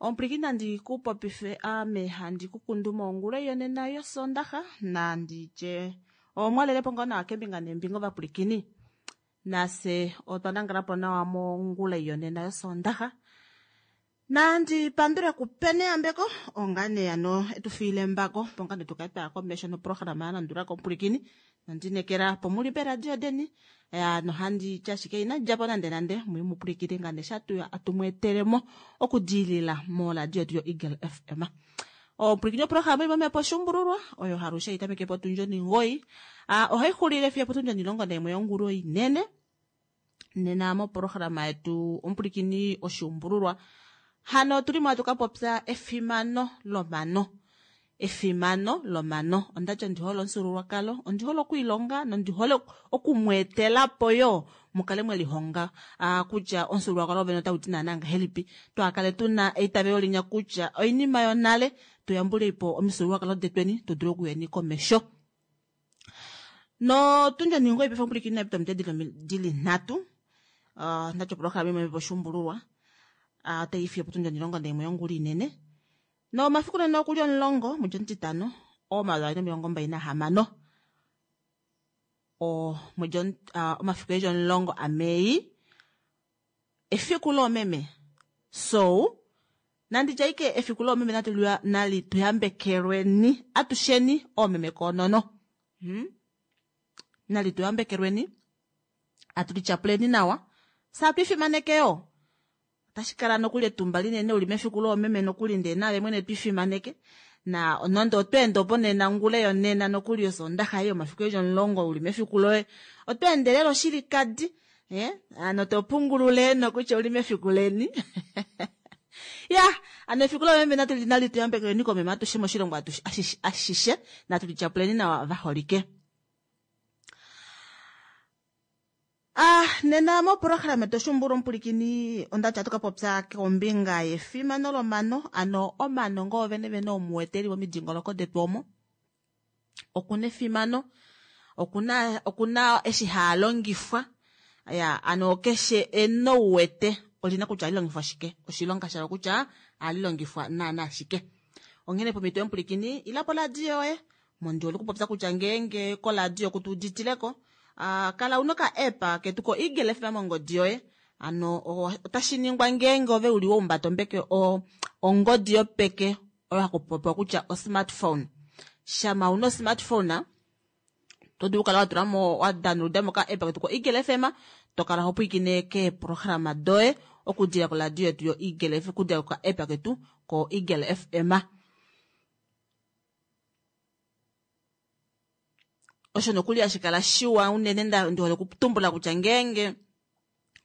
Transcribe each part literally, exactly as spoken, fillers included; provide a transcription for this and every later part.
Omupwilikini nandi kupopife ame handi kukundu mongula yonena yosondaxa nanditye omwalelepo ngoo nawa keembinga neembinga ovapwilikini nafye otwa nangalapo nawa mongula yonena yosondaxa nandi pandule kupene yambeko ongane ano etufiile embako opo ngane tukale twaya komesho noprograma yalandulako omupwilikini nondinekela opo muli peeradio deni nohandi ti ashike inadjapo nande nande mwiimupwilikine ngane shatuya atumweetelemo okudiilila moradio yetu yo Eagle F M. Omupwilikini oprograma imwe mepo oshuumbululwa oyo halushe itameke potundi omugoyi ohaixulile fiyo opotundi onimulongo naimwe yongulu inene. Nena moprograma yetu omupwilikini oshuumbululwa hano otulimo hatu kapopya efimano lomano. Efimano lomano ondati ondihole omufyuululwakalo ondihole okwiilonga nondihole okumweetelapo yoo mukale mwelihonga kutya omufyuululwakalo wovene otauti naana ngahelipi twaakale tuna eitavelo linya kutya oinima yonale tuyambuleipo omifyuululwakalo detweni tudule okuyeni komesho. Notundi omugoyi paife omupwilikini inapita ominute dili nhatu ondati oprograma imwe oshuumbululwa otaifiyo potundi omulongo naimwe yongula inene nomafiku nena okuli omulongo mwedi omutitano omayovi aali nomilongo mbali nahamano omwedi omafiku eli omulongo aMei efiku loomeme so nanditye ashike efiku loomeme nali tuyambekelweni atusheni oomeme koonono hmm? Nali tuyambekelweni atulityapuleni nawa fye atwiifimaneke yoo otashi kala nokuli etumba linene uli mefiku loomeme nokuli ndee naave mwene twiifimaneke na nande otweende opo nena ngula yonena nokuli osondaxa ei omafiku eli omulongo uli mefiku loye otweende lela oshilikadi eh hano topungulule nokutya uli mefiku leni ya hano efiku loomeme nali tuyambekelweni koomeme atushe moshilongo ashishe natu lityapuleni nawa vaholike. Ah, nena moprograma yetu oshuumbululwa omupwilikini ondati ohatu kapopya kombinga yefimano lomano ano omano ngoo vene vene omuwete eli momidingonoko detu omo okuna efimano okuna okuna eshi haalongifwa ya ano keshe eno uwete olina kutya ohalilongifwa shike oshilonga shalo kutya ohalilongifwa naana shike. Onghene pomhito yomupwilikini ila poradio yoye mondihole okupopya kutya ngeenge koradio kutuuditileko kala una oka app ketu ko Eagle F M mongodi yoye ano otashi ningwa ngeenge ove uli waumbata ombeke ongodi yopeke oyo hakupopiwa kutya o smartphone. Shama una o smartphone to dulu okukala watulamo wadownloadamo oka app ketu ko Eagle F M tokala hopwiikine keeprograma doye okudila koradio yetu yo Eagle F M okudila koka app ketu ko Eagle F M. Osho nokuli hashi kala shiwa unene ndihole okutumbula kutya ngeenge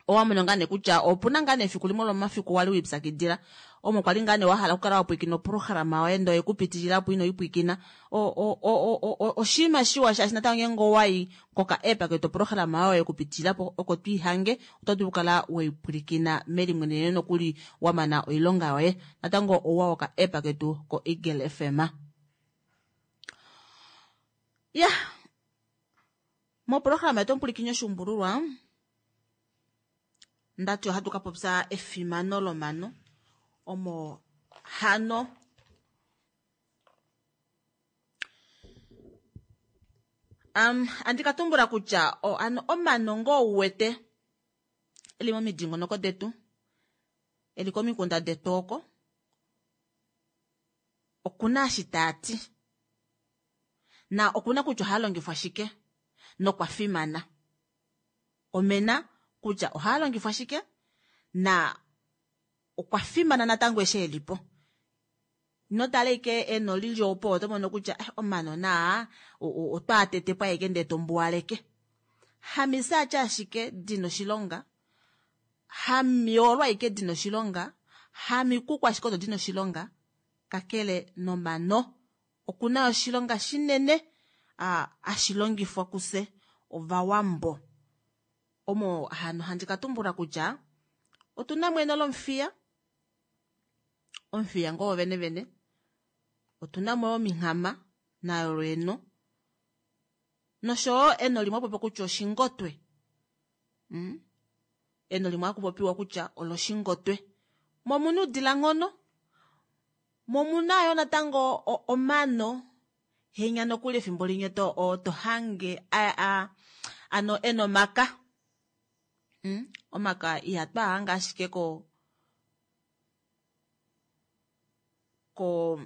owamona ngaa nee kutya opuna ngaa nee efiku limwe lomomafiku wali wiipyakidila omo kwali ngaa nee wahala okukala wapwiikina oprograma yoye ndee oyekupitilila po ino ipwiikina oshinima shiwa shaashi natango ngeenge owayi koka app ketu oprograma yoye yekupitilila po oko twiihange oto dulu okukala weipwilikina melimweneneno nokuli wamana oilonga yoye natango ouwa woka app ketu ko Eagle F M. Ya moprograma yetu omupwilikini oshuumbululwa ndati ohatu kapopya efimano lomano omo hano um andi katumbula kutya ano omano ngoo uwete eli momidingonoko detu eli komikunda detu oko okuna eshi taati na okuna kutya ohaalongifwa shike nokwa fimana. Omena kutya ohaalongifwa shike na okwa fimana natango eshi elipo. Ino tala ashike eno lili opo oto mono kutya omano naa otwaatetepo ashike ndee tombuwaleke. Hamisaati ashike dina oshilonga, hamiyoolo ashike dina oshilonga, hamikuku ashike odo dina oshilonga, kakele nomano okuna oshilonga shinene hashi longifwa kufye ovawambo. Omo hano handi katumbula kutya otuna mo eno lomufiya, omufiya ngoo wovene vene, otuna mo ominghama nayo lweeno noshoyo eno limwe hakupopiwa kutya oshingotwe. Eno limwe hakupopiwa kutya oloshingotwe. Mo omuna uudilanghono Mo omuna yoo natango omano henya nokuli efimbo limwe to hange ano ena omaka omaka ihatwaahange ashike ko ko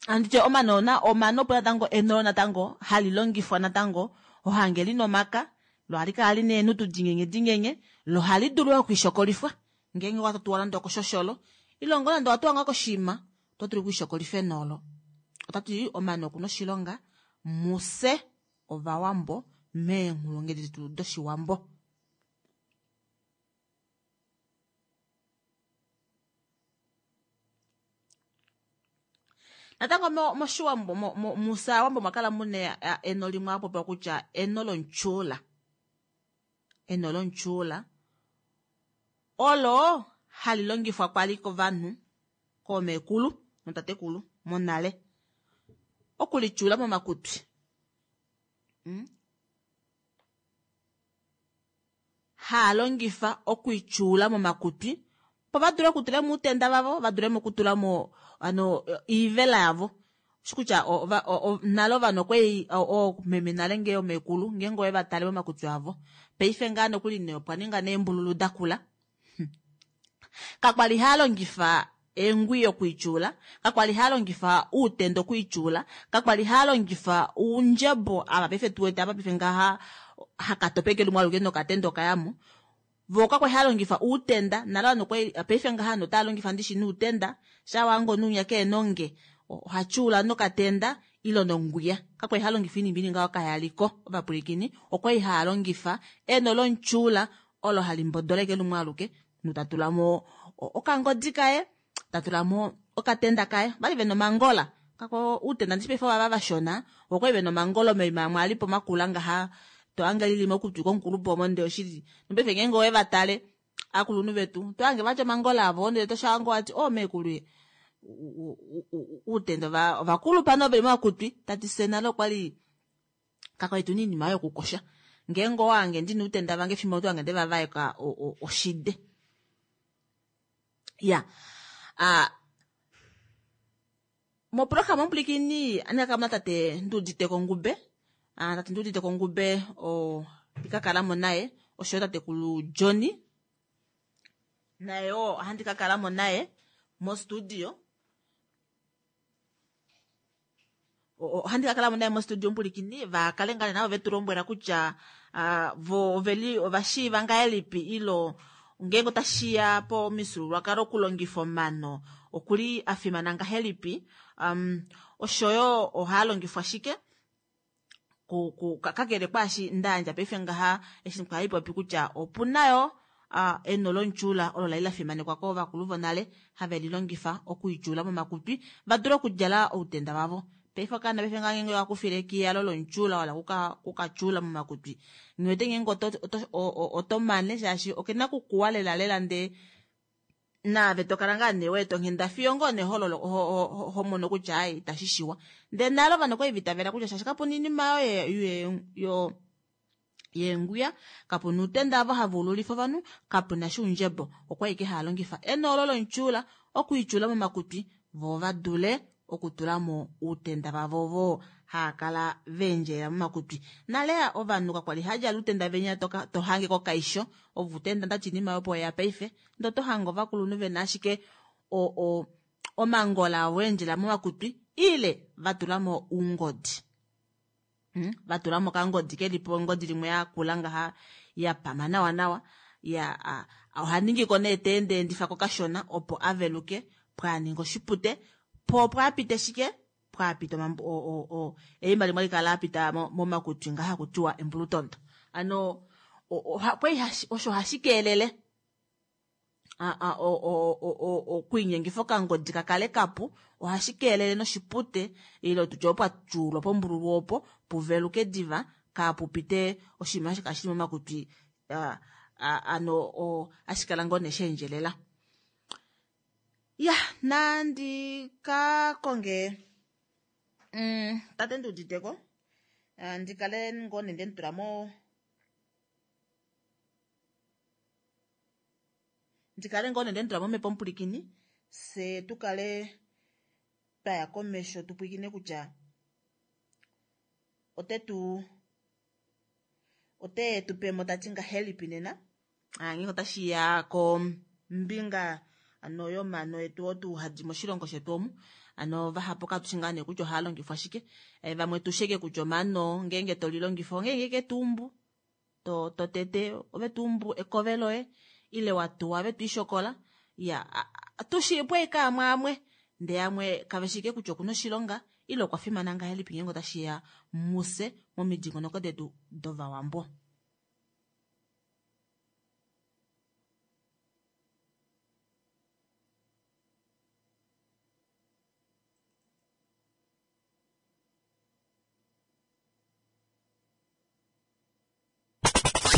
handitye omano omano opo natango eno natango halilongifwa natango hohange lina omaka loo ohalikala lina eenhutu dinyenye dinyenye loo ohalidulu yoo okwiishokolifwa ngeenge owatuwa nande okoshosholo ile ngoo nande owatuwa ngoo koshiima otodulu okwiishokolifa eno olo. Otati omano okuna oshilonga mufye ovawambo meenghulunghedi detu doshiwambo. Natango moshiwambo mufye ovawambo omwakala muna eno limwe hakupopiwa kutya eno lomutyuula. Eno lomutyuula olo hali longifwa kwali kovanhu koomekulu nootatekulu monale okulityuula momakutwi. Haalongifa okwiityuula momakutwi opo vadule okutulamo outenda vavo vadule okutulamo hano oivela yavo ushikutya nale ovanhu okwali oomeme nale ngee oomekulu ngeenge owevatale momakutwi avo paife ngaha nokuli nee opwaninga neembululu dakula kakwali haalongifa eengwiya okwiityuula kakwali haalongifa outenda okwiityuula kakwali haalongifa oundjebo ava paife tuwete apa paife ngaha hakatope ashike lumwe aluke nokatenda okayamo voo kakwali haalongifa uutenda nale ovanhu okwali paife ngaha ovanhu otaalongifa ndishi noutenda shaa wahange omunhu winya kehena onge ohatyuula nokatenda ile nongwiya kakwali halongifa oinima ili ngaho kayaliko ovapwilikini okwali haalongifa eno lomutyuula olo hali mbodola ashike lumwe aluke omunhu tatulamo okangodi kaye tatulamo okatenda kaye ovali vena omangola uutenda ndishi paife ovava vashona voo okwali vena omangola omaima amwe alipo makula ngaha tohange lili mokutwi komukulupe omo ndee oshili nopaife ngeenge owevatale ovakulunhu vetu otohange vatya omangola avo ndee toshange wati oo meekulu uutenda ovakulupa nee veli momakutwi tati fyee nale okwali kakwali tuna oinima oyo yokukosha ngeenge owahange ndina outenda vange efimbo olo otohange ndevavaeka oshide. Iyaa aa moprograma omupwilikini ohandikakala natate nduuditeko ngube tate nduuditeko ngube oo handikakalamo naye oshoyo tatekulu johnny naye yoo ohandi kakalamo naye mo studio ohandi kakalamo naye mo studio omupwilikini vakale ngoo nee navo vetulombwela kutya voo oveli ovashiiva ngahelipi ile ngeenge otashiya pomifyuululwakalo okulongifa omano okuli afimana ngahelipi oshoyo ohaalongifwa shike kakele kwaashi ndayandja paife ngaha eshi kwali kutya opuna yoo eno lomutyuula olo lali lafimanekwa kovakulu vonale have lilongifa okwiityuula momakutwi vadule okudjala outenda vavo. Paife okaana paife ngaha ngeenge okakufile ekiya olo lomutyuula wahala okukatyuula momakutwi nghiwete ngeenge otomane shaashi okena okukuwa lela lela ndee naave tokala ngoo nee weeta onghenda fiyo ngoo nee homono kutya aaye itashishiwa. Ndee nale ovanhu okwali vaitavela kutya shaashi kapuna oinima oyo yeengwiya kapuna uutenda ovo hava ululifa ovanhu kapunasha oundjebo okwali ashike haalongifa eno olo lomutyuula okwiityuula momakutwi voo vadule okutulamo outenda vavo ovo haakala vaendjelela momakutwi. Nale ovanhu kakwali haadjala outenda venya tohange kokaisho ovo outenda ndati oinima opo yeya paife ndee otohange ovakulunhu vena ashike omangola avo aendjelela momakutwi ile vatulamo oungodi vatulamo okangodi kelipo engodi limwe lakula ngaha yapama nawa nawa iyaa ohaningiko nee teendeendifako kashona opo aveluke pwaaninge oshipute poo pwaapite shike pwaapite eima limwe halikala lapita momakutwi ngaha hakutiwa embulutondo. Hano okwali osho ohashikelele okwiinyengifa okangodi kakale kapu ohashikelele noshipute ile tutye opo pwatyuulwa pombululu opo puveluke diva kaapupite oshinima osho shili momakutwi hano hashikala ngoo nee shaendjelela. Iyaa nandi kakonge tate nduuditeko ndikale ngoo nee ndemutula mo ndikale ngoo nee ndemutula momhepo omupwilikini fyee tukale twaya komesho tupwiikine kutya otetu ote tupemo tati ngahelipi nena ngenge otashiya kombinga ano yomano etu otu hadi moshilongo shetu omu ano vahapu katushi ngaa nee kutya ohaa longifwa shike vamwe tusheke kutya omano ngenge tolilongifa ongenge ketumbu to to tete ove tumbu ekove loye ile watuwa ove twiishokola ya tushiipwe ike amwe amwe ndee amwe kaveshike kutya okuna oshilonga ile okwa fimana ngahelipi ngenge otashiya muse momidingonoko detu dovawambo.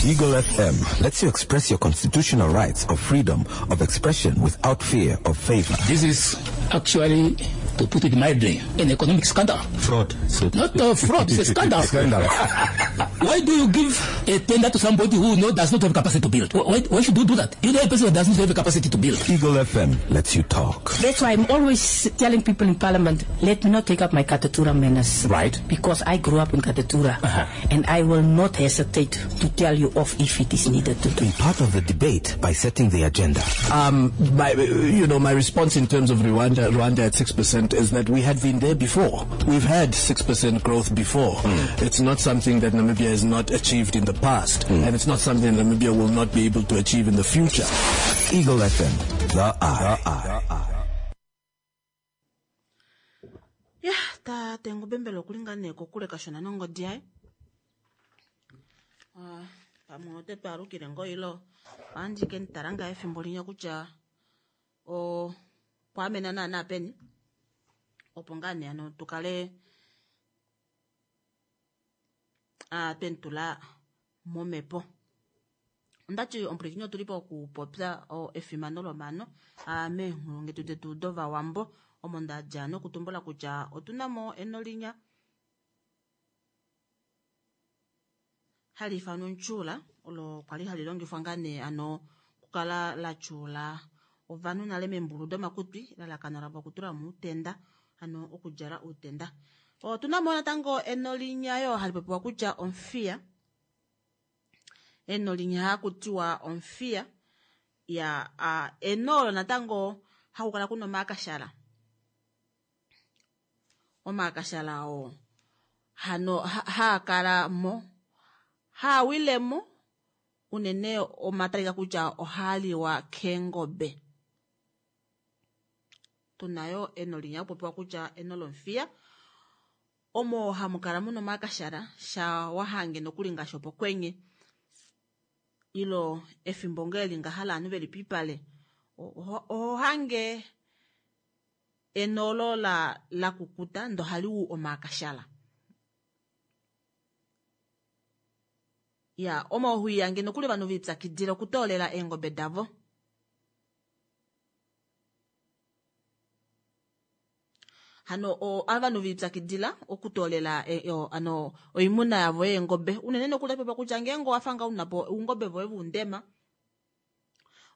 Eagle F M lets you express your constitutional rights of freedom of expression without fear of favor. This is actually, to put it mildly, an economic scandal. Fraud. So Not a fraud, it's a scandal. Scandal. Why do you give a tender to somebody who no, does not have capacity to build? Why, why should you do that? You know a person who does not have the capacity to build. Eagle F M lets you talk. That's why I'm always telling people in Parliament, let me not take up my Katutura manners. Right. Because I grew up in Katutura. Uh-huh. And I will not hesitate to tell you off if it is needed to do. Be part of the debate by setting the agenda. Um, my, you know, my response in terms of Rwanda, Rwanda at six percent is that we had been there before. We've had six percent growth before. Mm. It's not something that Namibia has not achieved in the past, mm. and it's not something that Namibia will not be able to achieve in the future. Eagle F M, the eye. The eye. Yeah, ta tengo bembelo kulingana kokule kashona nongodi yaye. Ah, pamwe ote twalukile ngoilo andike ntalanga efimbo linya kutya o kwamena naana peni opo ngaa nee ano tukale a twentula momepo. Ondati omupulikini otulipo okupopya efimano lomano meenghulungetu detu dovawambo omo ndadja nokutumbula kutya otunamo eno linya hali ifanwa ontyuula olo kwali hali longifwa ngaa nee ano kukala la tyuula ovanhu nale meembulu domakutwi elalakano lavo okutula mo uutenda ano okudjala uutenda. Otunamo natango eno linya yo hali popiwa kutya omfiya, eno linya hakutiwa omfiya ya a, eno olo natango hakukala kuna omaakashala, omaakashala oo hano haakala mo haawilemo unene omatalika kutya ohaaliwa keengobe. Tunayo eno linya kupopiwa kutya eno lomfiya omo hamukala muna omaakashala sha wahange nokuli ngaashi opokwenye ilo efimbo ngeli ngahala ovanhu veli pipale ohange enolo la la kukuta ndo haliwu omaakashala. Ya omo huiyange nokuli ovanhu vipyakidila okutoolela eengobe davo. Hano o ovanhu vipyakidila okutoolela e, o, ano oimuna yavo yeengobe unene nokuli pepa kutya ngeenge owafanga unapo oungobe voye vundema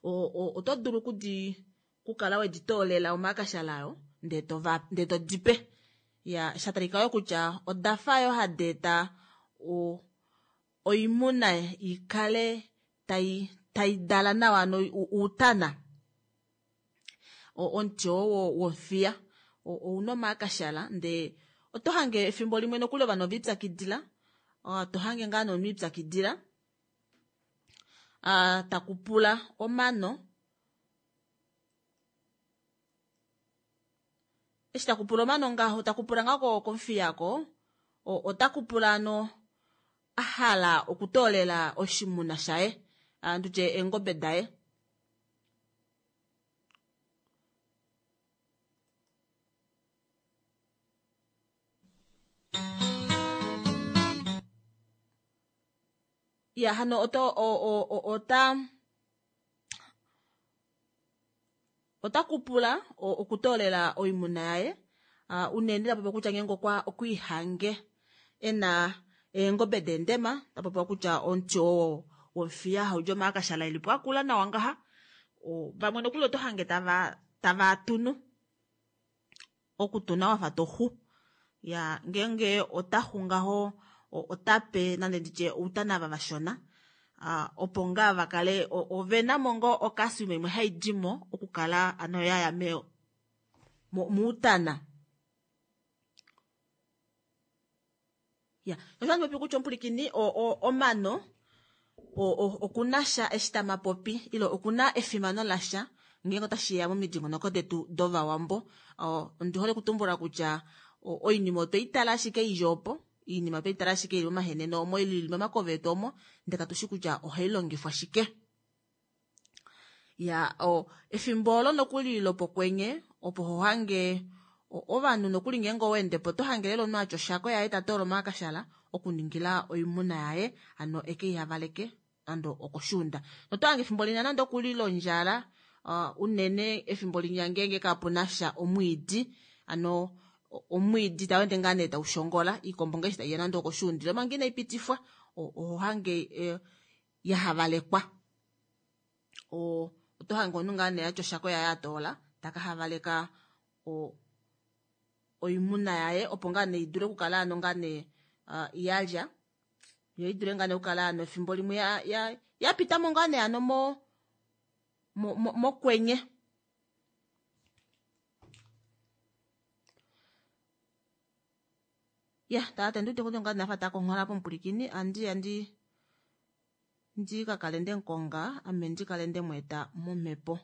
o oto dulu kudi kukala weditoolela omaakashala ayo ndee tova ndee todipe. Ya shatalika yo kutya odafa yo hadeeta o oimuna ikale tai tai dala nawa ano uutana omuti oo womfiya ouna omaakashala ndee oto hange efimbo limwe nokuli ovanhu ovipyakidila to hange ngaa nomunhu ipyakidila takupula omano eshi takupula omano ngaho takupula ngaho komfiyako otakupula ano ahala okutoolela oshimuna shaye andutye eengobe daye. Ya hano oto o o ota otakupula okutoolela oimuna yaye unene tapopiwa kutya ngeenge okwa okwiihange ena eengobe dendema tapopiwa kutya omuti oo womfiya haudi omaakashala elipo akula nawa ngaha vamwe nokuli oto hange tava tava tunu Okutuna wafa toxu ya ngeenge otaxu ngaho otape nande nditye outana ava vashona uh, opo ngaa vakale ovenamo ngoo ocalcium imwe haidimo okukala ano yaya me muutana. Ya osho handi popi kutya omupulikini omano okunasha eshi tamapopi ile okuna efimano lasha ngeenge otashiya momidingonoko detu dovawambo. Ondi hole okutumbula kutya oinima otweitala ashike ili opo, oinima otweitala ashike ili momahenene omo ili momakove etu omo, ndele katushi kutya ohai longifwa shike. Ya o efimbo olo nokuli lopokwenye opo ho hange ovanhu nokuli ngeenge owendepo oto hange lela omunhu atya oshako yaye tatoola omakashala okuningila oimuna yaye ano ekeihavaleke nande okoshuunda. Noto hange efimbo linya nande okuli londjala uh, unene efimbo linya ngeenge kapunasha omwiidi ano omwiidi tawende ngaa nee taushongola iikombo ngeshi taiya nande okoshuundilo manga inaipitifwa oho hange eh, yahavalekwa. O oto hange omunhu ngaa nee atya oshako yaye atoola taka havaleka o oimuna yaye opo ngaa nee idule okukala ano ngaa nee uh, yalya yo idule ngaa nee okukala ano efimbo limwe ya, ya, yapitamo ngaa nee ano mo mokwenye. Ya tate nduti kuti ngaa nafa takonghola pomupulikini andi andi ndi kakale ndemukonga ame ndikale ndemweeta momhepo.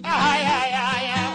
Ay, ay, ay, ay.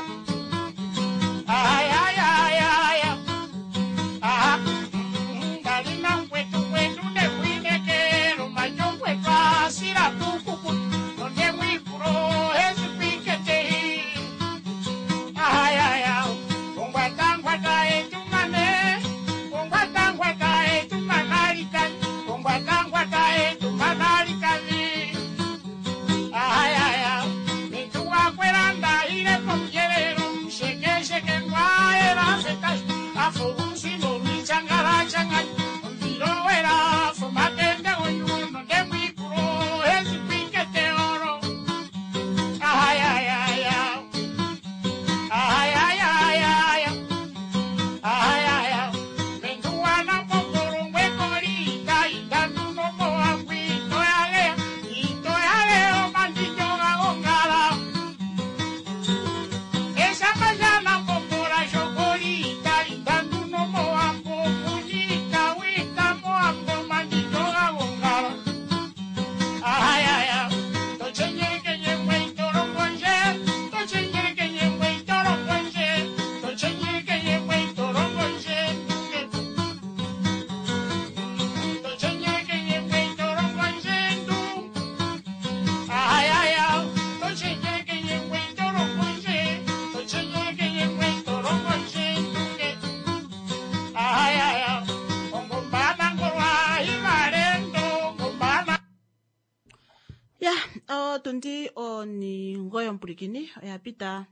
Otundi oningoyi omupulikini oya pita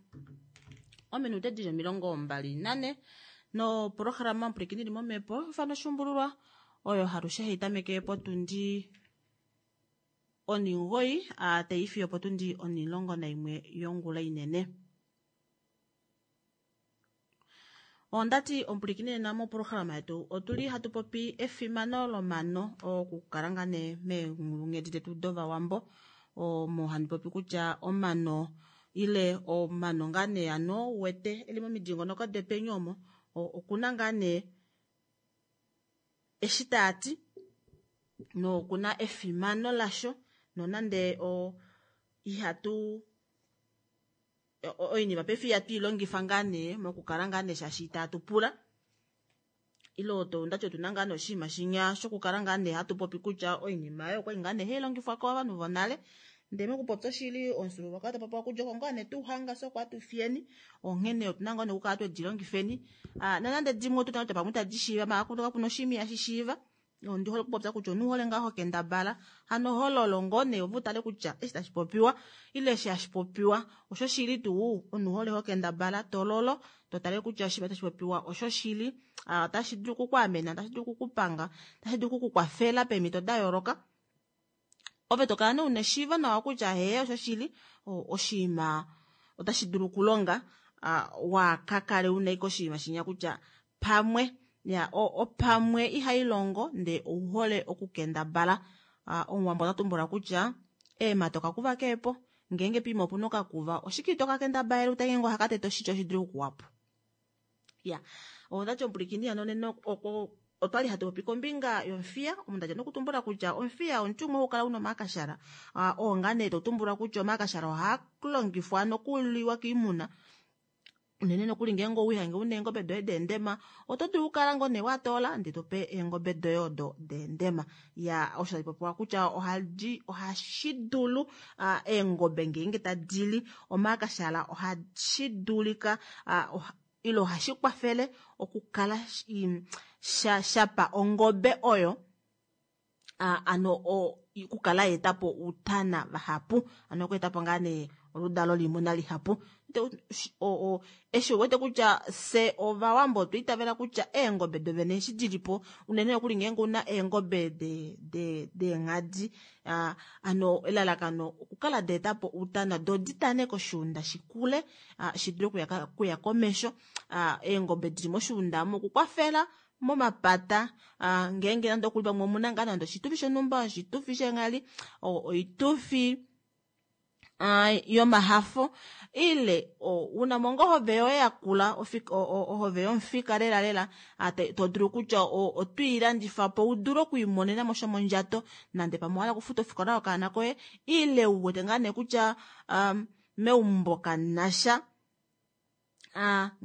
ominute dili omilongo mbali nane noprograma omupulikini ili momhepo ifano oshuumbululwa oyo halushe hai tameke potundi oningoyi taifiyo potundi onilongo naimwe yongula inene. Ondati omupulikini nena moprograma yetu otuli hatu popi efimano lomano okukala ngaa nee meenghedi detu dovawambo omo handi popi kutya omano ile omano ngaa nee ano uwete eli momidingonoko depeni omo okuna ngaa nee eshi taati nokuna efimano lasho nonande o ihatu oinima paife ihatu ilongifa ngaa nee mokukala ngaa nee shaashi itatu pula ile ndati otuna ngaa nee oshinima shinya shokukala ngaa nee hatu popi kutya oinima oyo okwali ngaa nee hailongifwa kovanhu vonale ndele mokupopya oshili omufyuululwakalo tapopiwa kutya oko ngaa nee tuhanga fye oko hatu fiyeni onghene otuna ngoo nee okukala twedilongifeni nonande dimwe otuna kutya pamwe itadi shiiva maala kapuna oshinima ihashi shiiva ondi hole okupopya kutya omunhu hole ngaa hokendabala hano hololo ngoo nee ove utale kutya eshi tashi popiwa ile eshi hashi popiwa osho shili tuu omunhu hole hokendabala tololo totale kutya oshinima tashi popiwa osho shili otashi dulu okukwaamena otashi dulu okukupanga otashi dulu okukukwafela peemhito da yooloka ove tokala nee una eshiivo nawa kutya hee osho shili oshinima otashi dulu okulonga wakakale una ashike oshinima shinya kutya pamwe ya opamwe ihailongo ndee ouhole okukendabala. Omuwambo ota tumbula kutya eemhata okakuva keepo ngeenge poima opuna okakuva oshike ito kakendabalele utale ngenge ohakatete oshitya oshidule okukuwapo. Ya ondati omupulikini hano nena otwali hatu popi kombinga yomufiya omunhu tadja nokutumbula kutya omufiya omuti umwe haukala una omakashala oo ngaa nee totumbula kutya omakashala ohaalongifwa nokuliwa koimuna unene nokuli ngeenge owihange una eengobe doye deendema oto dulu okukala ngoo nee watoola ndee tope eengobe doye odo deendema. Ya osho tashi popiwa kutya ohadi ohashi dulu eengobe ngeenge tadili omakashala ohashi dulika ile ohashi kwafele okukala shapa ongobe oyo ano okukala yeetapo outana vahapu ano okweetapo ngaa nee oludalo loimuna lihapu. Eshi uwete kutya fye ovawambo otwa itavela kutya eengobe dovene eshi dilipo unene nokuli ngeenge una eengobe deenghadi ano elalakano okukala daetapo outana doo ditane koshuunda shikule shidule okuya komesho eengobe dili moshuunda omo okukwafela momapata ngeenge nande okuli pamwe omuna ngaa nande oshitufi shonhumba oshitufi sheenghali oitufi yomahafo ile unamo ngoo ohove yoye yakula ohove yomufika lela lela todulu kutya otwiilandifapo udule okwiimonenamo shomondjato nande pamwe owahala okufuta ofikola yokaana koye ile uwete ngaa nee kutya meumbo kamunasha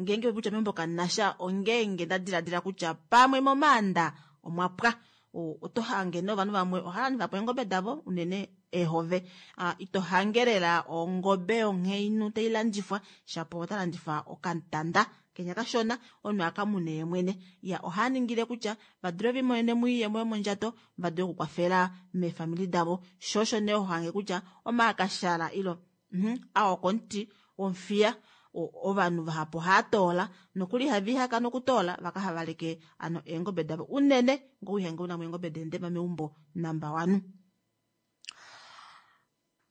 ngeenge kutya meumbo kamunasha ongeenge ndadiladila kutya pamwe momaanda omwapwa oto hange novanhu vamwe ohalandifapo eengobe davo unene eehove ito hangelela ongobe yonghainhu tailandifwa shapo otalandifa okatanda kenya kashona omunhu akamune yemwene. Ya ohaningile kutya vadule vimonene moiyemo yomondjato vadule okukwafela meefamili davo sho osho nee hohange kutya omakashala ilo aokomuti womufiya ovanhu vahapu ohaatoola nokuli ihavihaka nokutoola vakahavaleke ano eengobe davo unene ngoo wihange unamo eengobe deendema meumbo number one.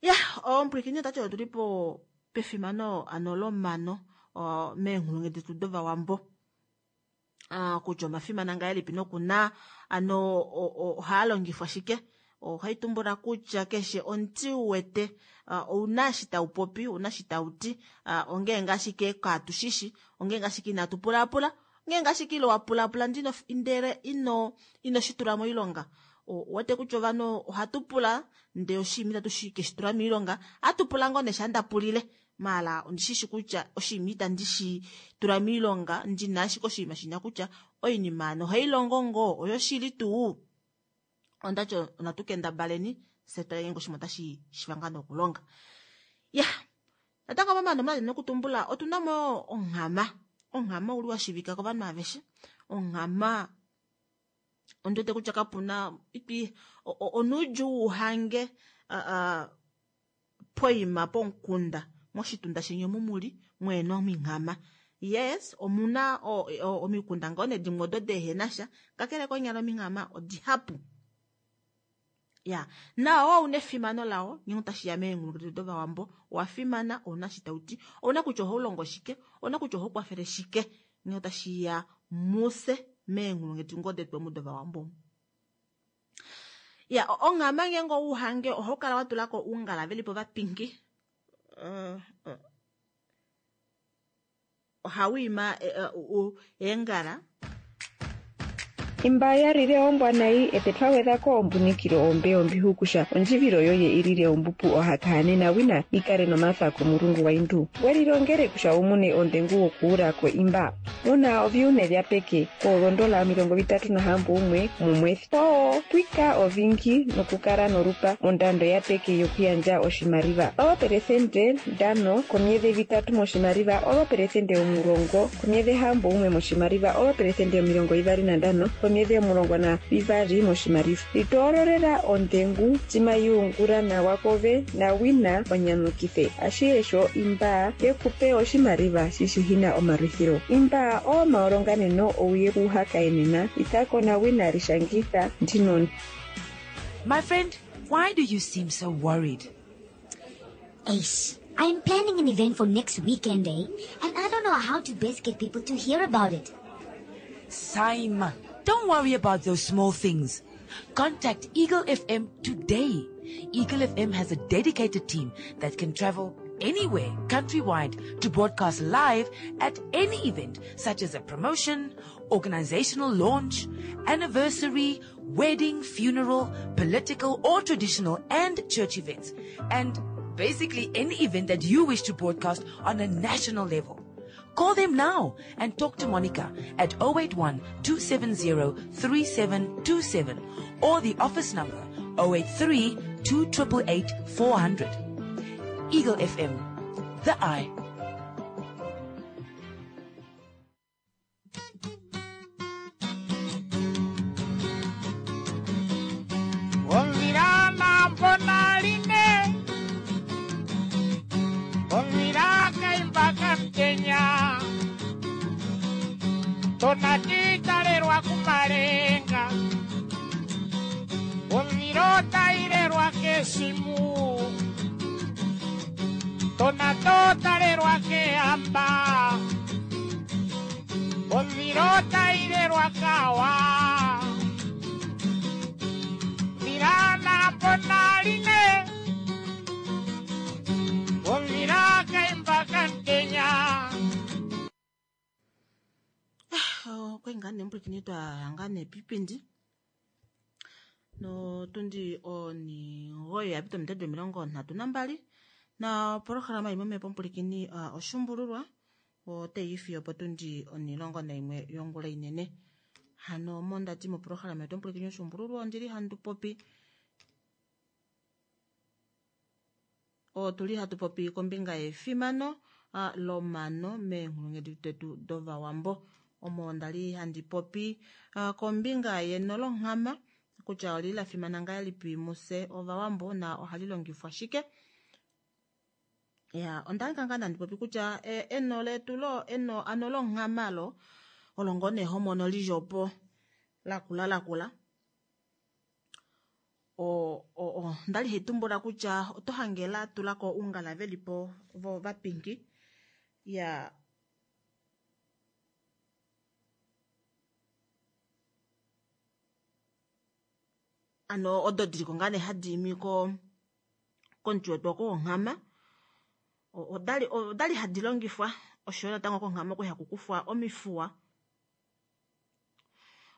Ya omupulikini otati otuli po pefimano ano lomano meenghulungu detu dovawambo kutya omafimana ngahelipi nokuna ano ohaalongifwa shike. Ohaitumbula kutya keshe omuti uwete ouna eshi taupopi ouna eshi tauti ongeenge ashike katushishi ongeenge ashike inatu pulaapula ongeenge ashike ile wapulaapula ndele ino inoshitula moilonga. Ouwete kutya ovanhu ohatu pula ndee oshinima itatu keshitula moilonga atupula ngoo nee sha ndapulile maala ondishishi kutya oshinima itandi shi tula moilonga ndina ashike oshinima shinya kutya oinima ano ohailongo ngoo oyoshili tuu. Ondati natu kendabaleni fye tutale ngeenge oshinima otashi shiiva ngaa nokulonga. Ya natango momano omuna nokutumbula otunamo onghama. Onghama ouli washivika kovanhu aveshe. Onghama ondiwete kutya kapuna onuudjuu uhange poima pomukunda moshitunda sheni omu muli mweena ominghama. Yes, omuna omikunda ngoo nee dimwe odo dehenasha, kakele konyala ominghama odihapu. Ya, nao ouna efimano lao ngenge tashiya meenghulunghedi dovawambo owafimana, ouna shi tauti, ouna kutya ohaulongo shike, ouna kutya ohaukwafele shike ngenge tashiya muse meenghulunghedi ngoo detu omu dovawambo. Ya, onghama ngenge ouhange ohaukala watulako oungala velipo vapinki. Uh, uh. Ohauima eengala. Imba yalile ombwa nayi ete twagwedhako ombunikilo ombe ombihukusha ondjivilo yoye ilile ombupu ohakahanena wina ikale nomathako mulungu waindu welilongele kusha umune ondengu wokuulako imba una oviune vya peke koolondola omilongo vitatu nahambo umwe mumwethi oo twika ovingi nokukala norupa mondando ya peke yokuyandja oshimaliwa operesende ndano komyedhe vitatu moshimaliwa operesende omulongo komyedhe hambo umwe moshimaliwa operesende omilongo ivali nandano komyedhi omulongo na vivali moshimaliwa litoololela ondengu timayuungula nawa kove na wina onyamukithe ashihe imba yekupe oshimaliwa shishihina omalwithilo imba omaolonganeno ouye kuhakaenena itako na wina lishangitha ndino. My friend, why do you seem so worried? Ace, I'm planning an event for next weekend, eh? And I don't know how to best get people to hear about it. Simon, don't worry about those small things. Contact Eagle F M today. Eagle F M has a dedicated team that can travel anywhere countrywide to broadcast live at any event, such as a promotion, organizational launch, anniversary, wedding, funeral, political or traditional and church events, and basically any event that you wish to broadcast on a national level. Call them now and talk to Monica at oh eight one, two seven zero, three seven two seven or the office number oh eight three, two eight eight, four hundred. Eagle F M, the eye. Tonatitarerwa kumalenga Ovirotairerwa kesimu Tonatotarerwa keamba Ovirotairerwa kawa Virana ponaline Oviraka imbakantenya. Kwengane mpwikinyi twahanga nepipindi notundi onigoyi yapita omitatu omilongo nhatu nambali na opolohalama imwe mepo mpwilikini uh, oshumbululwa oteyi fiyo potundi onilongo naimwe yongula inene. Hano mondati mopolohalama yetu mpwilikini oshumbululwa ondili handu popi otuli hatu popi kombinga yefimano uh, lomano meenghulunghedi detu dovawambo. Omo ndali handi popi uh, kombinga yeno longhama kutya oli la fimana ngahelipi muse ovawambo na ohali longifwa shike. Ya, ondali kanga nandi popi kutya e, eno letu lo eno ano longhama lo olongo nehomono lijopo lakula lakula. O, o, o ndali hitumbula kutya oto hangela tulako ungala velipo vo vapinki. Ya, ano odo diliko ngane hadi ko komuti wetu wonghama odali odali hadi longifwa osho natango konghama oku hakukufwa omifuwa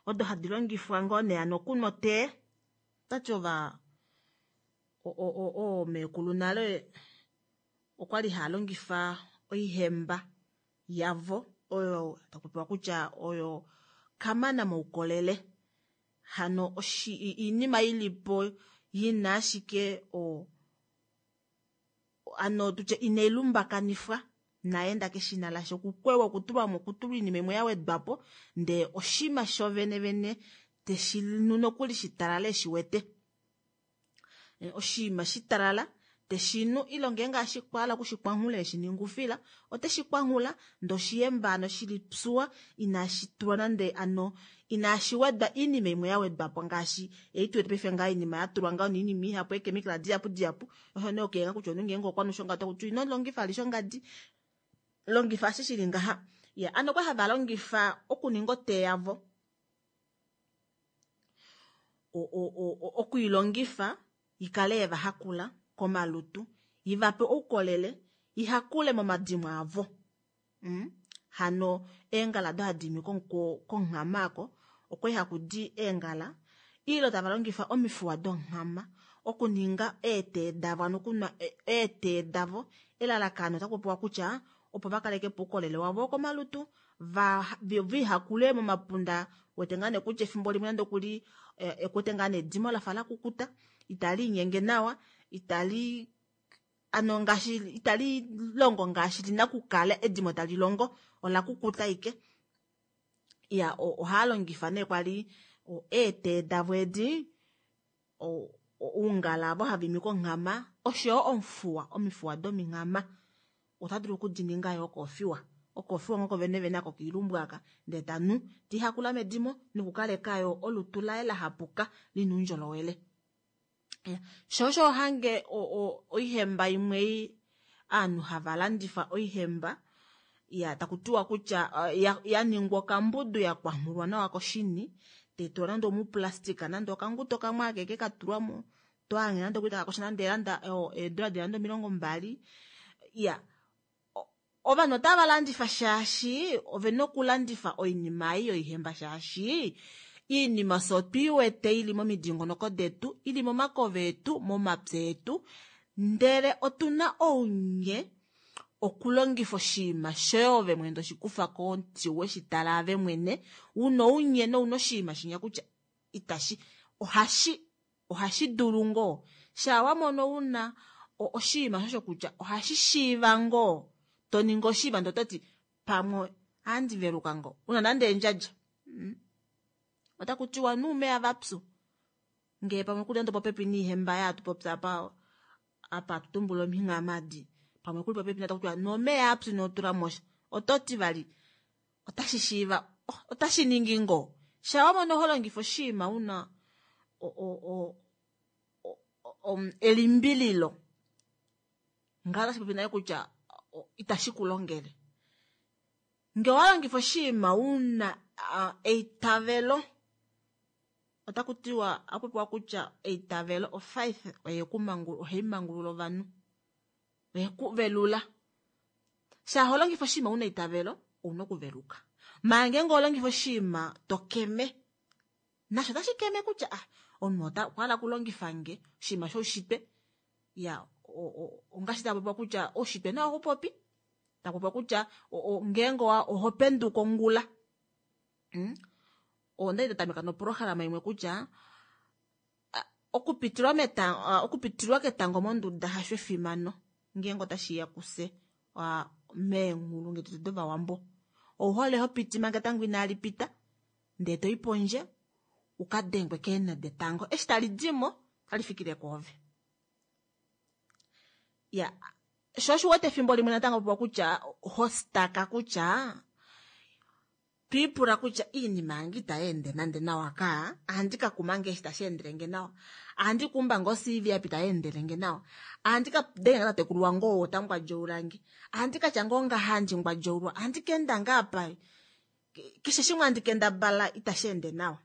odo hadi longifwa ngoo nee ano kunwa tee tati ova o o o meekulu nale okwali haalongifa oihemba yavo oyo takupewa kutya oyo kamana moukolele. Hano oshi iinima ilipo yina ashike o ano tutye inelumbakanifwa naenda keshina lasho kukwewa okutulwa mo okutulwa iinima imwe yawedwapo ndee oshima sho vene teshi nu nokuli shitalala eshiwete. Oshima shitalala Teshinu ile ngeenge ashikwahala okushikwanghula eshininga oufila oteshikwanghula ndee oshihemba hano shilipyuwa inashi tulwa nande hano inashiwedwa oinima imwe yawedwapo ngaashi ei tuwete paife ngaha oinima yatulwa ngaho noinima ihapu eechemical dihapu dihapu osho nee okuyenga kutya omunhu ngeenge okwanhu shongadi otakuti inolongifa vali shongadi longifa eshi shili ngaha. Iya hano okwali hava longifa okuninga otee yavo okwiilongifa ikale yevahakula komalutu ivape oukolele ihakule momadimo avo. Mm? Hano eengala odo hadi imi konghama aako okwali hakudi eengala ile tava longifa omifuwa donghama okuninga eetee davo hano okunwa eetee davo elalakano otakupopiwa kutya opo vakalekepo oukolele wavo wokomalutu vihakule momapunda wete ngaa nee kutya efimbo limwe nande okuli ekuwete ngaa nee edimo lafa lakukuta italiinyenge nawa itali ano ngaashi itali longo ngaashi lina okukala edimo tali longo olakukuta ashike. Iya ohaalongifa nee kwali eetee davo edi oungala avo hava imi konghama oshoyo omufuwa omifuwa dominghama ota dulu okudininga yoo okofiwa okofiwa ngoo kovene vene ako koilumbu aka ndee tanu tihakula medimo nokukaleka yoo olutu laye lahapuka lina oundjolowele. Sho osho hange oihemba imwe ovanhu hava landifa oihemba iya takutiwa kutya yaningwa okambudu yakwanghulwa nawa koshini taitulwa nande omuplastic nande okanguto kamwe akeke katulwamo tohange nande okuli takakosha nande eedula dili nande omilongo mbali. Iya ovanhu otava landifa shaashi ovena okulandifa oinima ei yoihemba shaashi oinima fye otwiiwete ili momidingonoko detu ili momakova etu momapya etu ndele otuna ounye okulongifa oshinima shoye ove mwene toshikufa komuti weshitala ave mwene una ounye nouna oshinima shinya kutya itashi ohashi ohashi dulu ngoo shaa wamono una oshinima shosho kutya ohashi shiiva ngoo toningi oshinima ndee ototi pamwe ohandi veluka ngoo una nande endjadja mm. Otakutiwa nuumeya vapyu ngee pamwe kuli nande popepi niihemba yaatu popya apa apa atutumbula ominghama adi pamwe kuli popepi taku tiwa nomeya apyu inotulamo sha ototi vali otashi shiiva otashi ningi ngoo shaa wamono holongifa oshinima una elimbililo ngaho otashi popi nale kutya itashi kulongele. Ngee owalongifa oshinima una eitavelo otakutiwa ohakupopiwa kutya eitavelo ofaith ohaimangulula ovanhu oyekuvelula. Shaa holongifa oshinima una eitavelo ouna okuveluka maala ngeenge oholongifa oshinima tokeme nasho otashi keme kutya ah omunhu okwahala okulongifange oshinima shoushitwe iya ongaashi takupopiwa kutya oushitwe nao ohaupopi takupopiwa kutya ngeenge ohopenduka ongula mm? Ondali ndatameka noprograma imwe kutya okupitilwa metango okupitilwa ketango monduda hasho efimano ngeenge otashiya kufye meenghulungu detu dovawambo ouhole hopiti manga etango inali pita ndee toyi pondje ukadengwe keenhe detango eshi tali dimo otali fikile kwoove. Iya sho osho uwete efimbo limwe natango popiwa kutya hostaka kutya twiipula kutya iinima yange itayeende nande nawa kaa ohandi kakuma ngoo eshi tashi endelenge nawa ohandi kuumba ngoo C V apa itayeendelenge nawa ohandi kadenga ngoo tatekulu wange ou otangwadjaulange ohandi katya ngoo ngaha handi ngwadjaulwa ohandi kaenda ngoo apa keshe shimwe handi kendabala itashi ende nawa.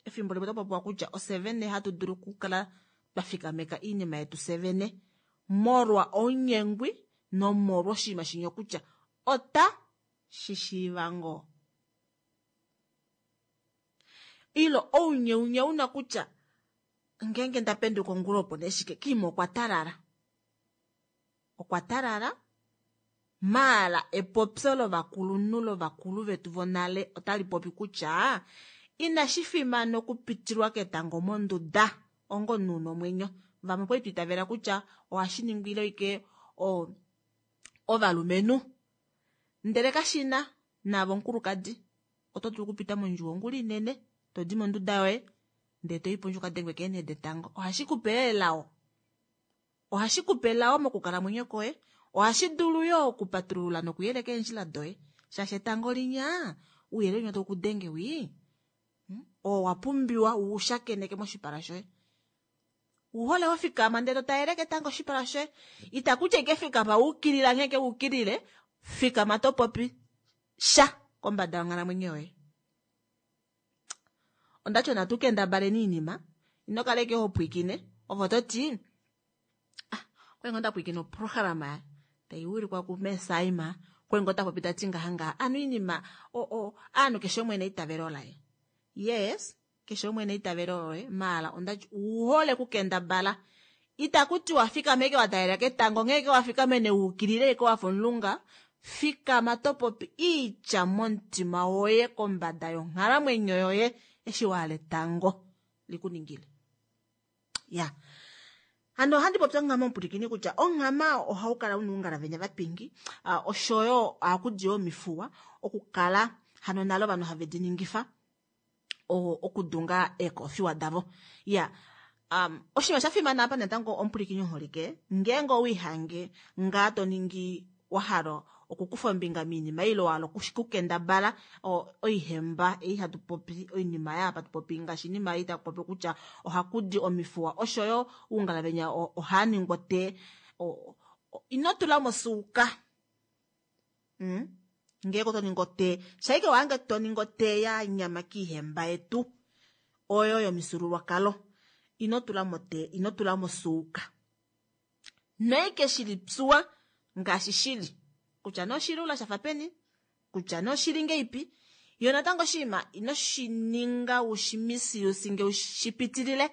Efimbo limwe otakupopiwa kutya ofye vene hatu dulu okukala twafikameka oinima yetu fye vene molwa ounyengwi nomolwa oshinima shinya kutya ota shishiiva ngoo ile ounyeunye una kutya ngeenge ndapenduka ongula opo nee shike kiima okwa talala okwa talala maala epopyo lovakulunhu lovakulu vetu vonale otali popi kutya inashi fimana okupitilwa ketango monduda onga omunhu una omwenyo. Vamwe okwali twiitavela kutya ohashi ningilwa ashike ovalumenhu ndele kashina naave omukulukadi oto dulu okupita mondjuwo ongula inene todi monduda yoye ndee toyi pondje ukadengwe keenhe detango ohashi kupe elao. Ohashi kupe elao mokukalamwenyo kwoye. Ohashi dulu yo okupatulula nokuyeleka eendjila doye. Shaashi etango linya, ouyelele winya tau ku denge wii, oo wa pumbiwa u shakeneke moshipala shoye. Uhole ho fikama ndele to talele ketango oshipala shoye. Itaku ti ashike fikama wa ukilila nghee ke ukilile, fikama to popi sha kombada yonghalamwenyo yoye. Ondati natu kendabaleni oinima, ino kala ashike ho pwiikine, ove oto ti, ah, okwali ngoo nda pwiikina oprograma tai wilikwa kuMesaima, okwali ngoo ta popi ta ti ngaha ngaha. Ano oinima, o-, o-, aanhu keshe umwe neitavelo laye. Yes, keshe umwe neitavelo loye, maala ondati uhole kukendabala. Itaku tiwa fikama eke wa talela ketango, nghee eke wa fikamene wa ukilile eke wa fa omulunga, fikama to popi iitya momutima woye kombada yonghalamwenyo yoye eshi wa hala etango likuningile. Ya. Hano ohandi popi onghama omupulikini kutya onghama ohau kala una oungala venya vapingi, ah, oshoyo ohaku di omifuwa okukala hano nale ovanhu have di ningifa o-, okudunga eekofiwa davo. Ya. Um, oshinima sha fimana apa natango omupulikini oholike, ngeenge owiihange ngaa to ningi wa hala okukufa ombinga miinima ile wa hala okukendabala, o-, oihemba ei hatu popi, oinima ya hatu popi ngaashi oinima ei taku popi kutya ohaku di omifuwa oshoyo oungala venya o-, ohaa ningwa te, o-, o-, ino tula mosuuka. Mm? Ngeenge oto ningi otee, shaike wange to ningi otee ya nyama kiihemba yetu oyo yomifyuululwakalo, ino tula motee, ino tula mosuuka. Noike shili psuwa ngaashi shili kutya noshilula shafa peni, kutya noshili ngeipi, yo natango oshinima ino shi ninga ushi misuse nge ushi pitilile.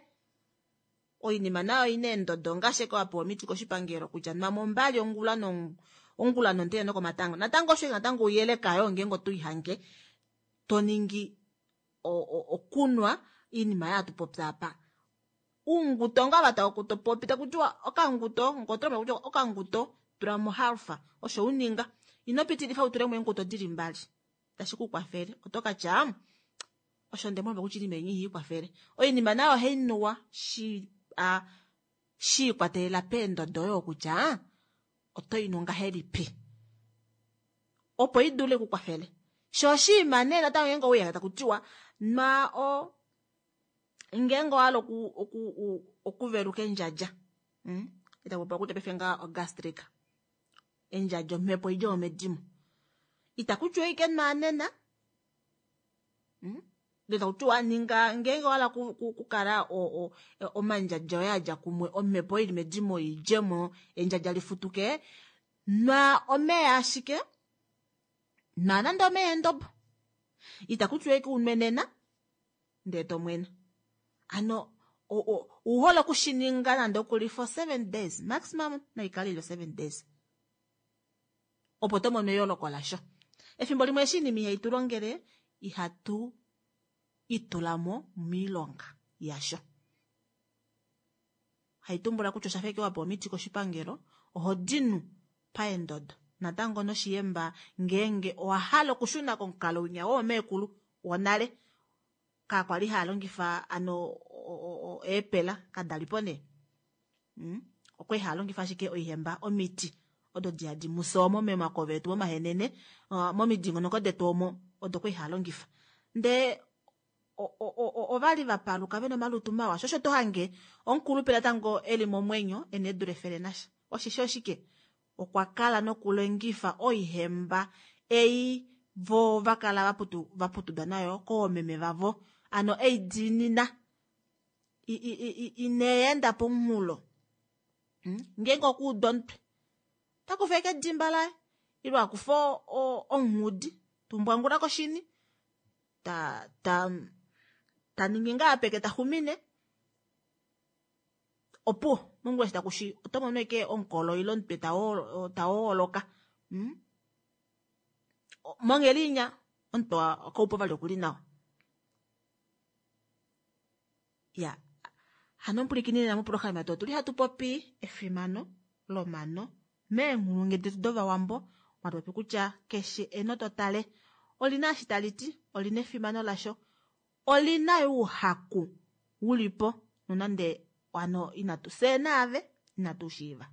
Oinima nayo ina eendodo ngaashi eke wa pewa omiti koshipangelo kutya nwa mombali ongula no-, ongula nomutenya nokomatango. Natango osho natango uyeleka yo ngeenge oto ihange to ningi o-, o-, okunwa iinima ya tu popya apa. Uunguto nga va tava kutopopi, taku tiwa okanguto, ngoto taku tiwa okanguto, tula mo halfa, osho uninga. Ino pitilifa u tule mo eenguto dili mbali. Tashi ku kwafele. Oto ka tya, osho nde mwamba kuchili menyi hii kwafele. Oinima nayo ohai nuwa shi, a, shi ikwatelela peendodo yo kutya, oto inu ngahelipi. Opo i dule ku kwafele. Sho oshinima nee natango ngeenge ouya taku tiwa, nwa o, ngeenge owa hala oku, oku, oku, okuveluka endjadja. Mm? Ita popiwa kutya paife ngaa ogastric. Endjadja omhepo idje yomedimo. Ita kutiwa ike nwa nena. Mm? Ita kutiwa ninga ngeenge owa hala ku, ku, kukala o, o, omandjadja oye adja kumwe, omhepo ili medimo idjemo, endjadja lifutuke. Nwa omeya ashike. Nwa nande omeya endobo. Ita kutiwa ike unwe nena, ndee to mwena. Ano, o, o, uhole okushininga nande okuli for seven days, maximum naikale ilo seven days. Opo to mono eyooloko lasho. Efimbo limwe eshi iinima ihai tu longele, ihatu itula mo miilonga yasho. Haitumbula kutya osha feke wa pewa omiti koshipangelo, oho dinu paendodo. Natango noshiyemba ngeenge owa hala okushuna komukalo winya woomekulu wonale, ka kwali haya longifa ano o-, o-, o-, eepela kadalipo nee. Mm? Okwali haya longifa ashike oihemba omiti odo di hadi musomo momakove etu momahenene, uh, momidingonoko detu omo odo kwali haya longifa. Ndee o-, o-, o-, o-, ovali va paluka vena omalutu mawa. Sho osho to hange omukulupe natango eli momwenyo ena eedula efele nasha. Oshisho oshike? Okwa kala nokulongifa oihemba ei vo va kala va putu-, va putudwa nayo koomeme vavo. Ano ei diinina. I-, i-, i-, i-, ineenda pomunghulo. Hmm? Ngeenge okuudwa omutwe, ta kufa eke edimba laye, ile akufa o-, o-, onghudi, tumbwangula koshini, ta, ta, ta ningi ngaa peke ta xumine. Opuwo, mongula eshi taku shi, oto mono eke omukolo ile omutwe ta wo-, ta wooloka. Hmm? O-, monghedi inya, omutwe wa-, okaupo vali okuli nawa. Ya. Hano omupulikini nena moprograma yetu otuli hatu popi efimano lomano meenghulungu detu dOvawambo. Mwatu popi kutya keshe eno to tale olina eshi tali ti, olina efimano lasho, olina ouhaku ulipo nonande ano inatu fye naave Inatu shiiva.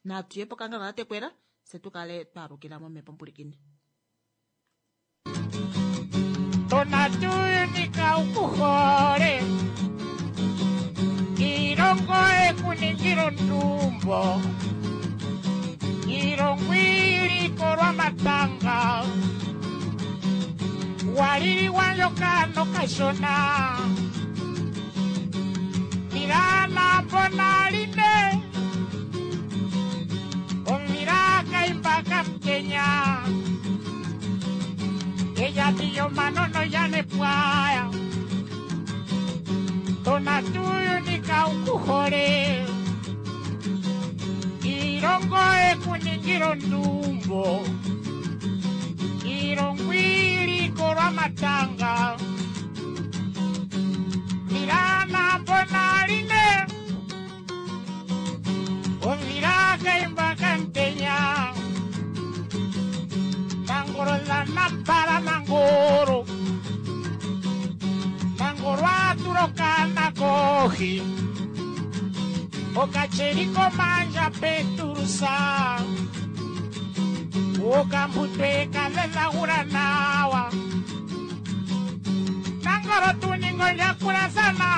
Natu ye pokangalo katekwela se tu kale twaalukila momhepo mpulikini. Tonatuunika ukuhole ilongo ekuningila ondumbo ilongo ilikolwa matanga waliliwa ndjoka nokashona milana bonaline omila kaimba kamtenya eyatiyo manono yanepwaya tonatuyunika ukuhole ilongo ekuningila ondumbo ilongo ilikolwa matanga milana bonaline omila kaimba kamtenya nangoro la nampala nangoro nangoro aturoka nakohi okacheriko manja peturusa okambutwe kalelagura nawa nangoro tuningo lyakulasana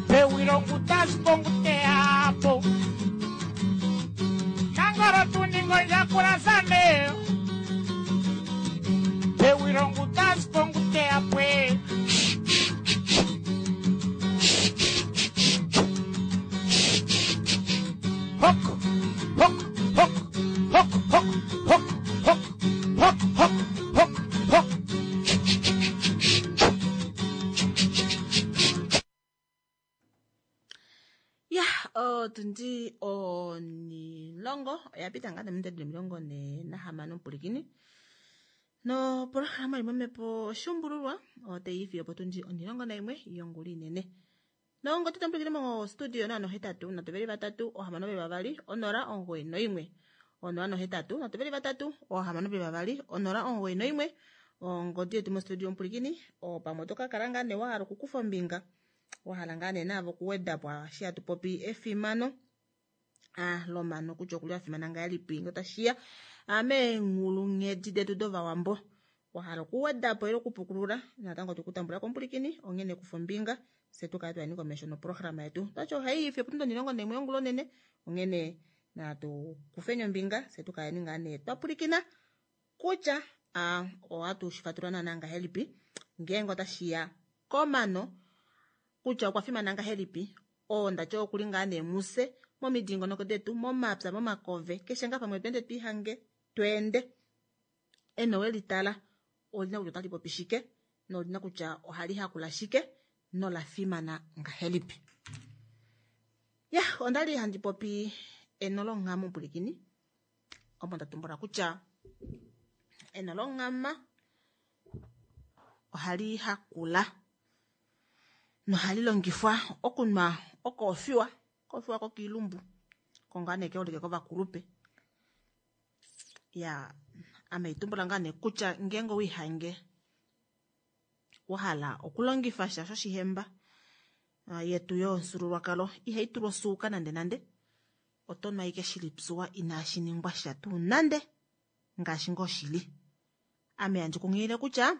pewilongutasponguteapo nangoro tuningo lyakulasane pewilongutasponguteapwe hok hok hok hok hok hok hok hok hok hok hok. Ya, otundi onilongo oya pita ngaa nominute omilongo ne nahamano mpulikini. Nopolohalama yimwe momhepo oshuumbululwa otayi ifi opo tundi onilongo naimwe yongula inene. Nongo tete mo studio na nohetatu nhatu veli vatatu ohamano veli vavali onola omugoyi noimwe onola nohetatu nhatu veli vatatu ohamano veli vavali onola omugoyi noimwe ongodi yetu mostudio mpulikini opamwe oto kakala ngaa nee wahala okukufa ombinga wahala ngaa nee naavo okuwedapo eshi hatu popi efimano ah lomano kutya okuli afimana ngahelipi ngee otashiya meenghulunghedi detu dovawambo wahala okuwedapo ile okupukulula natango tukutambula kompulikini onghene kufa ombinga se tukale twayeni komesho noprograma yetu twatya ohaiifi opo tundi omilongo naimwe yongula onene onghene natu kufeni ombinga se tukaleni ngaa nee twapulikina kutya ah, ohatu shifatulula naana ngahelipi ngeenge otashiya komano kutya okwa fimana ngahelipi oo ndatya okuli ngaa nee muse momidingonoko detu momapya momakove keshe ngaa pamwe tweende twiihange tweende eno welitala olina kutya otali popi shike nolina kutya ohali hakula shike nola fimana ngahelipi. Ya, ondali handi popi eno longhama mpulikini omo nda tumbula kutya eno longhama ohali hakula nohali longifwa okunwa okoofiwa koofiwa kokiilumbu kongaa nee keholike kovakulupe. Ya, ame itumbula ngaa nee kutya ngeenge owiihange wahala okulongifa sha shoshihemba yetu yomufyuululwakalo ihai tulwa osuuka nande nande oto nu ashike shili psuwa inashi ningwa sha tuu nande ngaashi ngoo shili. Ame handi kunghilile kutya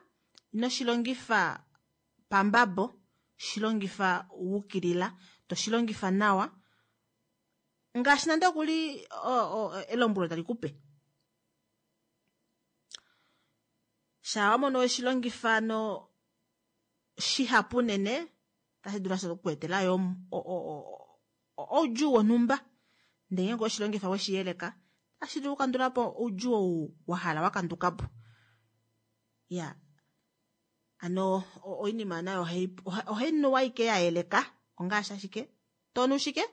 ino shilongifa pambabo shilongifa wukilila toshilongifa nawa ngaashi nande okuli elombwelo tali kupe. Shaa wamono weshilongifa no shihapu unene tashi dulu ashike okukuetela yo oudjuu wonhumba ndele ngeenge oweshilongifa weshiyeleka otashi dulu okukandulapo oudjuu ou wahala wakandukapo. Ya, ano oinima nayo ohai nuwa ashike yayeleka ongaashi ashike tonu shike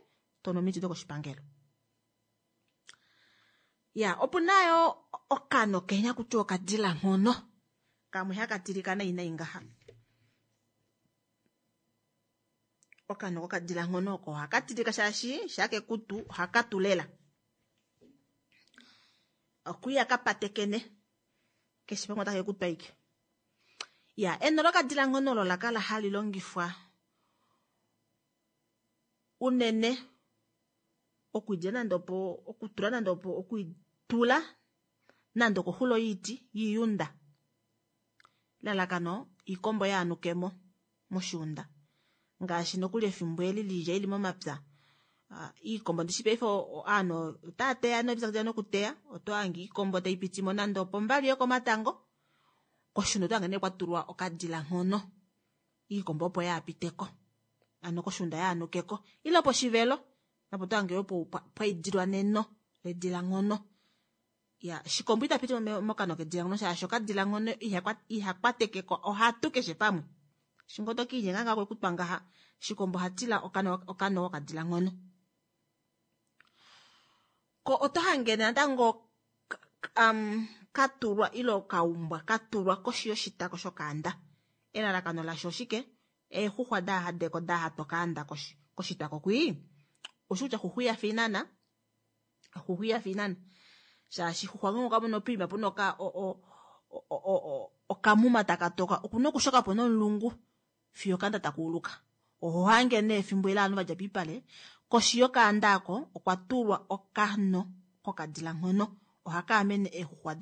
tonu omiti dokoshipangelo. Ya, opuna yo okano kenya kutya okadila nghono kamwe haka tilika nai nai ngaha. Okano kokadila nghono oko ohaka tilika shaashi shakekutu ohaka tulela okwiya kapatekene keshe pamwe otake kutwa ike. Ya, eno lokadila nghono olo lakala hali longifwa Unene okulya nande opo okutula nande opo okuitula nande okoxulo yiiti yiiyunda lalakano iikombo yaanukemo moshiunda ngaashi nokuli efimbo eli liilya ili momapya iikombo ndishi paife ovanhu otava teya nopyakidila nokuteya oto hange iikombo taipitimo nande opombali yokomatango koshiunda oto hange nee kwatulwa okadila nghono iikombo opo yaapiteko ano koshiunda yaanukeko ile poshivelo napo oto hange yoo pwaidilwa neno ledila nghono ya shikombo itapiti mokano kedila nghono shaashi okadila nghono ihakwatekeko ohatu keshe pamwe shingo tokiinyenga ngaho kwekutwa ngaha shikombo ohatila okano okano okadila nghono ko oto hange natango um, katulwa ile okaumbwa katulwa koshi yoshitako shokaanda elalakano lasho oshike eexuxwa daahadeko dahatwa okaanda koshitako kwii oshi kutya xuxu iyafa inana xuxu iyafa inana shaashi xuxwa ngenge okamono poima puna oka okamuma taka toka okuna okushokapo nomulungu fiyo okaanda takuuluka oho hange nee efimbo eli ovanhu vadja poipale koshi yokaanda aako okwa tulwa okano kokadila nghono ohaka amene eexuxwa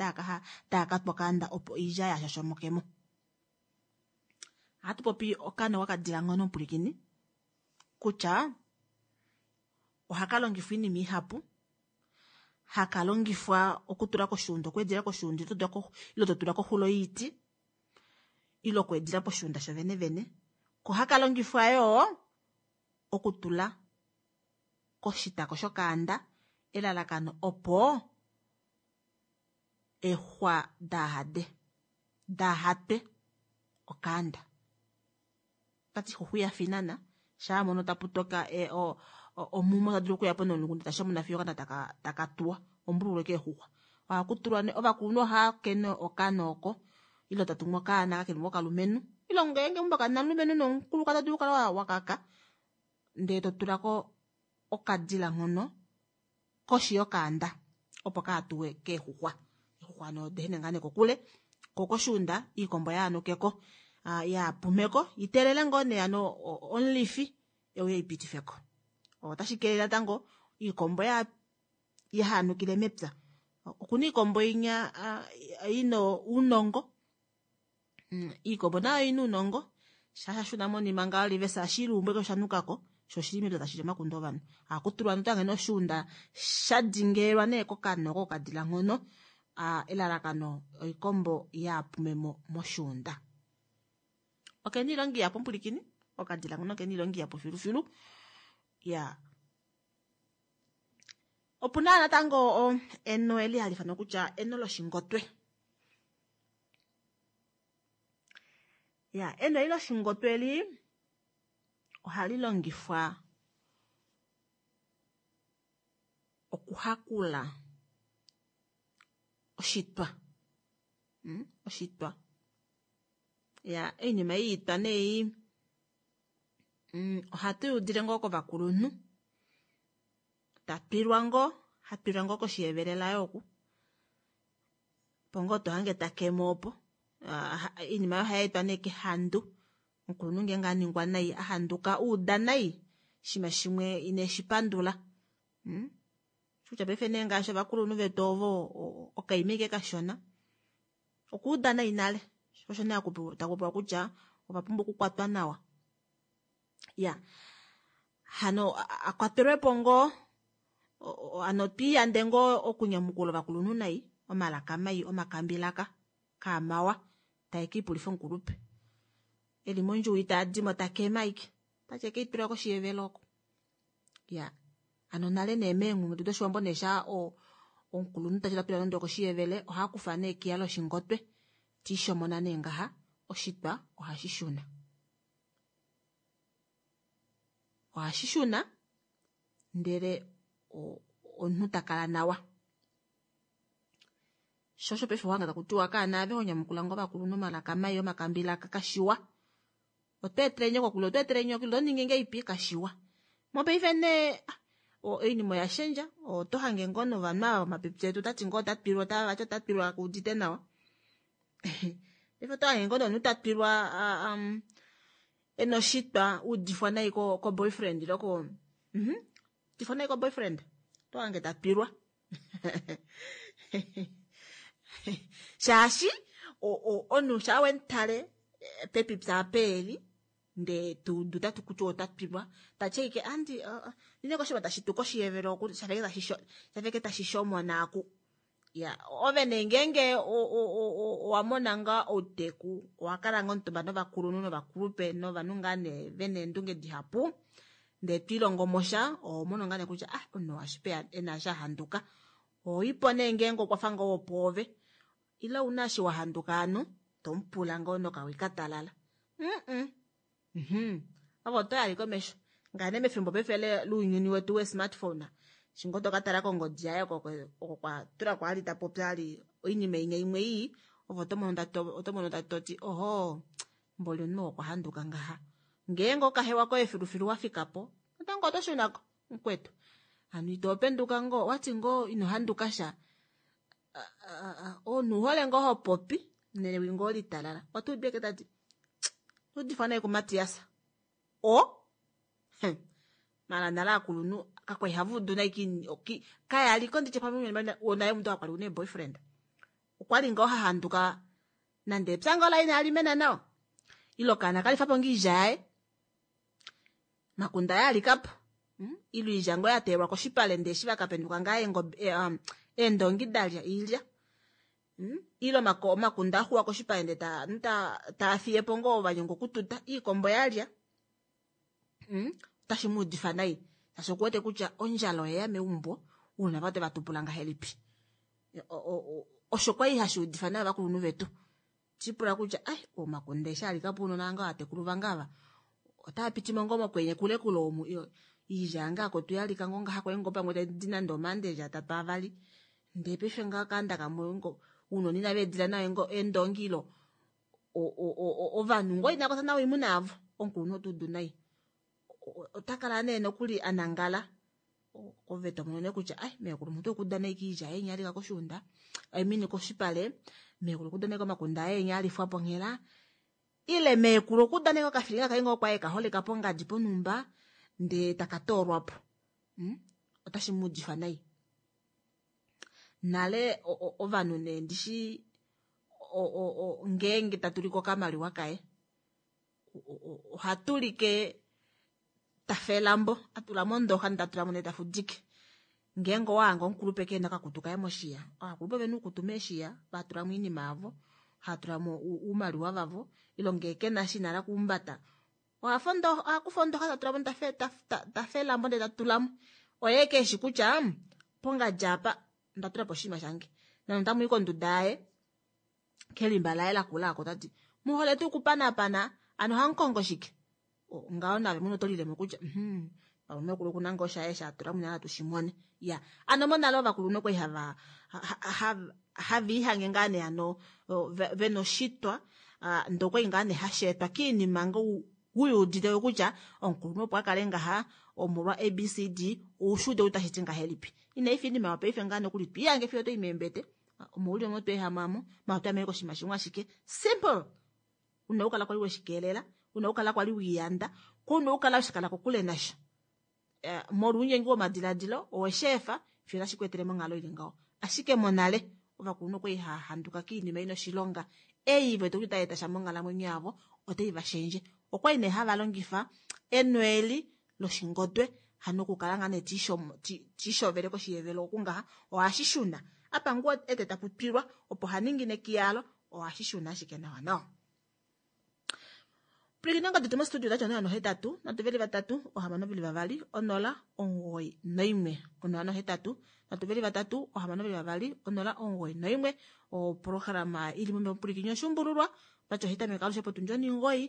daakatwa okaanda opo oilya yashoshomokemo. Ohatu popi okano kokadila nghono mupulikini kutya ohaka longifwa oinima ihapu haka longifwa okutula koshiunda okweedila koshiunda ile totula koxulo yiiti ile okweedila poshiunda shovene vene ko haka longifwa yoo okutula koshitako shokaanda elalakano opo eexuxwa daahade daahatwe okaanda tati xuxu iyafa inana shaa mono taputoka omumo tadulu okuyapo nomulungu tashomona fiyo okaanda taka tuwa ombululu keexuxwa ohakutulwa nee ovakulunhu ohaakene okano oko ile tatumu okaana kakeli kokalumenhu ile ngeenge meumbo kamuna omulumenhu nomukulukadi otadulu okukala wakaka ndee totulako okadila nghono koshi yokaanda opo kaatuwe keexuxwa eexuxwa hano odehene ngaa nee kokule ko koshiunda iikombo yaanukeko yaapumeko iteelele ngoo nee hano omulifi euye eipitifeko otashi kelele natango iikombo yahanukile mepya okuna iikombo inya ina ounongo iikombo nayo ina ounongo shashashuna monima ngaho livesa ashiluumbu ashike oshanukako sho oshili mepya tashili omakunde ovanhu ohakutulwa notange noshiunda shadingelwa nee kokano kokadila nghono elalakano oikombo yaapumemo moshiunda. Okena oilonga ihapu mupulikini okadila nghono okena oilonga ihapu filufilu ya opuna natango eno eli hali ifanwa kutya eno loshingotwe ya eno eli loshingotwe eli ohali longifwa okuhakula oshitwa oshitwa ya oinima ei itwa nee ohatu yuudile ngoo kovakulunhu tatwilwa ngoo hatwilwa ngoo koshiyevelela oku opo ngoo tohange takemo opo oinima oyo ohayeetwa nee kehandu omukulunhu ngeenge aningwa nai ahanduka uuda nai oshinima shimwe ineshipandula kutya paife nee ngaashi ovakulunhu vetu ovo okaima ashike kashona okuuda nai nale osho nee takupewa kutya ovapumbwa okukwatwa nawa ya hano akwatelwepo ngoo hano twiiyande ngoo okunyamukula ovakulunhu nai omalaka mai omakambilaka kaamawa taekiipulifa omukulupe eli mondjuwo itaadimo takema ashike tati ekeitula koshiyevelo oko ya hano nale nee meenghulunghedi doshiwambo nee shaa omukulunhu tati tatwila nande okoshiyevele ohakufa nee ekiya loshingotwe tiishomona nee ngaha oshitwa ohashi shuna ohashi shuna ndele omunhu takala nawa sho osho paife ohanga takutiwa kaana ave honyamukula ngoo ovakulunhu omalaka mai omakambilaka kashiwa otweetele nyoko kule otweetele nyoko ile otoningi ngeipi kashiwa mopaife nee oinima oyashendja oto hange ngoo novanhu ava vomapipi etu otati ngoo otatwilwa otavati otatwilwa kuudite nawa paife oto hange ngoo nomunhu tatwilwa ena oshitwa uudifwa nai ko boyfriend ile ko Mhm. Tifona ko boyfriend. To ange ta twilwa. Shaashi o- o- omunhu shaa wemutale eh, pepipya apa eli ndee tuudu tati kutya ota twilwa tati ashike andi ndine koshinima tashi tu koshiyevelo oku shafeke tashi shafeke tashi shomona aku ya ove nee ngeenge owa mona ngaa outeku owakala ngoo omutumba novakulunhu novakulupe novanhu ngaa nee vena eendunge dihapu ndee twiilongo sha ohomono ngaa nee kutya ah omunhu oashipe ena eshi ahanduka ohoipo nee ngeenge okwafa ngoo wopwoove ile ouna eshi wahanduka hano tomupula ngoo nokawi katalala mm mhm ove otoyali komesho ngaa nee mefimbo paife lounyuni wetu we smartphone eshi ngoo tokatala kongodi yaye oko oko kwatulako ali tapopi ali oinima inya imwe ii ove otomono toti ohoo mboli omunhu okwa handuka ngaha ngeenge okahewa koye filufilu wafikapo natango oto shunako mukwetu hano ito penduka ngoo wati ngoo ino handuka sha omunhu ouhole ngoo hopopi newi ngoo litalala otuudu ashike tati otuudifwa nai kuMatias o maala nale aakulunhu kakwali hava udu nai kayaliko nditye pamwe naye omuntu kakwali una boyfriend okwali ngoo hahanduka nande epya ngoo laye inali mena nawa ile okaana kalifapo ngoo oilya yaye makunda aye alikapo ile oilya ngoo yateyelwa koshipale ndee eshi vakapenduka ngaa eendongi dalya oilya ile omakunde axuwa koshipale ndee taafiyepo ngoo vanyengwa okututa iikombo yalya otashi muudifa nai shaashi okuwete kutya ondjala oyeya meumbo ounona vaye oteva tupula ngahelipi osho kwali hashi udifa nai ovakulunhu vetu tishipula kutya ai omakunde eshi alikapo ounona vange ovatekulu vange ava otaapitimo ngoo mokwenye kule kule omu oilya yange akotu yalika ngoo ngaha kwali ngoo pamwe taidi nande omaandelya atatu avali ndee paife ngaha okaanda kamwe ounona inava edila nawa eendongi ile ovanhu ngoo inava kwata nawa oimuna yavo omukulunhu otuudu nai otakala nee nokuli anangala ove tomono nee kutya ai meekulu omuntu okuuda nai koilya yaye inya alika koshuunda I mean koshipale meekulu okuuda nai komakunde aye enya alifwapo onghela ile meekulu okuuda nai kokafilinga kaye ngoo kwaye kaholeka pongadi ponhumba ndee taka toolwapo otashi muudifa nai nale ovanhu nee ndishi ngeenge tatulike okamaliwa kaye ohatulike tafa elambo atula mondoxa ndee tatulamo ndee tafudike ngeenge owahange omukulupe kehena okakutu kaye moshiya ovakulupe ovena uukutu meeshiya vatulamo oinima yavo haatulamo oumaliwa vavo ile ngee kena eshi inahala okuhumbata ohakufa ondoxa tatulamo tafa elambo ndee tatulamo oye keshi kutya pongadi apa ndatulapo oshinima shange nande otamui konduda yaye kelimba laye lakula aako tati muhole tuu okupanapana ano ohamukongo shike ngaho nave mwene oto lilemo kutya mhm pamwe meekulu okuna ngoo shaye shatula munyala tushimone ya ano monale ovakulunhu okwali hava hava ihange ngaa nee hano vena oshitwa ndee okwali ngaa nee hasheetwa kiinima ngoo uyuudite kutya omukulunhu opo akale ngaha omolwa A B C D oushuude kutya otashiti ngahelipi inaifa oinima yopaife ngaa nokuli twiihange fiyo otoi meembete omouli omo tweehama amo maala otwamene koshinima shimwe ashike simple una okukala kwali weshikeelela una okukala kwali wiiyanda ko una okukala weshikala kokule nasho molwa ounyengi womadiladilo owesheefa fiyo otashi ku etele monghalo ili ngaho ashike monale ovakulunhu okwali hahanduka kiinima ina oshilonga ei vete kutya otai eta sha monghalamwenyo yavo otai vashendje okwali nee hava longifa enweeli loshingodwe hano okukala ngaa nee tiishovele koshiyevelo oku ngaha ohashi shuna apa ngoo ete tapu twilwa opo haningine kiyalo ohashi shuna ashike nawa nawa pwilikina ongodi yetu mostudio otachi onola nohetatu nhatu veli vatatu ohamano veli vavali onola omugoyi noimwe onola nohetatu nhatu veli vatatu ohamano veli vavali onola omugoyi noimwe oprograma ili momupwilikini oshumbululwa otachi ohitameke alushe potundi onimugoyi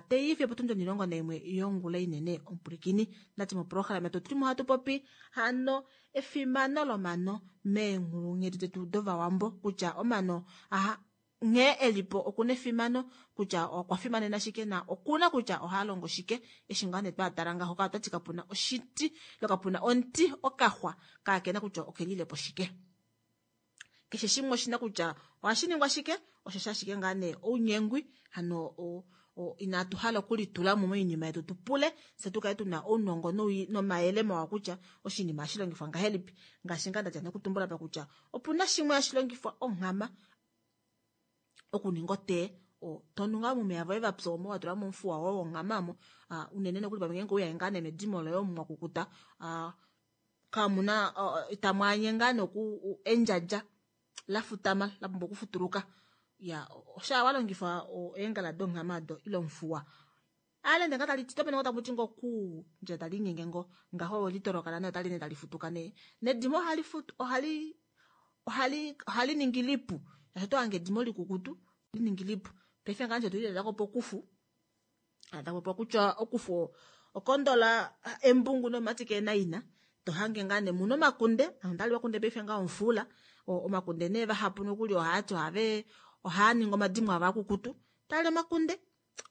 teiifi potundi onilongo naimwe yongula inene omupwilikini ndati moprograma yetu otulimo hatu popi hano efimano lomano meenghulunghedi detu dovawambo kutya omano aha nghee elipo okuna efimano kutya okwa fimanena shike na okuna kutya ohalongo shike eshi ngaa nee twatala ngaho ka otati kapuna oshiti ile kapuna omuti okaxwa kaakena kutya okelilepo shike keshe shimwe oshina kutya ohashi ningwa shike osho shashike ngaa nee ounyengwi hano Inatu hala okulitula mo moinima yetu tu pule se tu kale tuna ounongo nomayele mawa kutya oshinima hashi longifwa ngahelipi. Ngaashi ngaa ndatya nokutumbula pa kutya opuna shimwe hashi longifwa onghama okuninga otee. Tonu ngaa momeya voye vapya omo watula momufuwa woye wonghama omo, unene nokuli pamwe ngeenge ouya ngaa nemedimo loye omo mwakukuta, kamuna itamwaanye ngaa noku endjadja lafutama lapumbwa okufutuluka. Ya osha walongifa eengala donghama do ile omufuwa alende nga tali titope ngo tamuti ngo ku nje tali nyenge ngo ngaho litolokala ne otali ne tali futuka ne nedimo ohali futu ohali ohali ohali ningi lipu asho ange edimo likukutu li ningi lipu. Paife nga nje tulile ko pokufu atapopo kutya okufu okondola embungu nomatike naina to hange nga ne muno makunde andali wakunde paife nga omfula omakunde ne vahapu nokuli ohati ohave ohaninga omadimo ava kukutu tali omakunde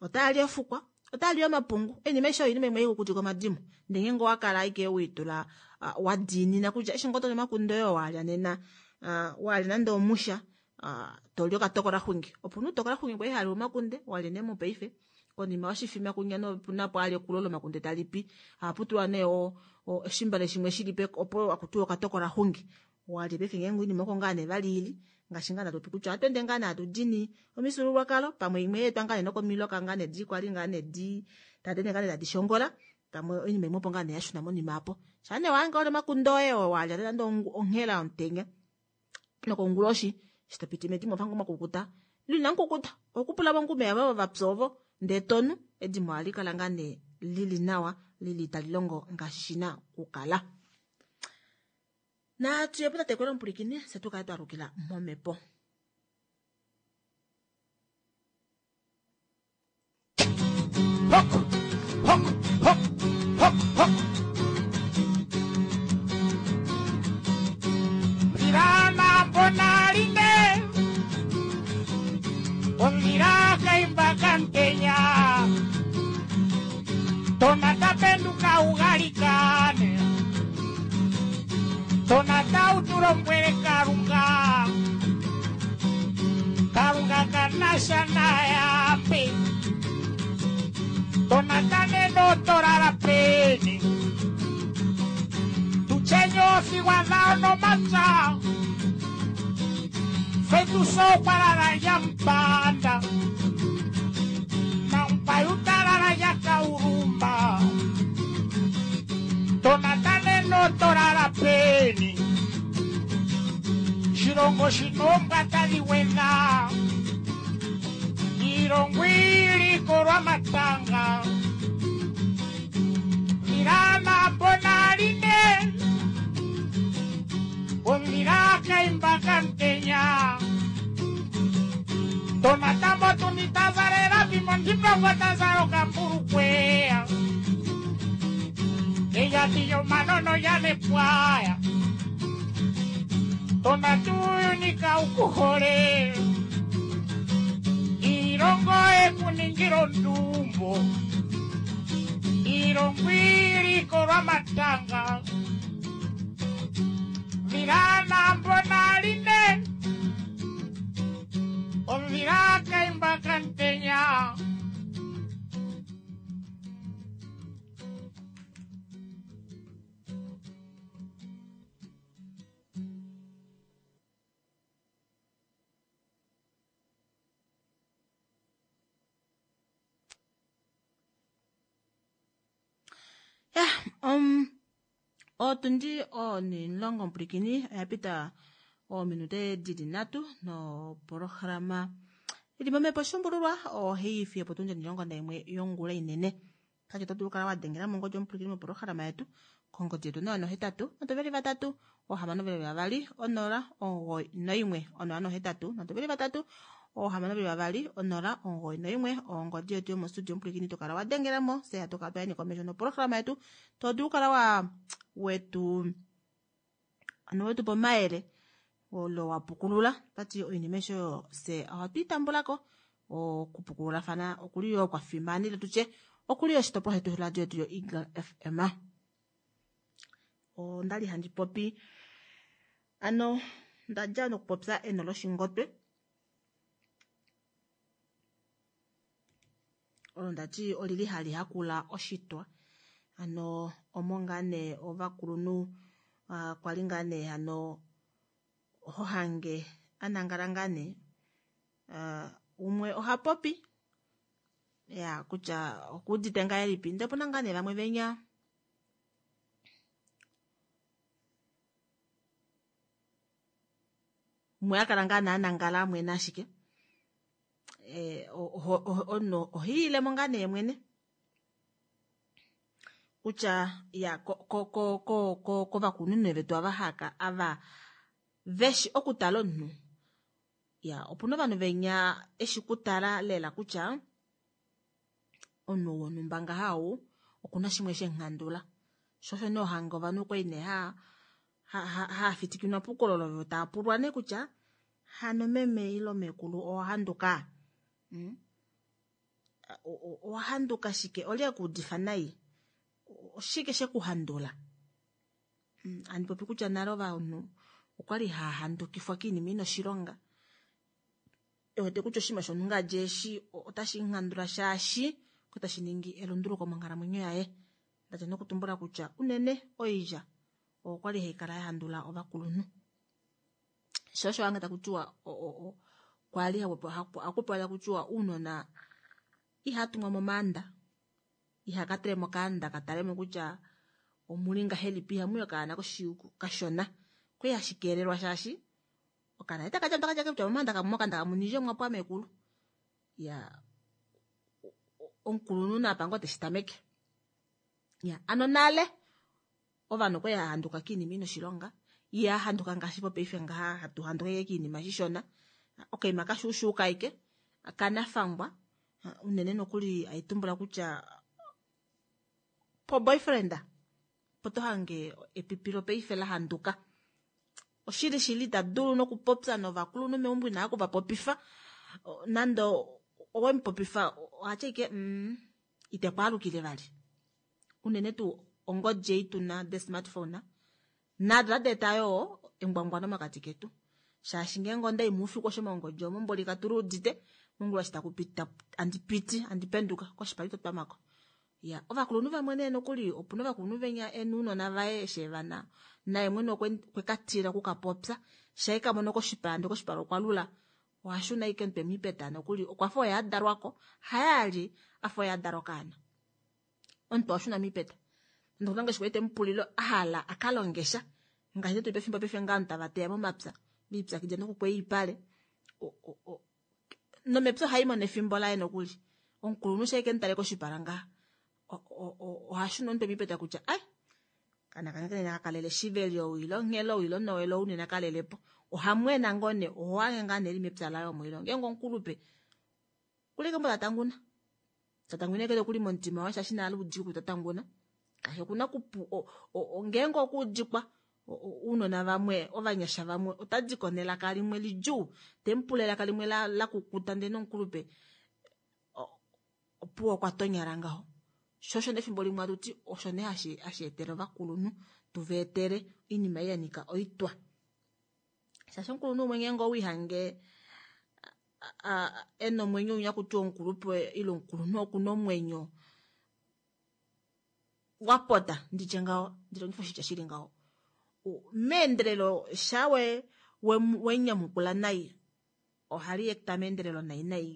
otali ofukwa otali omapungu enima isho inima imwe ikukutika omadimo ndenge ngo wakala ike uitula uh, wadiinina kutya eshi ngoto omakunde oyo walya nena uh, walya nande omusha uh, toli okatokola xwingi opo nutokola xwingi kwa ihali omakunde walya ne mopaife konima oshifima kunya no punapo ali okulola omakunde talipi aputulwa ne o oshimbale shimwe shilipe opo akutuwa okatokola xwingi walya paife ngeenge inima oko ngaa ne valiili ngaashi ngaa natopi kutya atwende ngaa natudini omifyuululwakalo pamwe imwe yeetwa ngaa ne nokomiloka ngaa ne di kwali ngaa ne di tadene ngaa ne tadi shongola pamwe oinima imwe opo ngaa ne yashuna monima apo shane wange ole makunde oye walya nande onghela yomutenya nokonguloshi shitopiti medimo vangu makukuta lina nkukuta okupula vongumeya vavo vapyovo ndee tonu edimo ohali kala ngaa ne lili nawa lili tali longo ngaashi shina kukala. Na tuyepo tatekwela omupulikini se tukale twalukila momhepo. Hok, hok, hok, hok, hok. Mirana bonaline, ondira kaimba kantenya, tonata penduka ugalikane. Tonata utulombwele Kalunga, Kalunga kanasha nayambe. Tonata neno torala peni, tuchenyo sigwadao no matsa, fetuso parara yampanda, nampayutarara yakaurumba. Tonata neno torala peni, Shirongo shinomba taliwena, Irongwili korwa matanga, Mirana bonaline, Ondira kaimba kantenya, Tonata motunita zarera bimondimba watazaro kamburukwea, Ella tiyo manono ya ne pwaya, Tonatunika ukuhore, Irongo ekuningiro ndumbo, Irongwili korwa matanga, Mirana mbonaline, Ondira kaimba kantenya. Ya, um, otundi onilongo mpulikini oyapita oominute dili nhatu nopolohalama ili momhepo shumbululwa ohaifi opotundi onilongo naimwe yongula inene. Kati oto dulu okukala wadengela mongodi omupulikini mopolohalama yetu kongodi yetu noyo nohetatu notuveli vatatu ohamano veli vavali onola omugoyi noimwe onola nohetatu notuveli vatatu ohamano veli vavali onola omugoyi noimwe ongodi yetu yomostudio omupulikini tokala wadengelamo se hatu kala twayeni komesho nopolohalama yetu to dulu okukala wa wetu ano wetu pomayele olo wapukulula tati oinima esho se ohatu itambulako okupukululafana okuli yo kwafimanile tutye okuli oshitopolwa shetu shoradio yetu yo Eagle F M. Ondali handi popi ano ndadja nokupopya eno loshingotwe. Olo ndati olili hali hakula oshitwa. Hano omo ngaa nee ovakulunhu uh, kwali ngaa nee hano hohange anangala ngaa nee uh, umwe oha popi ya kutya okuudite ngahelipi ndee opuna ngaa nee vamwe venya umwe akala ngaa nee anangala amwene ashike eh, omunhu ohiilemo ngaa nee mwene kutya ya kovakulunhu vetu ava haka ava veshi okutala omunhu ya opuna ovanhu venya eshi kutala lela kutya omunhu wonhumba ngaha ou okuna shimwe shenghandula sho osho nee ohange ovanhu kwali nee ha haafitikinwa puukololo vo taapulwa nee kutya hano meme ile mekulu owahanduka mm? Owahanduka shike olye kuudifa nai oshike shekuhandula mm, andi popi kutya nale ovanhu okwali hahandukifwa kiinima ina oshilonga ewete kutya oshinima shonhunga jeshi otashi nghandula shaashi otashi ningi elunduluko monghalamwenyo yaye ndati nokutumbula kutya unene oilya okwali haikala yahandula ovakulunhu sho osho wange takutiwa kwali hakupewa takutiwa uunona ihatumwa momaanda ihakatele mokaanda katalemo kutya omuli ngahelipi ihamuyi okaana kashona kwali hashi keelelwa shaashi okaana itakadja takadja kutya momaanda kamokanda kamunije omwa mekulu ya omukulunhu napango teshi tameke ya ano nale ovanhu okwali hahanduka kiinima ina oshilonga ihahanduka ngaashi popaife ngaha hatu handuka kiinima shishona okaima kashuushuuka aike kanafangwa unene nokuli aitumbula kutya po boyfriend po tohange epipilo paife lahanduka oshili shili itadulu nokupopya novakulunhu meumbo inaa kuvapopifa nande owemupopifa ohatya ike mm, itekwaalukile vali unene tuu ongodi ei tuna de smartphone nado tadi yoo engwangwano mokati ketu shaashi ngeenge ondai moufiku osho mongodi omo mboli katuluudite mongula shi takupita andipiti andipenduka koshipali totwamako ya ovakulunhu vamwe nee nokuli opuna ovakulunhu venya enuunona vaye eshi evana naye mwene okwekatila okukapopya shaye kamono koshipala ndee koshipala okwa lula ohashuna ike omutwe miipeta nokuli okwafa oye adalwako haye ali afa oye adalwa okaana omutwe owashuna miipeta nokuna ngaashi kwali temupulile ahala akalongesha ngaashi tuli pefimbo paife ngaa ovanhu tava teya momapya viipyakidila nokukweya oipale nomepya ohaimono efimbo laye nokuli omukulunhu shaye kemutale koshipala ngaha ohashuna omutwe miipeta kutya ai kana kange nena kakalele shiveli ou ile onghelo ou ile onowele ou nena kalelepo ohamwena ngoo nee ohohange ngaa nee eli mepya laye omo ile ngeenge omukulupe kulike mbo tatanguna tatanguna kele kuli momutima waye shaashi nale udiku tatanguna kaashi okuna kupu ngeenge okuudikwa uunona vamwe ovanyasha vamwe otadiko nelaka limwe lidjuu temupula elaka limwe lakukuta ndee nomukulupe opuwo okwa tonyala ngaho sho osho nefimbo limwe atuti osho nee hashi hashi etele ovakulunhu tuva etele oinima ei yanika oitwa shaashi omukulunhu umwe ngeenge owiihange ena omwenyo unya kutiwa omukulupe ile omukulunhu okuna omwenyo wapota nditye ngaho ndilongifa oshitya shili ngaho meendelelo shawe wenyamukula nai ohali ekta meendelelo nai nai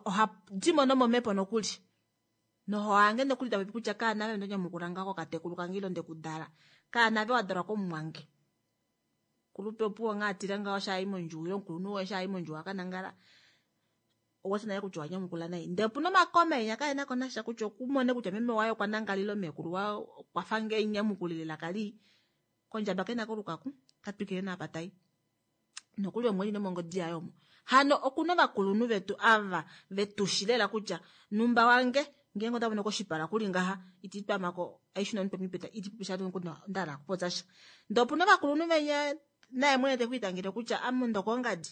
ohadimo nomomhepo nokuli nohohange nokuli tapopi kutya kaanave ndonyamukula ngaho katekulu kange ile ndekudala kaanave wadalwa komumwange kulupe opuwo ngaa atile ngaho shaayi mondjuwo ile omukulunhu woye shaayi mondjuwo akanangala owati naye kutya owanyamukula nai ndee opuna omakomenya kaena ko nasha kutya okumone kutya meme waye okwa nangalile omekulu waye okwafa ngee nyamukulile elaka lii kondjaba kena kolukaku katwikile naapa tai nokuli omweli nomongodi yaye omo hano okuna ovakulunhu vetu ava vetushi lela kutya numba wange ngeenge otamono koshipala kuli ngaha iti twamako aishuna omutwe mipeta iti popisha ndala okupopya sha ndee opuna ovakulunhu venya naye mwene tekwiitangele kutya ame ndokongadi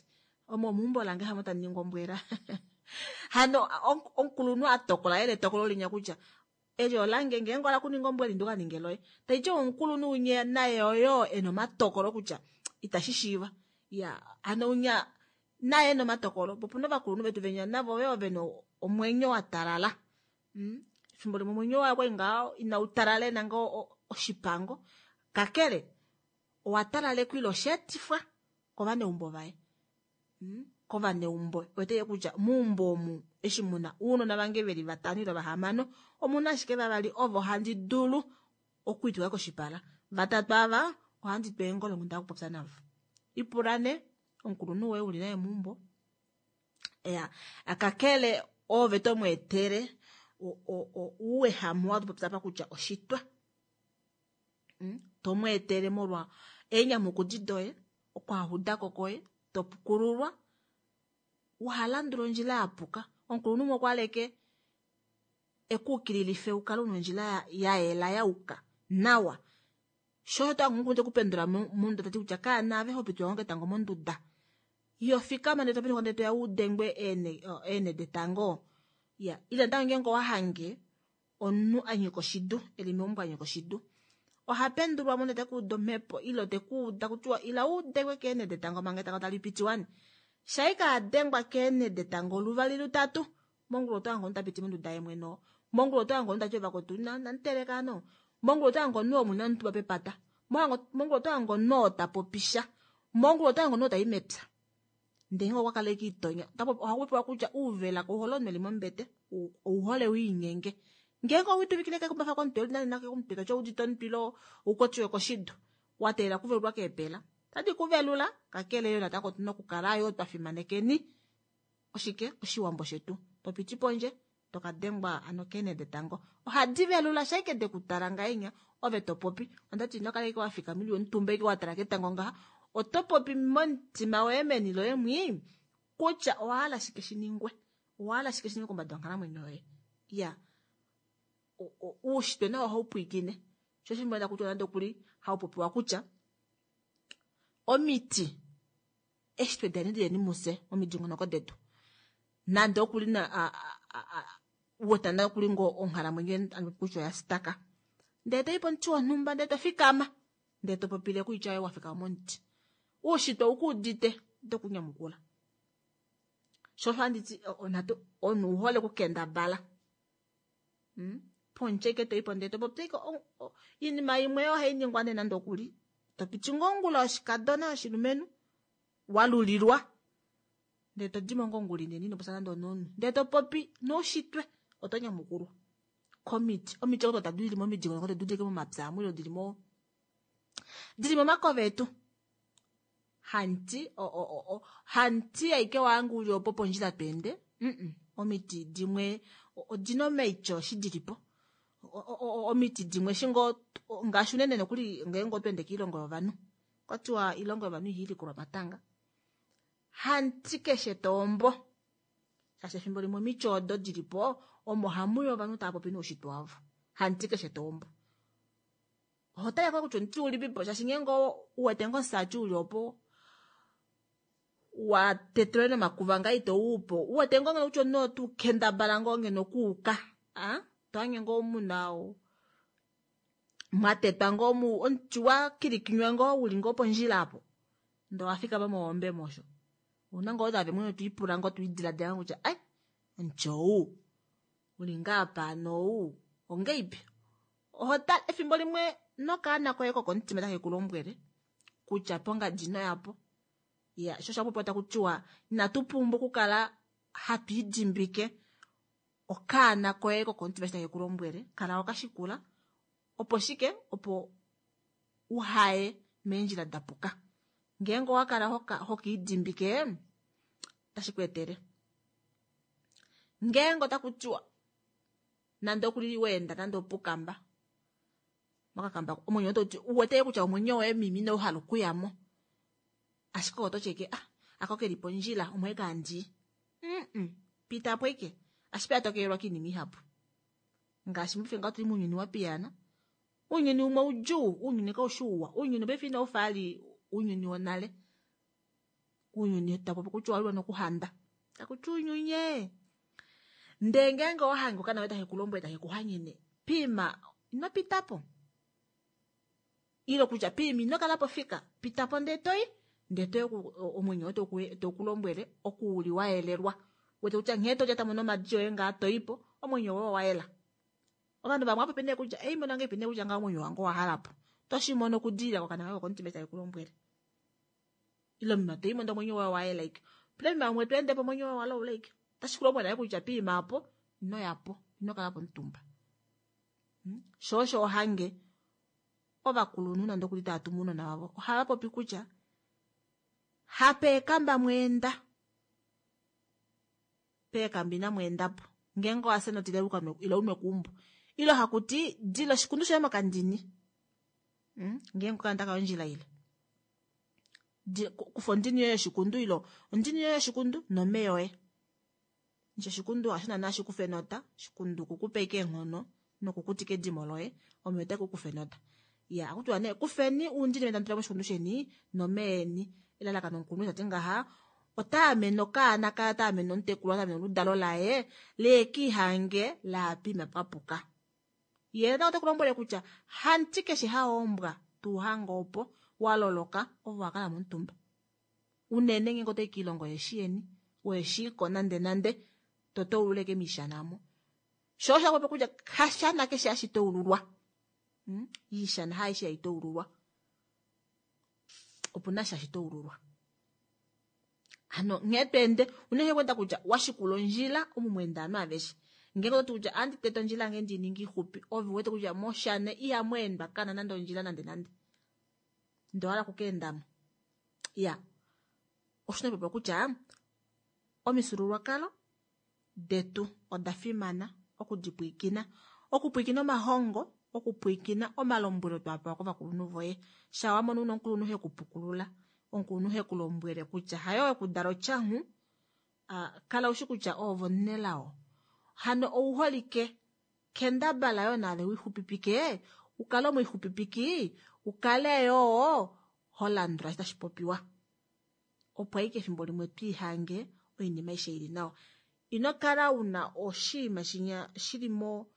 omo omeumbo lange hamo tandi ningi ombwela hano omukulunhu atokola ele etokolo linya kutya eli olange ngeenge ola kuninga ombwela induka ninge loye taiti omukulunhu unye naye oyo ena omatokolo kutya itashi shiiva ya hano unya Naye nomatokolo po opuna ovakulunhu vetu venya navo yo vena omwenyo wa talala. Mm. Efimbo limwe omwenyo waye okwali ngaho inau talala nanga oshipango. Kakele owa talalekwa ile osheetifwa kovaneumbo vaye. Mm. Kovaneumbo wete kutya meumbo omu eshi muna uunona vange veli vatano ile vahamano omuna ashike vavali ovo handi dulu okwiitula koshipala. Vatatu ava ohandi twa eengolo nda kupopya navo. Ipulane omukulunhu woye uli naye meumbo. Ya, akakele ove to mu etele uuwehame wa tupopya apa kutya oshitwa. Mm? To mu etele molwa eenyamukudi doye, okwaahudako koye, to pukululwa, uhalandula ondjila ya puka. Omukulunhu umwe okwa leke ekuukililife ukale una ondjila ya yela ya uka nawa. Sho to angu kupendula monduda tati kutya kaa naave ho pitula ngo ketango monduda. Iyo fikama ndele to penduka ndele toya udengwe ene ene detango. Ya, ile ntango ngeenge owahange omunhu a nyika oshidu, eli meumbo a nyika oshidu. Oha pendulwa mo ndele tekuuda omhepo ile tekuuda kutiwa ila udengwe keene detango manga etango tali piti wani. Shaika adengwa keene detango luvali lutatu, mongulu oto hange omunhu ta piti monduda ye mwene. Mongulu oto hange omunhu tati ovakotu na nanteleka no. Mongulu oto hange omunhu omuna omutumba pepata. Mongulu oto hange omunhu oo ta popisha. Mongulu oto hange omunhu oo tai mepya. Ndele okwa kala itonya. Ohaku kutya uuvela kouhole omunhu eli mombete, ouhole wiinyenge. Ngeenge owituvikile kekumbafa komutwe nale nake komutwe toti oudite omutwilo ukotiwe koshidu. Wateelela kuvelulwa keepela. Tadi kuvelula, kakele yo natango otuna okukala yo twa fimanekeni. Oshike? Oshiwambo shetu. Topiti pondje, tokadengwa ano keene detango. Ohadi velula shaike dekutala ngahenya, ove to popi. Ondati ino kala ike wafika mili omutumba ike watala ketango ngaha. Oto popi momutima woye meni loye mwi kutya owahala shike shiningwe. Owahala shike shiningwe kombada yonghalamwenyo yoye. Ya. Uushitwe nawo ohau pwiikine. Sho shimwe kutya nande okuli hau popiwa kutya omiti eshitwe dani dileni muse momidingonoko detu. Nande okuli na wotanda okuli ngo onghalamwenyo kutya oya staka. Ndele toyi pomuti wonhumba ndele to fikama. Ndele to popile kuitya yoye wafika momuti. Uushitwe ukuudite oto kunyamukula. Sho handiti onatu omunhu uhole okukendabala. Mm? Ponche ke toyi po ndele to popi iinima imwe ohayi ningwa nee nande okuli. To piti ngongula oshikadona oshilumenhu walulilwa. Ndele to dimo ngongula inene ino popya nande onomunhu. Ndele to popi noushitwe oto nyamukulwa. Komiti, omiti odo tadi li momidingonoko detu dili momapya amwe dili mo dili momakove etu. Hanti o o o hanti aike wangu uli opo pondjila twende. Mm. Omiti dimwe odina omeityo shi dilipo. Omiti dimwe shingo ngaashi unene nokuli ngeenge otwende kiilongo yovanhu. Kwatiwa iilongo yovanhu ihilikulwa matanga. Hanti keshe tombo. Shaashi efimbo limwe omiti odo dilipo omo hamuyi ovanhu tava popi noushitwe wavo. Hanti keshe tombo. Oho tale ko kutya omuti ulipipo shaashi ngeenge uwete ngo omusati uli opo wa tetelwe nomakuva nga ito upo. Uwete ngo ngeno kutya omunhu otu kendabala ngo ngeno okuuka. Ah? Tohange ngo muna mwatetwa ngo mu omuti wa kilikinywa ngo uli ngo pondjila apo. Ndo wafika mohombe mosho. Una ngo ove mwene twiipula ngo twiidiladila kutya ai omuti ou uli ngaa pano ou ongeipi. Oho tale efimbo limwe nokaana koye kokomutima take ku lombwele kutya pongadi ino yapo. Ya, sho shapopiwa taku tiwa inatu pumbwa okukala hatu idimbike okaana koye kokomutima take ku lombwele, kala wakashikula opo shike opo uhaye meendjila da puka. Ngeenge owakala hokiidimbike otashi ku etele. Ngeenge otaku tiwa nande okuli weenda nande opukamba mokakamba omwenyo ototi uwete kutya omwenyo woye mimi ino hala okuyamo. Ashike oto cheke ah ako keli pondjila omwe kandi. Mm. Pita po ike. Ashike atokelwa kiinima ihapu. Ngaashi mufe nga tuli muunyuni wa piyana. Uunyuni umwe udjuu, uunyuni kaushi uwa, uunyuni paife inau fa ali uunyuni wonale. Uunyuni tapopi kutya owaliwa nokuhanda. Takuti uunyunye. Ndele ngeenge owahange okaana koye take ku lombwele take ku hanyene, pima ino pitapo. Ile kutya pima ino kala po fika, pitapo ndele toyi. Ndee toye omwenyo woye teukulombwele oku uli wayelelwa. Wete kutya nghee tolyata mo nomadi oye ngaa toipo, omwenyo woye owayela. Ovanhu vamwe ohapopi nee kutya ei mona ngahelipi nee kutya ngaho omwenyo wange owahalapo. Toshimono okudilila kokana kaye kokomutima eshi taikulombwele. Ile omunhu toimo ndee omwenyo woye owayela ike. Opena oinima imwe tweende po omwenyo woye owalaula ike. Otashi kulombwele nale kutya piima opo ino yapo, ino kala po omutumba. Sho osho ohange ovakulunhu nande okuli tava tumu ounona vavo ohava popi kutya hapeekamba mweenda, peekamba ina mweendapo. Ngeenge owafya notile ila unwe keumbo. Ile hakuti dila oshikundu shoye mokandini. Ngeenge okaana taka i ondjila ile. Kufa ondini yoye yoshikundu ile ondini yoye yoshikundu nomeva oye. Ndje oshikundu hasho naana shikufa enota, oshikundu kukupa ashike eenghono nokukutika edimo loye, omeva otae kukufa enota. Ya, ohakutiwa nee kufeni uundini veni tamu tula moshikundu sheni nomeva eni. Elalakano omukulunhu tati ngaha otaamene okaana kaye, otaamene omutekulu, otaamene oludalo laye leekiihange laapima papuka. Ye natango oteku lombwele kutya hamuti keshe haombwa tuuhange opo waloloka ovo wakala momutumba. Unene ngeenge otoyi kiilongo yeshi yeni weshiko nande nande totoululeke miishana mo. Sho osho hakupopi kutya hashana keshe hashi toululwa. Iishana haaishe hai toululwa. Opuna sha hashi toululwa. Hano nghee tweende unene kwenda kutya washikula ondjila omu mweenda ovanhu aveshe. Ngeenge ototi kutya andi tete ondjila yange ndiininge ixupi, ove uwete kutya moshana ihamu endwa kana nande ondjila nande nande. Ndee owahala okukaendamo. Iya, oshina okupopya kutya omifyuululwakalo detu oda fimana okudipwiikina. Okupwiikina omahongo, okupwiikina omalombwelo twapewa kovakulunhu voye. Sha wamona una omukulunhu hekupukulula, omukulunhu hekulombwele kutya hayo wekudala otyanghu, kala ushi kutya oove omunelao. Hano ouholike, kendabala yoo naave wixupipike, ukale omwixupipiki, ukale yoo holandula eshi tashi popiwa. Opo ashike efimbo limwe twiihange oinima aishe ili nawa. Ino kala una oshinima shinya shili mo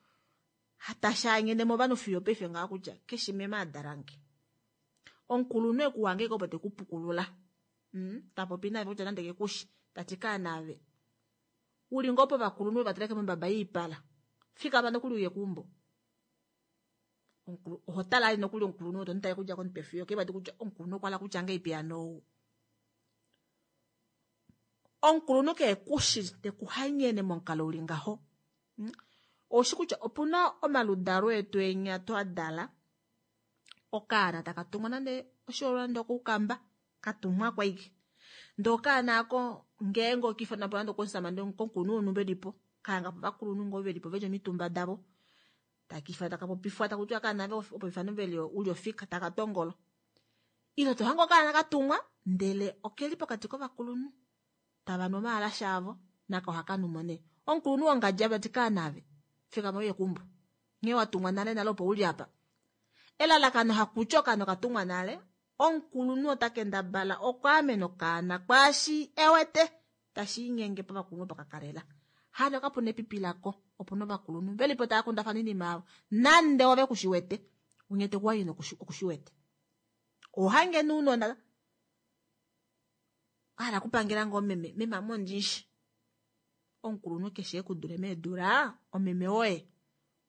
tashaanyene movanhu fiyo paife ngaho kutya keshe meme adalange. Omukulunhu ekuhange opo tekupukulula. Tapopi naave kutya nande kekushi, tati kaanaave. Uli ngoo povakulunhu vateleke mombaba yiipala. Fikama nokuli uye keumbo. Oho tala ali nokuli omukulunhu oto mutale kudja komutwe fiyo okevadi kutya omukulunhu okwa hala kutya ngahelipi hano ou. Omukulunhu kekushi tekuhanyene momukalo uli ngaho. Oushi kutya opuna omaludalo etu enya twadala okaana taka tumwa nande oshihoololwa nande okoukamba katumwa kwaike. Ndee okaana ako ngeenge okiifana po nande okomusamane komukulunhu wonhumba elipo, kahanga po ovakulunhu ngoo velipo veli omitumba davo. Takiifana taka popifwa takutiwa kaana opo ifano veli uli ofika taka tongolo. Ile tohange okaana katumwa ndele okeli pokati kovakulunhu tava nu omaalasha avo nako ohakanumo nee. Omukulunhu wongadji ava ti kaanaave fikama uye keumbo. Nghee watumwa nale nale opo uli apa. Elalakano hakutya okaana okatumwa nale, omukulunhu ota kendabala okwaamena okaana kwaashi ewete tashiinyenge povakulunhu opo kakalela. Hano kapuna epipi lako, opuna ovakulunhu velipo tava kundafana oinima yavo nande ove kushiwete, unye tekuwanyene okushiwete. Ohange nounona hala kupangela ngoo meme, meme ame ondinshi. Omukulunhu keshe ekudule meedula, omeme woye.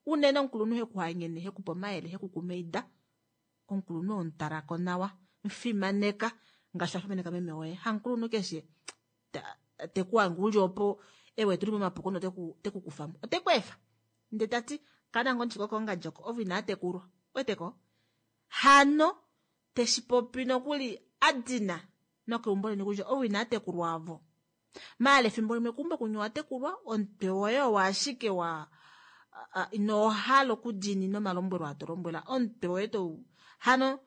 Unene omukulunhu hekuhanyene, hekupe omayele, hekukumaida. Omukulunhu omutalako nawa, mufimaneka ngaashi wafimaneka meme woye. Hamukulunhu keshe tekuhange uli opo ewe tuli momapuko noteku tekukufamo. Otekweefa. Ndee tati kana ngoo ndishiko kongadjoko ovo inaa tekulwa. Weteko? Hano teshipopi nokuli adina nokeumbo leni kutya ovo inaa tekulwa avo. Maala efimbo limwe keumbo kunye owatekulwa, omutwe woye owo ashike wa inohala okudiinina omalombwelo aa tolombwela, omutwe woye tou hano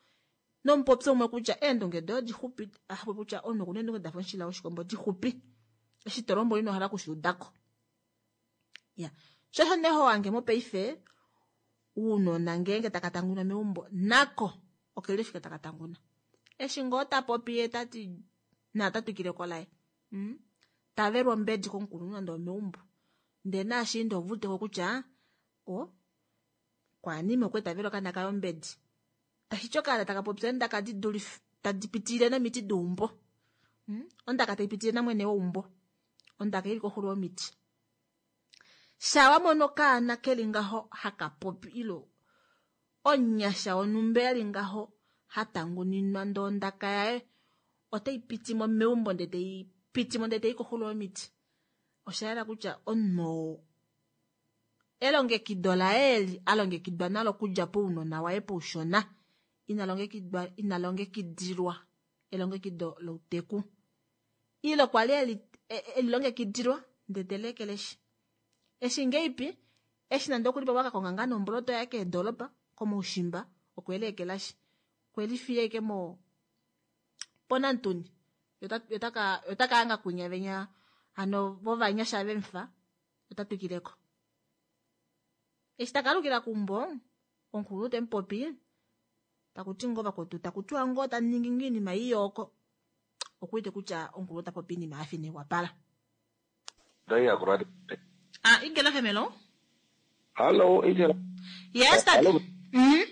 nomupopyo umwe kutya eendunge doye odixupi, hapopi kutya omunhu okuna eendunge dafa omushila woshikombo dixupi. Eshi tolombwela inohala okushiudako. Ya, sho osho nee hohange mopaife ounona ngeenge taka tanguna meumbo nako okeli fika taka tanguna. Eshi ngoo tapopi ye tati na ota twikileko laye. Tavelwa ombedi komukulunhu nande omeumbo. Ndee naashiinda ovaudeko kutya o kwaanime okwe tavelwa okaana kaye ombedi. Tashiti okaana taka popya eendaka didulife Tadi pitilile nomiti deumbo. Mm? Ondaka tai pitilile namwene weumbo. Ondaka ili koxulo yomiti. Sha wa mono okaana keli ngaho haka popi ilo onyasha wonhumba eli ngaho hatanguninwa ndee ondaka yaye otai piti mo meumbo ndee tai piti mo ndee tai koxulo yomiti. Osha yela kutya omunhu oo elongekido laye eli alongekidwa nalo okudja pounona waye poushona ina longekidwa ina longekidilwa elongekido louteku. Ile kwali eli elilongekidilwa ndee telekeleshi. Eshi ngeipi eshi nande okuli pamwe akakonga ngaa nomboloto yaye keedolopa komaushimba okweleekelashi. Kwelifiya ashike mo ponantuni yota yotaka kwinya venya hano vovanyasha vemufa ota twikileko. Eshi takalukila keumbo omukulunhu temupopi takuti ngoo vakwetu takutiwa ngoo taningi ngoo oinima iyooko okuwete kutya omukulunhu ota popi oinima yafa inaiwapala. Ah, Igela Femelo? Hallo, Igela. Yes, tate. Hallo. Mhm.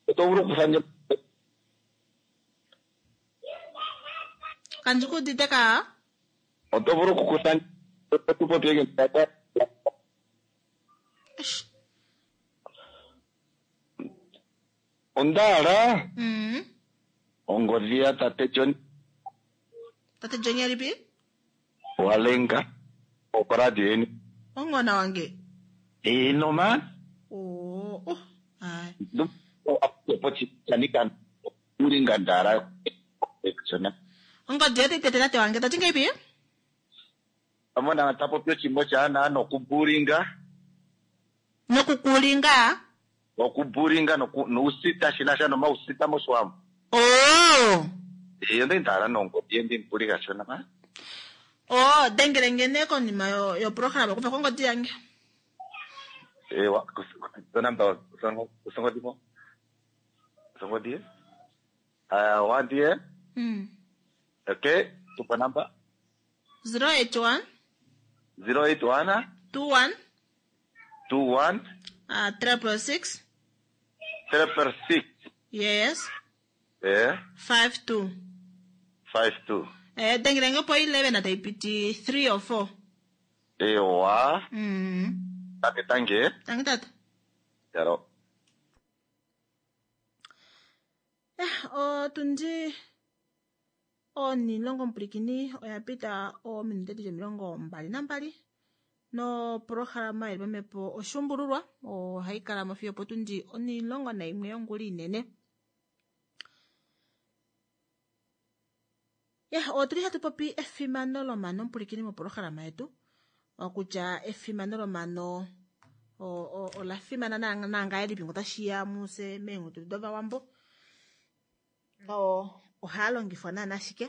Oto vulu okuthandja Kandi ku udite ka? oto vulu okukutha tu popye Onda hala Mhm. ongodhi ya tate John Tate John alipi? Walenga okoradio yeni. Ongona wange. Ino man. Oh, oh. Ai. Pochichanika uringa ndara. Ongodhi yetu tete tate wange tati ngeipi? Amona tapopi ochimbo chaana nokuburinga Nokukulinga? okuburinga nousita shinasha nomausita moshiwambo. Oh. Iyo ndi ndara nongodhi yendi mpulinga shona man. Oh, dengele ngene konima yo yo program okufa kongodi yange. Ewa, zonamba usongodi mo. Usongodi? Ah, wandie. Mm. Okay, tupa namba zero eight one zero eight one two one two one uh, triple six triple six. Yes. Eh, five two. five two. Eh, dengele nge po eleven at I P T three or four. Ewa, Mm. tate tange. Tangi tata. Yaro. Eh, otundi onilongo mupulikini oya pita oominute dili omilongo mbali nambali noprograma ili pamhepo oshuumbululwa ohayi kala mo fiyo opotundi onilongo naimwe yongula inene. Ya, otuli hatu popi efimano lomano mupulikini moprograma yetu okutya efimano lomano ola fimana nangahelipi ngee otashiya muse meengudu dovawambo no ohaa longifwa naana ashike.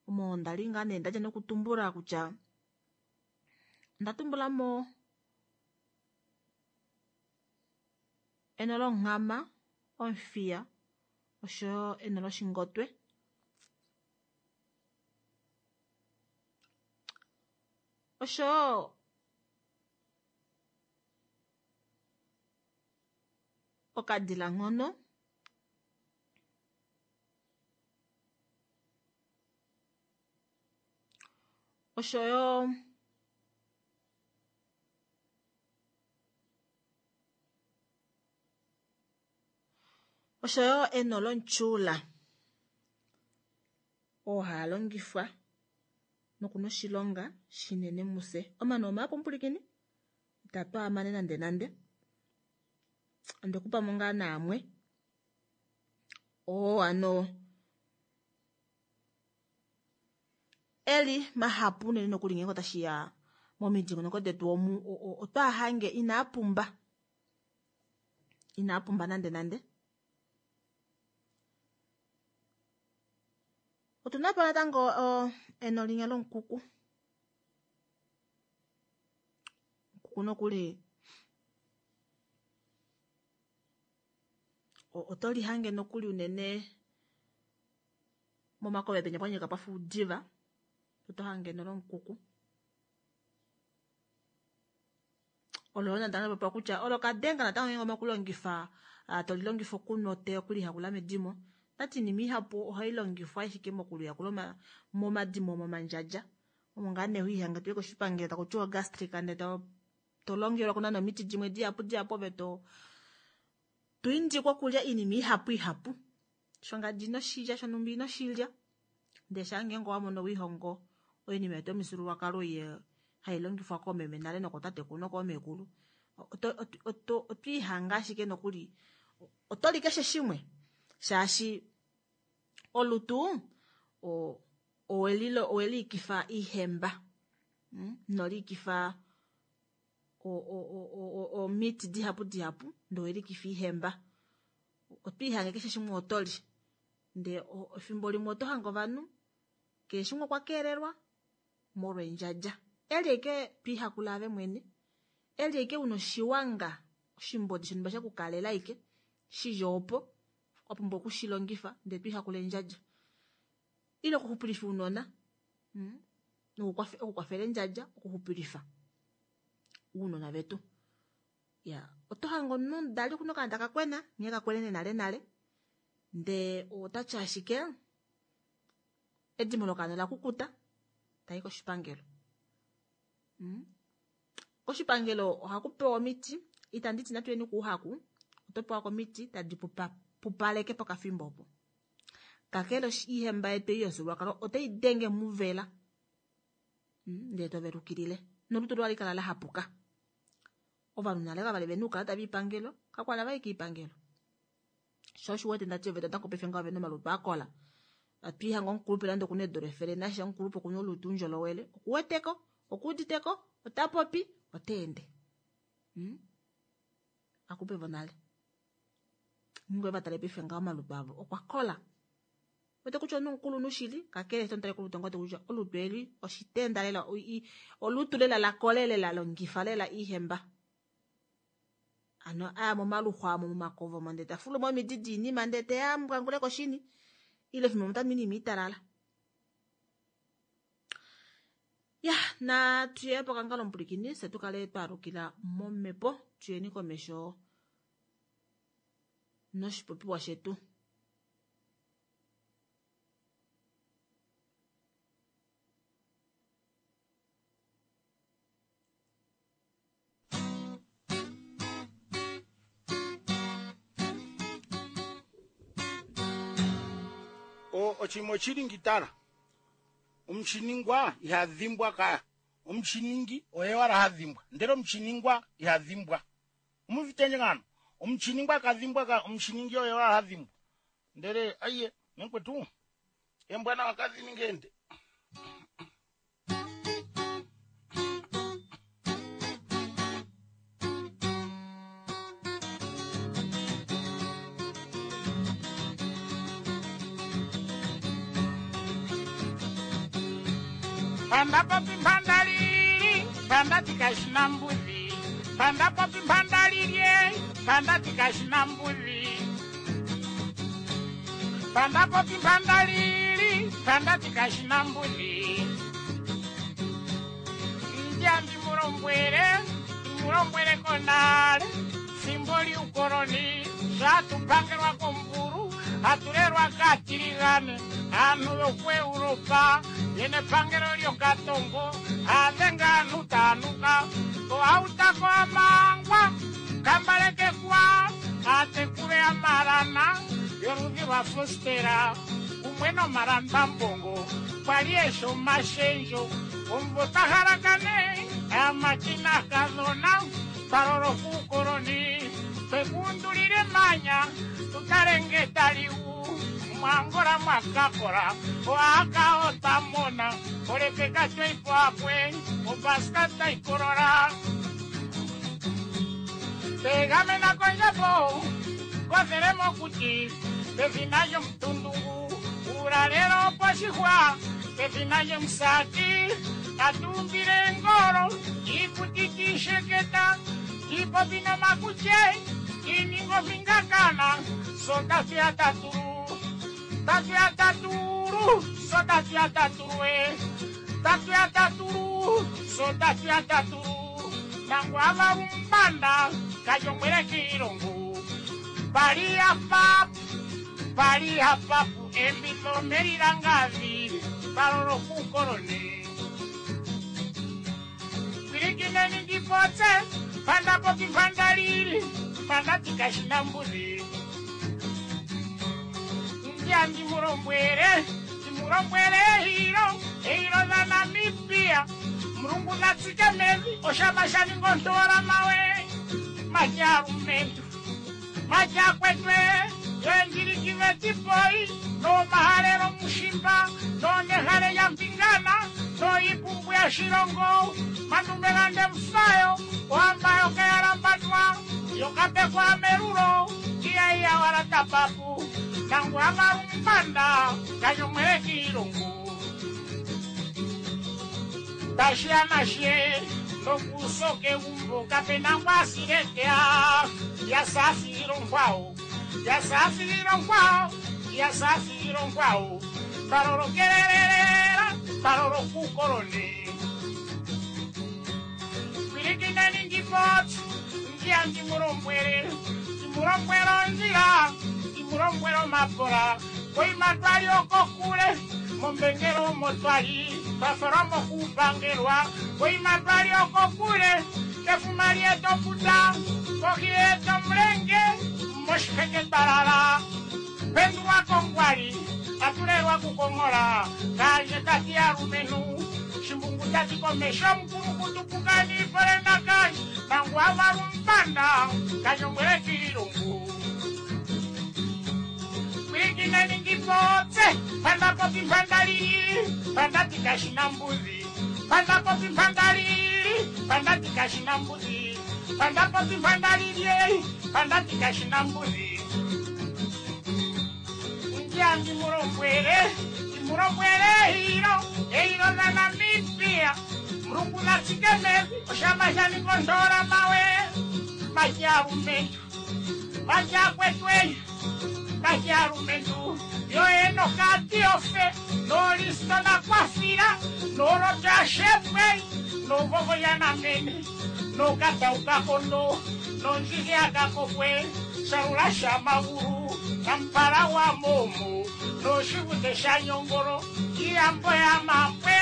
Omo ndali ngaa nee ndadja nokutumbula kutya onda tumbulamo eno longhama, omufiya oshoyo eno loshingotwe. Oshoyo okadilanghono oshoyo oshoyo eno lomutyuula oo haa longifwa nokuna oshilonga shinene muse. Omano omahapu mupulikini itatu amane nande nande ondekupamo ngaa naamwe oo ano eli mahapu unene nokuli ngeenge otashiya momidingonoko detu omu otwaahange inaa pumba inaa pumba nande nande. Otuna po natango eno linya lomukuku. Omukuku nokuli oto lihange nokuli unene momakove penya pwanyika pwafa oudiva oto hange eno lomukuku. Olo natango popiwa kutya olo kadenga natango ngeenge omokulongifa tolilongifa okunwa otee okulihakula medimo. Tati iinima ihapu ohayi longifwa ashike mokuluyakula momadimo momandjadja. Omo ngaa nee hoihange toyi koshipangelo taku tiwa gastric ndee to to longelwa kuna nomiti dimwe dihapu dihapu ove to to indikwa okulya iinima ihapu ihapu. Shongadi inoshilya shonumba inoshilya. Ndee shaa ngeenge owamono wiihongo oinima yetu yomifyuululwakalo ei hai longifwa koomeme nale nokootatekulu nokoomekulu oto oto otwiihanga ashike nokuli otoli keshe shimwe shaashi olutu o owelilo oweliikifa ihemba mm? noliikifa omiti dihapu dihapu ndee oweliikifa ihemba otwiihange keshe shimwe otoli ndee efimbo limwe oto hange ovanhu keshe shimwe okwa keelelwa molwa endjadja eli ashike twiihakula ave mwene eli ashike una oshiwanga oshimbodi shonumba shekukalela ashike shili opo wapumbwa okushilongifa ndee twiihakula endjadja ile okuxupilifa ounona mm? okukwafela endjadja okuxupilifa ounona vetu ya oto hange omunhu omudali okuna okaana taka kwena nghee kakwenene nale nale ndee otati ashike edimo lokaana ola kukuta tayi koshipangelo mm? Koshipangelo ohaku pewa omiti itandi ti natuyeni kuuhaku oto pewa komiti tadi pupaleke pokafimbo opo kakele ihemba yetu ei yomufyuululwakalo otai denge muvela ndee tovelukilile nolutu loye ohali kala lahapuka. Ovanhu nale kavali vena uukalata voipangelo kakwali havayi kiipangelo sho osho uwete ndati ove natango paife ngaho ovena omalutu akola atwiihanga omukulupe nande okuna eedula efele nasha omukulupe okuna olutu oundjolowele okuweteko okuuditeko otapopi otaende mm? Akulupe vonale ngeenge owevatale paife ngaho omalutu avo okwa kola wete kutya omunhu omukulunhu shili kakele eshi tomutale kolutu ngoo kutya olutu eli oshitenda lela olutu lela lakola lela longifa lela ihemba ano aya momaluxwa amo momakovo omo ndee tafulu mo omidi diinima ndee teya mbwangule koshini ile fimbo otamu inima italala ya natuye pokangalo omupulikini fye tukale twaalukila momhepo tuyeni komesho noshipopiwa shetu. Oshinima oshili tala omushiningwa iha dhimbwa ka omushiningi oye wala ha dhimbwa ndele omushiningwa iha dhimbwa omuvitendje ngano omushiningwa kadhimbwa ka omushiningi oye wala ha dhimbwa ndele aiye mekwetu embwa nawa kadhininge ende Panda popi mpanda lili, panda tikashina mbuzi. Panda popi mpanda lilye, panda tikashina mbuzi. Panda popi mpanda lili, panda tikashina mbuzi. Ndjambi mulombwele, mulombwele konale. Fimbo liukoloni, shatupangelwa komburu, hatulelwa katiligane. Aanhu yokuEuropa yene epangelo lyokatongo adhenga aanhu taanuka ohautako amangwa kambalekekwa aatekule amalana yoludhi lwa fostera kumwe nomalambambongo kwali esho omashendjo omumvo tahalakane aamati naakadhona twaloloka uukoloni twekuundulile emanya tutale nge taliwu mwangola mwakakola oaka otamona olekeka tweipoakwe opaska taikolola tegamena kondjapo kothele mokuti pefina lyomutundungu uulalelo poshixwa pefina lyomusati tatuumbile engolo iikuti tiisheketa tiipopi nomakutye tiininga omingakana sotafya tatulu tatuya tatulu so tatuya tatulu e tatuya tatulu so tatuya tatulu nangu avalumbanda kajongwele kiilongo pali ya pap Pali hapapu embilo melilangavi palolo kukoloni. Pilikineni ndipotse pandapopi pandalili pandatikashina mbuzi. Ndya ndimulombwele ndimulombwele hilo hilo la Namibia. Mulungu natsike mevi oshama shaningontora mawe majarumentu majakwetwe yenjirikive tipoi no mahalelo mushimba no nehale ya mpingana no ipumbu ya shilongo manumelande mfayo wambayo kayalambadwa yokapekwa merulo iyaiya wala tapapu nangu amarumbanda kanyomwele kilungu tashianashe nokusoke umbo kapena ngwasiletea yasafiro nkwao yasafiro nkwao yasafiro nkwao parorokelelelera parorokukoloni pilikineni ndipoti ndia ndimulombwele ndimulombwelo nzila ndimulombwelo mapola koimatwali okokule mombengelo motwali bafaramo kupangelwa koimatwali okokule kefumali etoputa kohi etomulenge moshiheke talala pendulwa kongwali atulelwa kukongola kanje tati alumenu shimbungu tati komesho mukulu kutupukani polena kanje nangu avalumpanda kanyombwele kilungu pilikineni ndipotse pandapopi mpandalili pandatikashina mbuzi pandapopi mpandalili pandatikashina mbuzi pandapopi mpandalili pandatikashina mbuzi ndya ndimulombwele ndimulombwele hilo ehilo la Namibia mulungu natsike mevi oshama shaningondola mawe majalumentu majakwetwe majalumentu yoenokatiofe nolisto nakwafila nolotashepwe novovoyanamene nokataukakondo nonjiliakakokwe salula shamagulu nampala wa momo noshivute shanyongolo iyambo ya mambwe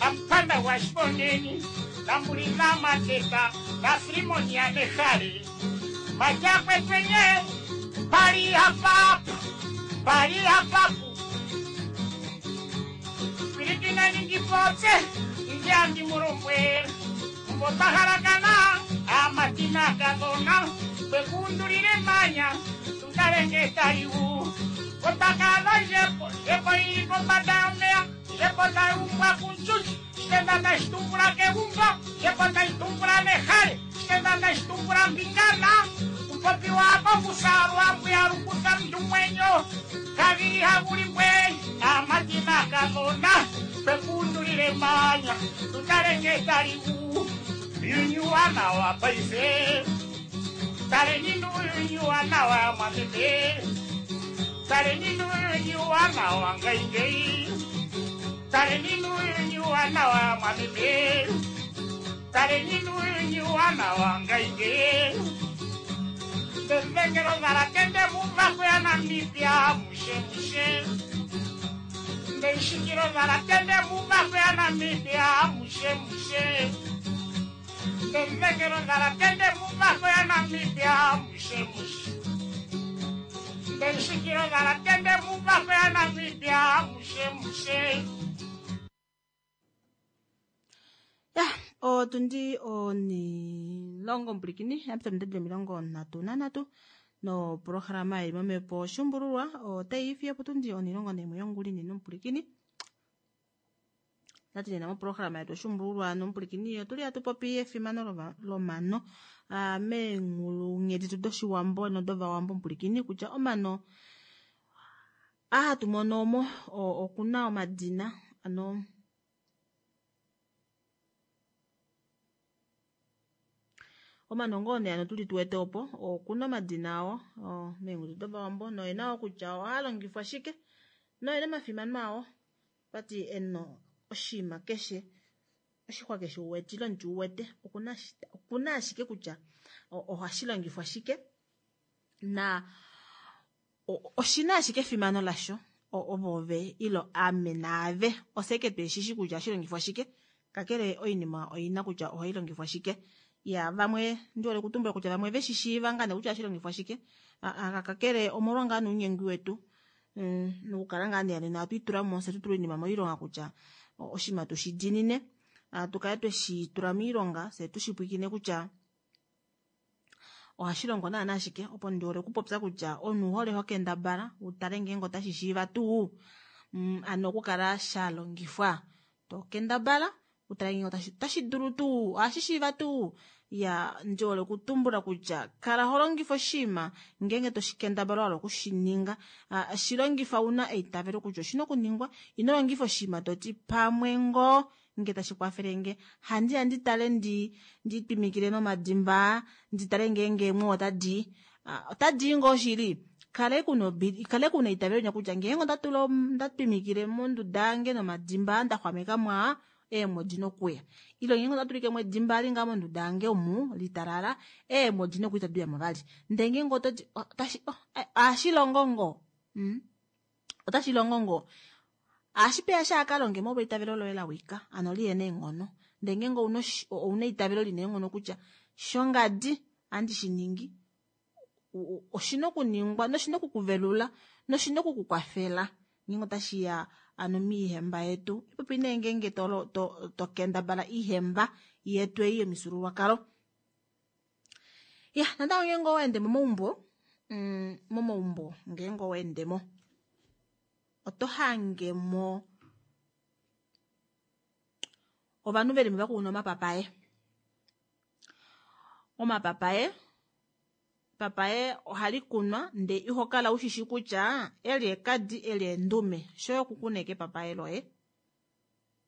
ampanda wa shiponeni nambulina mateta na filimoni ya nehale majakwetwenye pali hapapu pali hapapu pilikineni ndipotse ndya ndimulombwele mbotahalakana amatina kadona kwekundulile manya tutalenge taliwu otakala njepo njepo ili kombanda yomeya njepo tayumbwa kunchuchi shitenda tashitumbula kegumbo njepo tashitumbula nehale shitenda tashitumbula mbingana kupopi wako kusalwa mbuya lukusa mndu mwenyo kavili hakulimbwe amatina kadona kwekundulile manya tutalenge taliwu yunyuwana wa paife taleni nuyunyuwana wa mwameme taleni nuyunyuwana wa ngaingei taleni nuyunyuwana wa mwameme taleni nuyunyuwana wa ngaingei ndengelo zalatende muvako ya Namibia mushe mushe ndeshikilo zalatende muvako ya Namibia mushe mushe ndengelo zalatende muvako ya Namibia mushe mushe ndeshikilo zalatende muvako ya Namibia mushe mushe. Ya otundi onilongo mpulikini yapita midadi omilongo nhatu nanhatu noprograma ili momepo shumbululwa otayi fiyo potundi onilongo naimwe yonguli nene omupulikini nati nena moprograma yetu oshumbululwa nomupulikini otuli hatu popi efimano lomano meenghulunghedi doshiwambo nodovawambo omupulikini kutya omano ahatu mono omo okuna omadina ano omano ngoo nee ano tuli tuwete opo okuna omadina awo meengudu dovawambo noena wo kutya ohaa shike noena omafimano awo pati eno oshinima keshe oshixwa keshe uwetile omuti uwete okuna ashike kutya ohashi longifwa shike na Oshina ashike efimano lasho ovo ove ilo ame naave oseke tweshishi kutya ohashi longifwa shike kakele oinima oina kutya ohailongifwa shike ya vamwe ndihole okutumbula kutya vamwe veshishiiva ngaa nee kutya ohashi longifwa shike kakele omolwa ngaa nounyengi wetu nokukala ngaa nee nena ohatu fye tutule oinima moilonga kutya oshinima tushi diinine tukale tweshi tula moilonga fyee tushipwiikine kutya ohashi longo naana shike opo ndihole okupopya kutya omunhu ouhole hokendabala utale ngeenge otashi shiiva tuu hano okukala shalongifwa tokendabala utale ngeenge otashi dulu tuu ohashi shiiva tuu iya ndihole okutumbula kutya kala holongifa oshinima ngeenge toshikendabala wahala okushininga shilongifa una eitavelo kutya oshina okuningwa ino longifa oshinima toti pamwe ngoo nge tashi kwafelenge handiya nditale ndi nditwimikile nomadimba nditale ngeenge eemwe otadi otadii ngoo shili kale kuna kale kuna eitavelo linya kutya ngeenge ondatula ndatwimikile monduda yange nomadimba ndaxwameka mwaa eemwe odina okuya ile ngeenge ondatulike edimba eli ngaa monduda yange omu litalala eemwe odina okuya itadi uyamo vali ndee ngeenge ototi ohashilongo ngoo otashilongo ngoo ohashi shakalonge molwa eitavelo loye lawika hano lihena eenghono ndee ngeenge ouna eitavelo lina eenghono kutya shongadi ohandi shiningi oshina okuningwa noshina okukuvelula noshina okukukwafela ngeenge otashiya hano miihemba yetu ipopi nee ngeenge tokendabala iihemba yetu ei yomifyuululwakalo ya natango ngeenge owaende momaumbo momaumbo ngeenge owaendemo oto hangemo ovanhu velimo vakuna omapapaye omapapaye epapaye ohali kunwa ndee ihokala ushishi kutya eli ekadi eli endume shoye okukuna ashike epapaye loye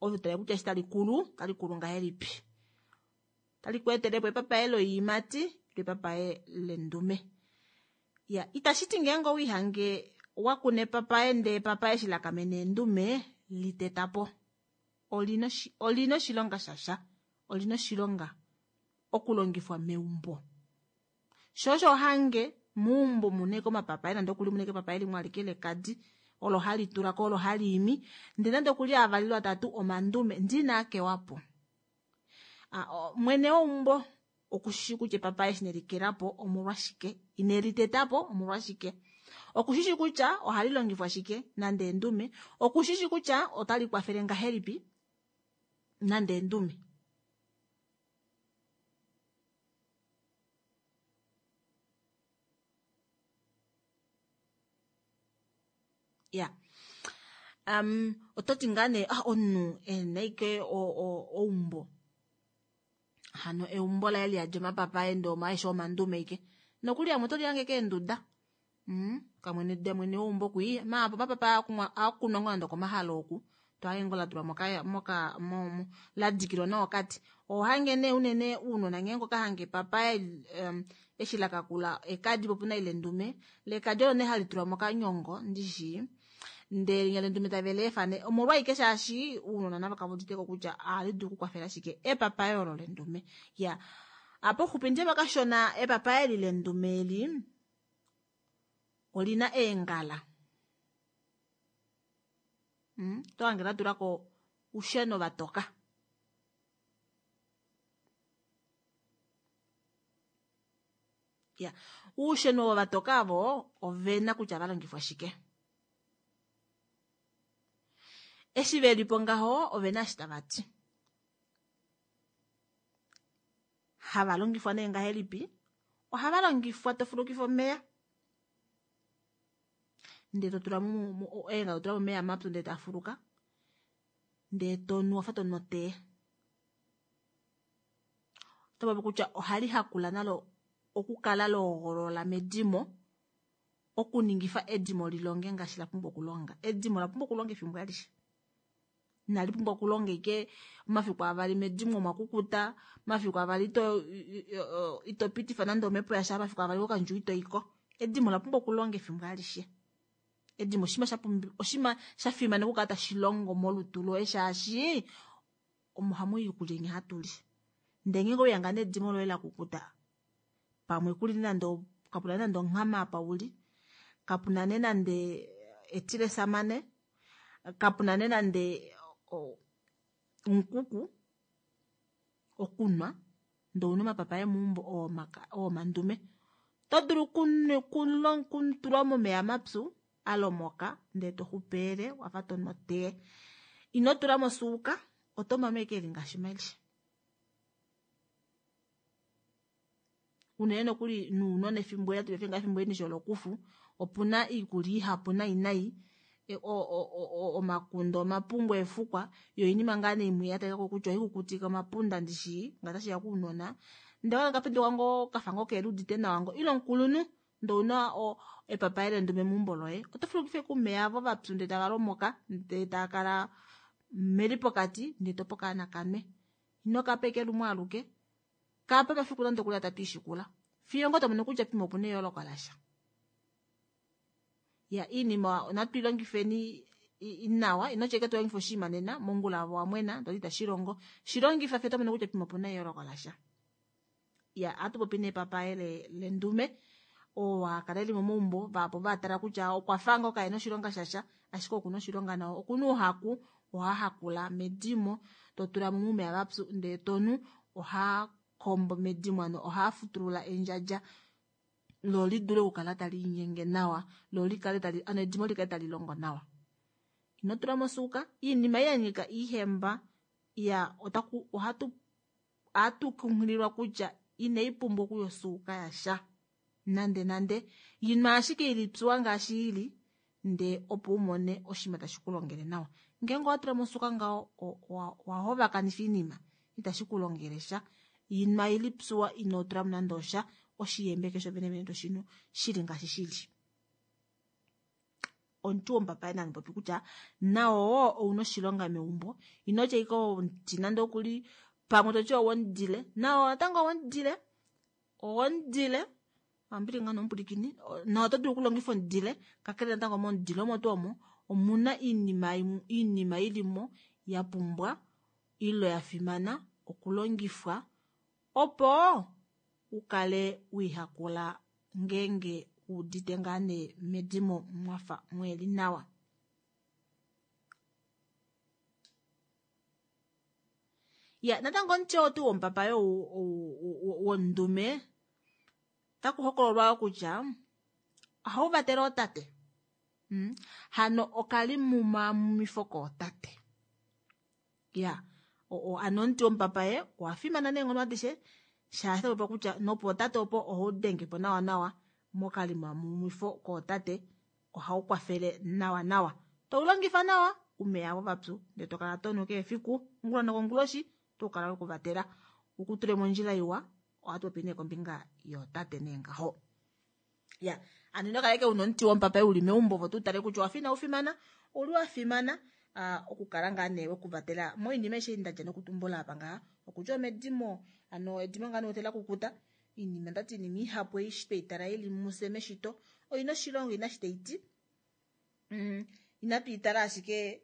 ove totale kutya eshi talikulu otalikulu ngahelipi otali kweetelepo epapaye loiimati ile epapaye lendume iya itashiti ngeenge owiihange wakuna epapaye ndee epapaye eshi lakamena eendume litetapo olina olina oshilonga shasha olina oshilonga okulongifwa meumbo sho osho hange meumbo muna ashike omapapaye nande okuli muna ashike epapaye limwe alike lekadi olo hali tulako olo hali imi ndee nande okuli avali ile atatu omandume ndee inaakewapo mwene weumbo okushishi kutya epapaye eshi nelikelapo omolwashike inelitetapo omolwashike okushishi kutya ohali longifwa shike nande endume okushishi kutya otali kwafele ngahelipi nande endume ya um ototi ngaa nee ah omunhu ena ashike eumbo hano eumbo laye liyadi omapapaye ndee omaeshe omandume ashike nokuli amwe otolihange keenduda mm kamwene mwene weumbo kwii maapo omapapaye aakunwa ngoo nande okomahala oku tohange ngoo latulwa moka moka mo ladikilwa nawa okati ohange nee unene uunona ngeenge okahange epapaye um, eshi lakakula ekadi po opuna ile endume lekadi olo nee hali tulwa mokanyongo ndishi ndee linya lendume tave leefa nee omolwaike shaashi uunona navo kave uditeko kutya ohali dulu okukwafela shike epapaye olo lendume ya apa xupi ndiye pakashona epapaye eli lendume eli olina eengala mm, tohange latulako ousheno vatoka ya ousheno ovo vatoka avo ovena kutya valongifwa shike eshi velipo ngaho ovena eshi tavati hava longifwa nee ngahelipi ohava longifwa tofulukifa omeya ndee totula eengala totula momeya mapyu ndee tafuluka ndee tonu wafa tonu otee otopopi kutya ohali hakula nalo okukala loogolola medimo okuningifa edimo lilonge ngaashi lapumbwa okulonga edimo lapumbwa okulonga efimbo alishe inali pumbwa okulonga ike omafiku avali medimo omwa kukuta omafiku avali ito ito pitifa nande omhepo yasha omafiku avali kokandjuwo ito iko edimo lapumbwa okulonga efimbo alishe edimo oshinima shapumbi oshinima shafimana okukala tashi longo molutu loye shaashi omo hamu i iikulya inya hatu li ndee ngeenge ouyanga nedimo loye lakukuta pamwe kuli nande kapuna nande onghama apa uli Kapuna nee nande etilesamane, kapuna nee nande omukuku okunwa, ndee ouna omapapaye meumbo oo mandume. Oto dulu okutula momeva mapyu alomoka ndee toxupeele wafa tonu otea. Ino tulamo osuuka, otomu ashike eli ngaashi mali. Unene nokuli nounona efimbo eli efimbo eli lokufu opuna iikulya ihapu nai nai omakunde, omapungu, eefukwa yoo oinima ngaa nee imwe yatalikako kutya ohaikukutike omapunda ndishi ngee otashiya kounona ndee okaana okapenduka ngoo kafa ngoo keheludite nawa ngoo ile omukulunhu ndee ouna epapaye lendume meumbo loye oto fulukifa ashike oumeva aavo vapyu ndee tavalomoka ndee taakala meli pokati ndee tope okaana kanwe. Inokapa ashike lumwe aluke, kapa omafiku nande okuli atatu aashikula fiyo ngoo tomono kutya pamwe opuna eyooloko lasha. Iya iinima natu ilongifeni nawa, inotya ashike tolongifa oshinima nena mongula ove owamwena toti itashilongo, shilongifa fiyo otomono kutya pamwe opuna eyooloko lasha. Iya ohatu popi nee epapaye lendume oo hakala eli momaumbo vahapu vaatala kutya okwafa ngoo kahena oshilonga shasha ashike okuna oshilonga nawa, okuna ouhaku ohahakula medimo totulamo moumeva vapyu ndee tonu, ohaakombo medimo hano ohaafutulula endjadja loo lidule okukala taliinyenge nawa loo likale tali hano edimo likale talilongo nawa. Ino tulamo osuuka, iinima ei yanyika oihemba iya otaku ohatu ohatu kunghililwa kutya inaipumbwa okuya osuuka yasha nande nande, inwa ashike ilipyuwa ngaashi ili ndee opo umone oshinima tashi kulongele nawa. Ngeenge owatulamo osuuka ngaho owahovakanifa oinima itashi kulongele sha. Inwa ilipyuwa ino tulamo nande osha, oshiyembe keshe vene vene toshinu shili ngaashi shili. Omuti womupapaye nani popi kutya nao wo ouna oshilonga meumbo, inotya ashike omuti nande okuli pamwe toti owomudile, nao natango owomudile, owomudile ambili ngaa nomupulikini, nao oto dulu okulongifa omudile kakele natango momudile omo tuu omo omuna iinima iinima ilimo yapumbwa ile yafimana okulongifwa opo ukale wiihakula ngeenge wuudite ngaa nee medimo mwafa mweli nawa. Ya natango omuti oo tuu womupapaye wondume otaku hokololwa kutya ohauvatele ootate. Mm. Hano okalimumamumifo kootate. Ya hano omuti womupapaye owafimana neenghono adishe shaashi otapopiwa kutya nopootate opo ohaudengepo nawa nawa mokalimamumifo kootate ohaukwafele nawa nawa. Toulongifa nawa umeya avo vapyu ndee tokala tonu keshe efiku ongula nokonguloshi otoukala wekuvatela ukutule mondjila iwa. Ohatu popi nee kombinga yootate nee ngaho. Ya hano ino kala ashike una omuti womupapaye uli meumbo ove tutale kutya owafa inaufimana, ouli wafimana okukala ngaa nee wekuvatela moinima aishe ndadja nokutumbula apa ngaha, okutya omedimo hano edimo ngaa nee lakukuta iinima ndati iinima ihapu ei tweitala ili mufye meshito oina oshilonga ina shi taiti. Mm, inatu itala ashike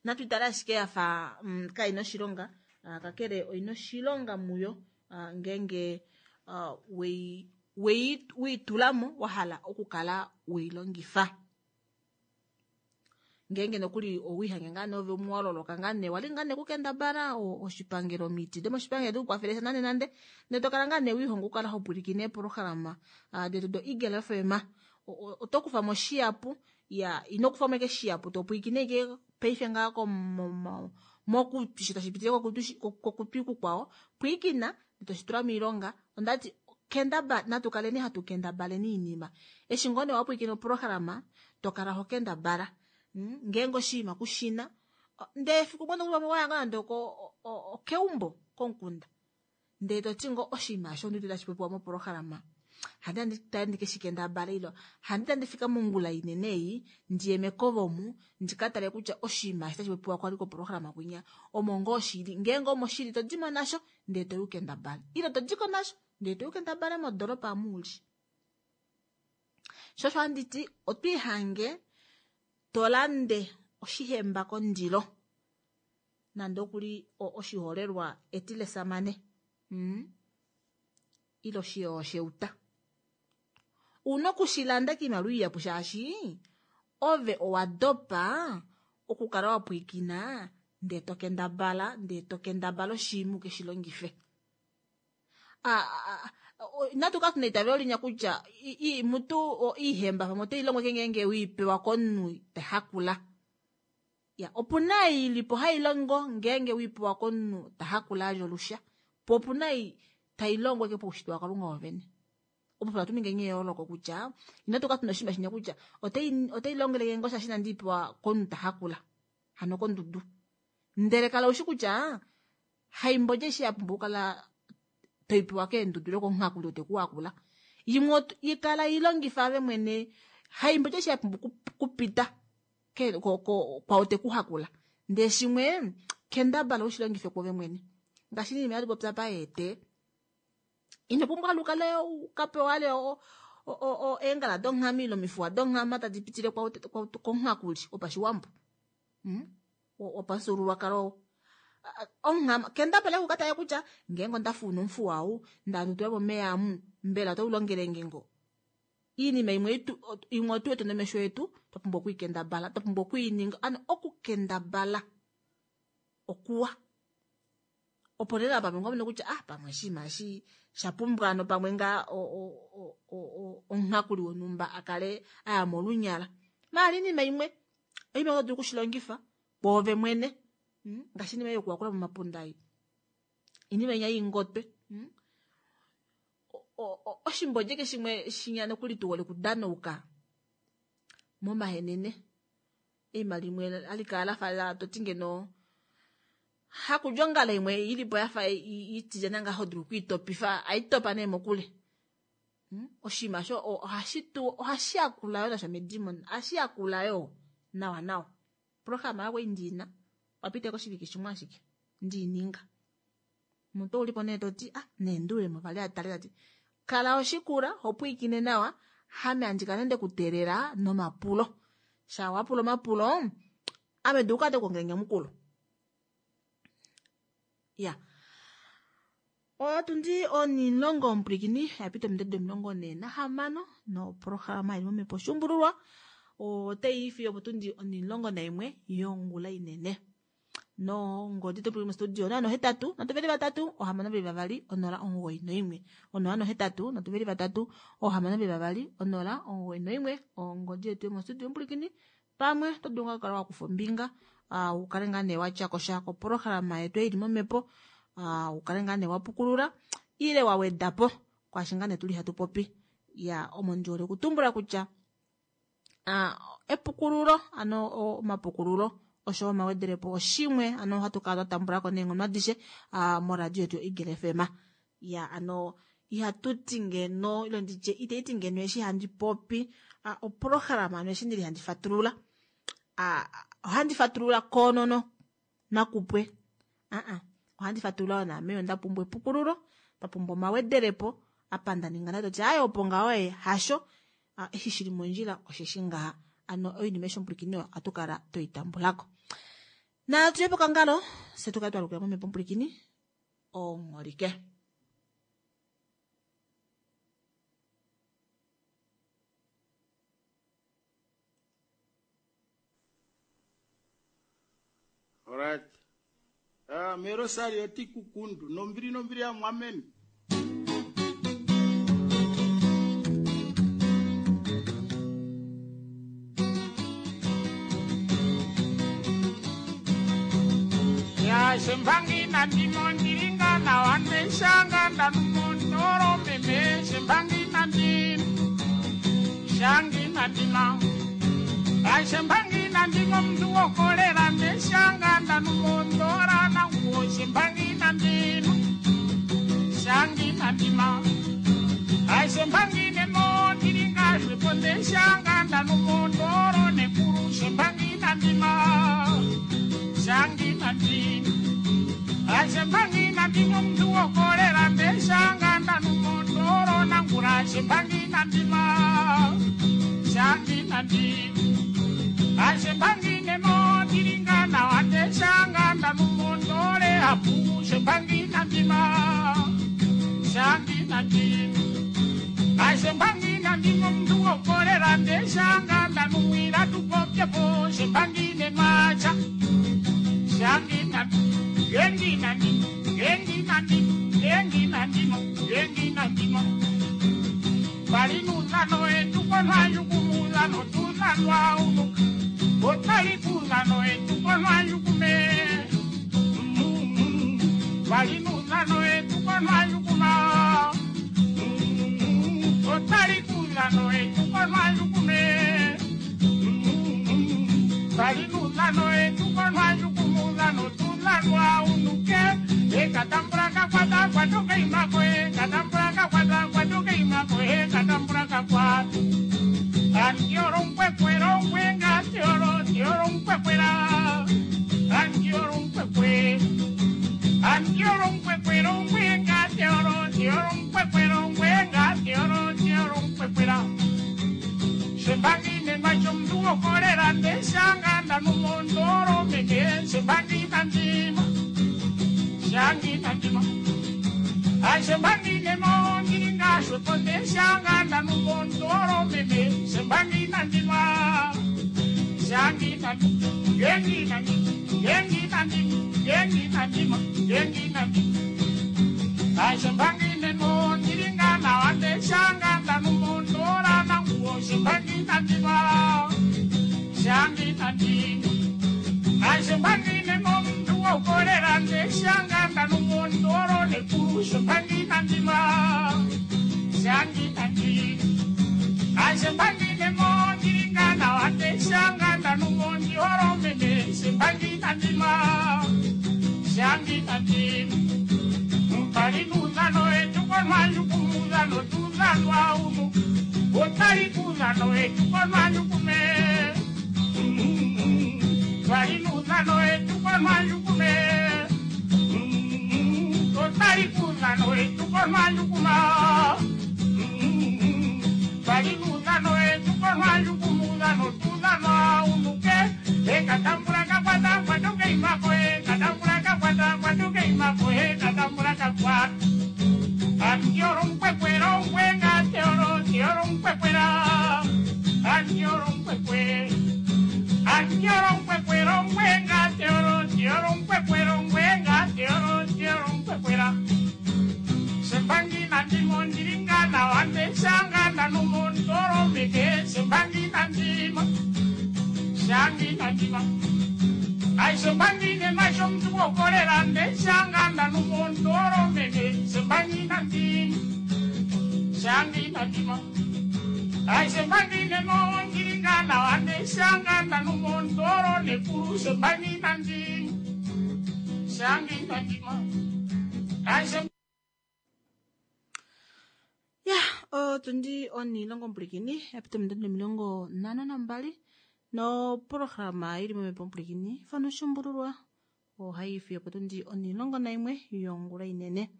natu itala ashike yafa mm, kaina oshilonga, kakele oina oshilonga muyo ngeenge wei wei wiitulamo wahala okukala weilongifa. Ngeenge nokuli owiihange ngaa nee ove umwe waloloka ngaa nee wali ngaa nee kukendabala oshipangelo omiti domoshipangelo dikukwafele sha nande nande ndee tokala ngaa nee wiihonga okukala hopwilikine eeprograma detu do Eagle F M oto kufamo shihapu ya ino kufamo ashike shihapu topwilikine ashike paife ngaa mokutwi sho tashi pitile kokutwi kukwao pwilikina toshitula moilonga. Ondati kendaba natu kaleni hatu kendabaleni iinima eshi ngoo nee wapwilikina oprograma tokala ho kendabala ngeenge oshinima kushina ndee efiku limwe nokuli waya ngoo nande okeumbo komukunda ndee toti ngoo oshinima osho ondiwete tashi popiwa moprograma handi tale ndikeshikendabale ilo handi tandi fika mongula inene ei ndiye mekova omu ndikatale kutya oshinima eshi tashi popiwa kwali koprograma kwinya omo ngoo shili ngeenge omo shili todimo nasho ndee toyi ukendabale ile todiko nasho ndee toyi ukendabale modoropa omu uli. Sho osho handiti otwiihange tolande oshihemba kondilo Nande okuli oshiholelwa etilesamane. Mm. Ile oshiyo sheuta. Una okushilanda kiimaliwa iyapu shaashi ove owa dopa okukala wa pwiikina ndee to kendabala ndee to kendabala oshiima ukeshi longife. Inatu kala tuna eitavelo linya kutya mutu iihemba pamwe otai longo ngeenge weipewa komunhu tahakula. Ya, opuna ilipo hai longo ngeenge weipewa komunhu tahakula alya olusha. Po opuna tai longo ke paushitwe waKalunga wovene. Opo hatu ningi eyooloko kutya inatu kala tuna oshinima shinya kutya otai otai longele ngoo shaashi inandi ipewa komunhu tahakula. Hano kondudu. Ndele kala ushi kutya haimbo eshi ya pumbwa okukala toipewa keendudu ile komuhakuli oo tekuhakula. Imwe ikala ilongifa ave mwene haimbo eshi ya pumbwa kupita kwao tekuhakula. Ndee shimwe kendabala ushilongife kwove mwene. Ngaashi inima yatu popya paete. Ino pumbwa lukale ukapewa ale eengala donghama ile omifuwa donghama tadi pitile komuhakuli wopashiwambo. Wopamufyuululwakalo. Onghama kendabala kukatale kutya ngeenge ondafuna omufuwa ou nda tula momeya amu mbela otau longele nge ngo. Iinima imwe imwe otu wete nomesho etu twa pumbwa okwiikendabala, twa pumbwa okwiininga ano okukendabala okuwa. Opo lela pamwe ngomene kutya ah pamwe oshinima eshi shapumbwa ano pamwe ngaa omuhakuli wonhumba akale aya molunyala. Maala iinima imwe oinima oto dulu okushilongifa kwoove mwene. Ngaashi iinima yokuhakula momapunda ei. Iinima inya ingotwe. Oshimbodje keshe shimwe shinya nokuli tuhole okudanauka momahenene. Eima limwe alikala lafa toti ngeno hakudja ongala imwe ilipo yafa itilyana ngaho dulu okwiitopifa aitopa nee mokule. Oshinima sho ohashi tu ohashi yakula yo nasho medimo ohashi yakula yo nawa nawa. Programa yako indiina wapita koshivike shimwe ashike ndiininga. Omuntu oulipo nee toti ah neendulemo vali atale tati kala oshikula hopwiikine nawa hame andika nende kuteelela nomapulo. Sha wapula omapulo ame duka te kuongele nyamukulo. Ya. Otundi onilongo omupulikini yapita ominute omilongo ne nahamano noprograma ili momhepo shumbululwa otai fiyo potundi onilongo naimwe yongula inene. No ngodi to puli studio na no hetatu na tuveli vatatu ohamano veli vavali onola omugoyi noimwe. Onola no hetatu na tuveli vatatu ohamano veli vavali onola omugoyi noimwe. Ongodi yetu yomo studio omupulikini pamwe to dulu kala wa kufa ombinga uh, ukale ngaa nee watya kosha koprograma yetu ili momhepo uh, ukale ngaa nee wapukulula ile wawedapo kwaashi ngaa nee tuli hatu popi. Ya omo ndi hole okutumbula kutya uh, epukululo ano omapukululo osho omawedelepo oshimwe ano hatu kala twa tambulako neenghono adishe uh, moradio yetu Eagle F M. Ya ano ihatu ti ngeno ile nditye iteiti ngeno eshi handi popi uh, oprograma ano eshi ndili handi fatulula uh, ohandi fatulula konono nakupwe. Uh-uh. Ohandi fatulula naame onda pumbwa epukululo, nda pumbwa omawedelepo apa nda ninga nato ti ayo opo ngaho e hasho uh, eshi shili mondjila osheshi ngaha. Ano oinima eshi omupulikini oyo ohatu kala toitambulako. Na tuye pokangalo se tukale twalukila momhepo omupulikini ongholike. Alright. Ah, mero sari oti kukundu nombiri nombiri ya mwameni. Ya shembangi na ndimo ndiringa na wanwe shanga ndanumondoro meme shembangi na ndimo shangi na ndima. Ya shembangi na ndimo mndu wokolera ndeshanga ndanumondora na nguo shembangi na ndimo shangi na ndima. Ya shembangi nemo ndiringa shwepo ndeshanga ndanumondoro nekuru shembangi na ndima shangi na ndima. Ashembangi na ndimo mndu wokolera ndeshanga ndanumondoro na ngura shembangi na ndima shangi na ndima. Ashembangi nemo ndiringa na wandeshanga ndanumondoro Apu shembangi nandima shangi nandima ashembangi nandima omuntu wokolera ndeshanga ndanuwira tupopyepo shembangi nemacha shangi nandima gengi nandima gengi nandima gengi nandima gengi nandima balinuzano etukonwayukumuzano tuzanwa unuka otalikuzano etukonwayukume balinuzano etukonwayukuma otalikuzano etukonwayukume balinuzano etukonwayukumuzano tuzanwa unuke ekatambula kakwata kwatuka imako ekatambula kakwata kwatuka imako ekatambula kakwata antioro nkwekwero nkwenga tioro tioro nkwekwera antioro nkwekwe antioro nkwekwero nkwenga tioro tioro nkwekwero nkwenga tioro tioro nkwekwera sembangine macho mndu wokolera ndeshanga ndanumondoro mene sembangina ndima shangi nandima ashembangine mondiringashwepo ndeshanga ndanumondoro mene sembangi nandima shangi nandima gengi nandima gengi nandima gengi nandima gengi nandima ashembangine mondiringana wandeshanga ndanumondora nanguwo sembangi nandima shangi nandima ashembangine nomuntu wokolera ndeshanga ndanumondoro nekuru sembangi nandima shangi nandima ashembangine mondiringana wandeshanga ndanumondioro mene sembangi nandima shangi nandima mpalinuzano etukonwayukumuzano tuzanwa unu otalikuzano etukonwayukume balinuzano etukonwayukume otalikuzano etukonwayukuma balinuzano etukonwayukumuzano tuzanwa unuke ekatambula kakwata kwatuke imako ekatambula kakwata kwatuke imako ekatambula kakwata antioro nkwekwero nkwenga tioro tioro nkwekwera antioro nkwekwe antioro nkwekwero nkwenga tioro tioro nkwekwero nkwenga tioro tioro nkwekwera sembangi nandimo ndiringana wandeshanga ndanumondoro meke sembangi nandima shangi nandima aisembangine masho mntu wokolera ndeshanga ndanumondoro mene sembangi nandima shangi nandima aisembangine mondiringana wandeshanga ndanumondoro nekuru sembangi nandima shangi nandima aise ya otundi onilongo mpulikini yapita ominute nomilongo nhano nambali noprograma ili momhepo mpulikini fano shumbululwa ohayi fiyo potundi onilongo naimwe yongula inene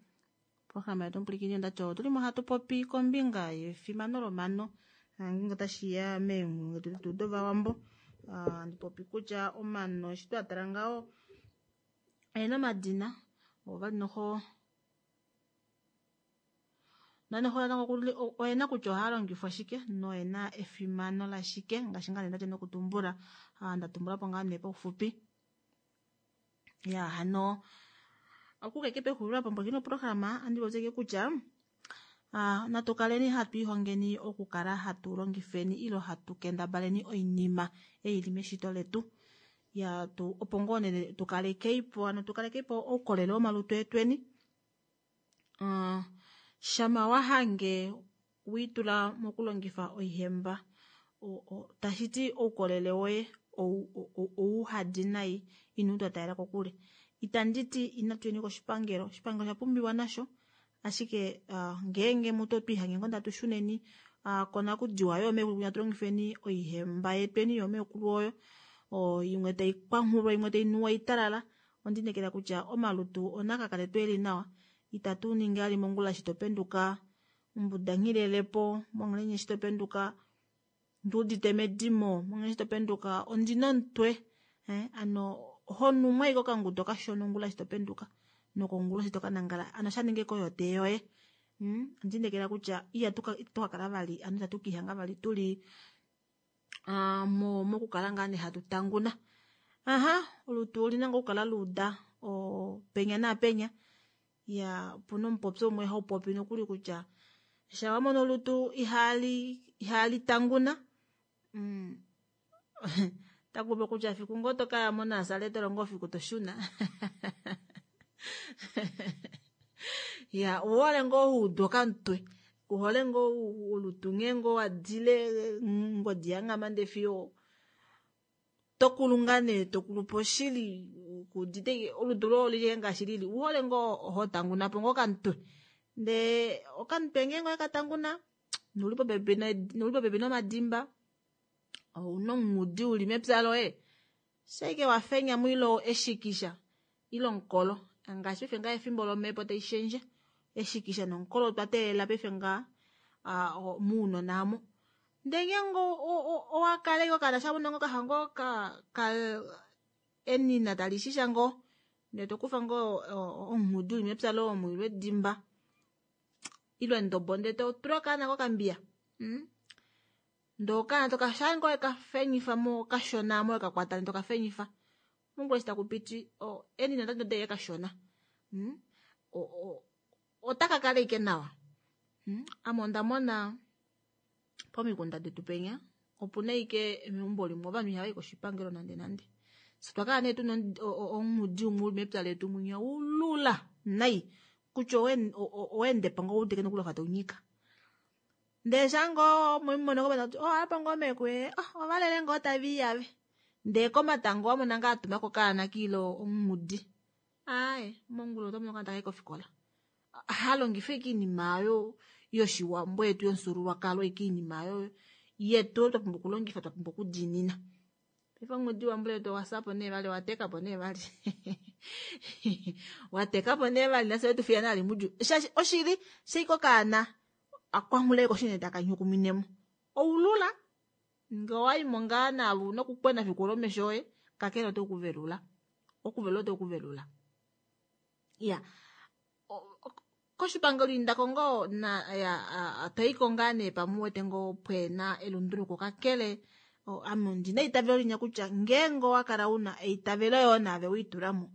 programa yetu mpulikini ondati otuli mo hatu popi kombinga yefimano lomano ngeenge otashiya meenghulungu detu dovawambo andi popi kutya omano eshi twatala ngaho oyena omadina ovali noho nanoho natango oyena kutya ohaya longifwa shike noyena efimano lashike ngaashi ngaa nee ndati nokutumbula ndatumbulapo ngaa nee paufupi ya hano okukeke pexulilo apo mbokino programa andi popyeke kutya ah, natu kaleni hatu ihongeni okukala hatu longifeni ilo hatu kendabaleni oinima ei ili meshito letu ya tu opo ngoo nee tukalekeipo ano tukalekeipo oukolele womalutu etweni uh, shama wahange wiitula mokulongifa oihemba tashiti oukolele woye ouhadi nai inu twatalela kokule itanditi inatu yeni koshipangelo oshipangelo osha pumbiwa nasho ashike uh, ngeenge mutu otwiihange ngoo ndatu shuneni uh, konakudiwa yoomekulu kunya tulongifeni oihemba yetweni yoomekulu oyo imwe tai kwanghulwa imwe tai nuwa italala ondinekela kutya omalutu onakakale tweeli nawa itatu ningi ali mongula shi topenduka mbuda nghilelepo mongelenye shi topenduka nduudite medimo mongelenye shi topenduka ondina omutwe eh, ano honumwa ike okangudo kashona ongula shi topenduka Nokonguloshi to ka nangala ano sha ninge ko yotee yoye. Mm, ondinekela kutya ihatu ka itatu ka kala vali ano itatu kiihanga vali tuli uh, mo mokukala ngaa nee hatu tanguna. Aha, olutu olina ngoo okukala luuda penya naapenya. Ya opuna omupopyo umwe haupopi nokuli kutya sha wamono olutu ihali ihali tanguna mm, takupopi kutya fiku ngoo tokaya monasareta olo ngoo fiku toshuna. Ya ouhole ngoo huudu okamutwe uhole ngoo olutu nghee ngoo wadile ngodi yanghama ndee fiyo tokulu ngaa nee tokulupo shili kuudite olutu loye olili ngaashi lili uhole ngoo hotangunapo ngoo okamutwe ndee okamutwe ngeenge owekatanguna nouli popepi nouli popepi nomadimba ouna omungudi uli mepya loye shaike wafenyamo ile eshikisha ile omukolo ngaashi paife ngaha efimbo lomepo taishendje eshikisha nomukolo otwa teelela paife ngaha mounona aamo ndee ngeenge owakala ashike okaana shamono ngoo kafa ngoo ka enina talishisha ngoo ndee tokufa ngoo omunghudi uli mepya loye omo ile edimba ile endobo ndee totula okaana kokambiya mm? Ndee okaana toka shaangoo wekafenyifamo kashona aamo wekakwata ndee tokafenyifa mongula eshi takupiti enina otali kashona mm? Otakakala ashike nawa mm? Ame ondamona pomikunda detu penya opuna ashike meumbo limwe ovanhu ihavayi koshipangelo nande nande. Fyee otwakala nee tuna omunghudi umwe uli mepya letu mwinya ulula nai kutya owaendepo ngoo ouwetike nokuli wafa taunyika. Ndee shaangoo mwemumono komatango oh apa ngoo meekulu ee ovalele ngoo taviiyave ndee komatango owamona ngoo atumako okaana kiile omunghudi aaye mongula otomono okaana takayi kofikola. Halongifa ashike oinima oyo yoshiwambo yetu yomufyuululwakalo ashike oinima oyo yetu oyo twapumbwa okulongifa twapumbwa okudiinina. Paife omungudi wambuletu owasapo nee vali owatekapo nee vali watekapo nee vali nafye wetufiya nali mudjuu shaashi oshili shaike okaana akwanghula koshine taka nyukuminemo oulula ngee owaimo ngaa naave una okukwena fiku olo omesho oye kakele ote kuvelula okuvelula ote kuvelula. Iya koshipangelo indako ngoo na ya toyiko ngaa nee pamwe uwete ngoo pweena elunduluko kakele ame ondina eitavelo linya kutya ngeenge owakala una eitavelo yoo naave weitulamo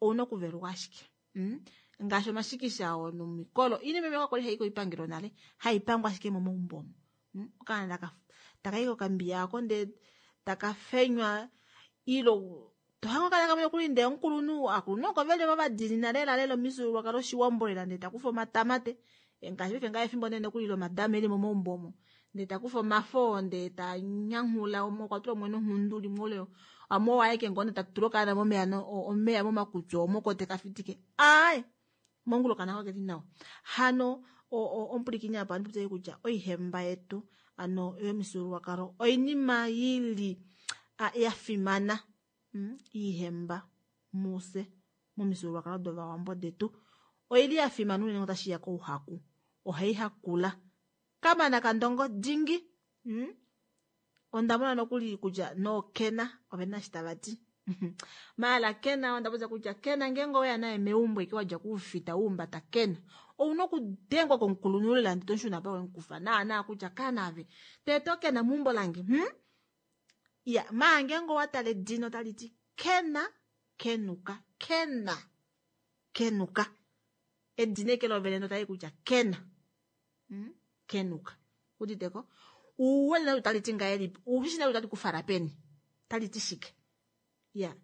ouna okuveluka ashike mm? Ngaashi omashikisha oo nomikolo oinima imwe kakwali hayi koipangelo nale haipangwa ashike momaumbo omo mm? Okaana takayi kokambiya ako ndee takafenywa ile tohange okaana kamwe nokuli ndee omukulunhu akulunhu oko veli vadiinina lela lela omifyuululwakalo oshiwambo lela ndee takufa omatamate ngaashi paife ngaha efimbo nee nokuli lomadama eli momaumbo omo ndee takufa omafo ndee tanyanghula umwe okwa tula umwe nonghundu limwe ole amwe owaeke ngoo ndee tatula okaana momeya omeya momakutwi omo oko tekafitike aaye mongula okaana kakeli nawa. Hano omupulikini apa andipopye kutya oihemba yetu ano yomifyuululwakalo oinima ili yafimana mm? Iihemba muse momifyuululwakalo dovawambo detu oili yafimana unene otashiya kouhaku ohaihakula kamana kandongo dingi mm? Ondamona nokuli kutya nookena ovena eshi tavati maala kena ondapopya kutya kena ngeenge oweya naye meumbo eke wadja kuufita wuumbata kena ouna okudengwa komukulunhu lela ndee tomushuna apa wemukufa naana kutya kaana ave teeta okena meumbo lange hmm? Ya maa ngeenge owatala edina otaliti kena kenuka kena kenuka edina eke lovene otali kutya kena hmm? Kenuka uditeko uwele nalo taliti ngahelipi ushi nalo tali kufala peni taliti shike ya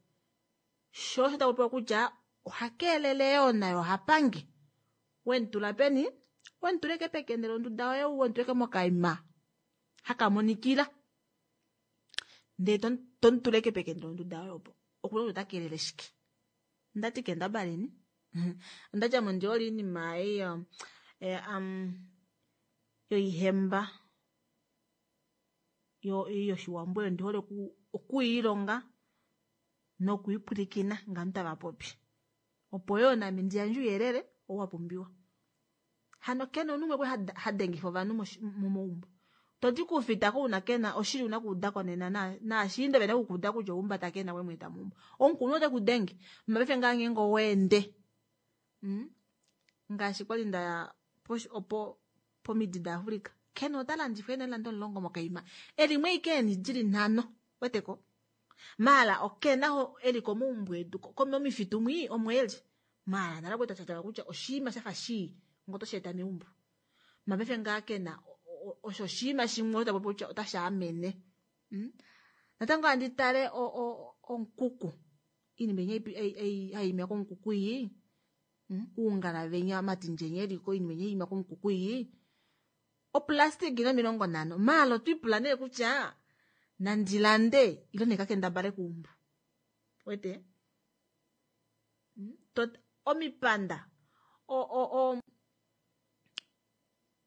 sho osho takupewa kutya ohakeelele yoo nayo ohapange wemutula peni wemutuleke pekende londuda yoye wemutuleke mokaima hakamonikila ndee tomutuleke pekende londuda yoye opo okuna kutya otakeelele shike ndati kendabaleni ondadja mo ndihole oinima ei um, yoihemba yoshiwambo oyo ndihole okuyiilonga nokwiipwilikina ngaashi tava popi opo yoo nami ndiyandje ouyelele oo wapumbiwa. Hano kena omunhu umwe kwali hadengifa ovanhu momaumbo todi kuufitako una kena oshili una kuudako nena naashiinda vena okukuuda kutya oumbata kena wemweeta meumbo omukulunhu ote kudenge mapaife ngaa ngeenge oweende Mm? Ngaashi kwali ndaya opo pomidi daAfrika. Kena ota landifwa eenailanda omulongo mokaima. Elimwe ike eni dili nhano. Weteko? Maala okena ho eli komaumbo edu komifitu mwi omo eli. Maala nala kweta tata kutya oshiima shafa shii ngoto sheeta meumbo. Mapefe ngaa kena osho oshiima shimwe ota popi kutya otashi amene. Mm? Natango andi tale o o onkuku. Iinima ei hai ima konkuku iyi. Uungala venya matindjenye eliko iinima ei ima konkuku iyi. Oplastic ina omilongo nhano. Maala otwiipula nee kutya nandilande ilo nekakendabale kuumbu. Wete? Tot omipanda o o o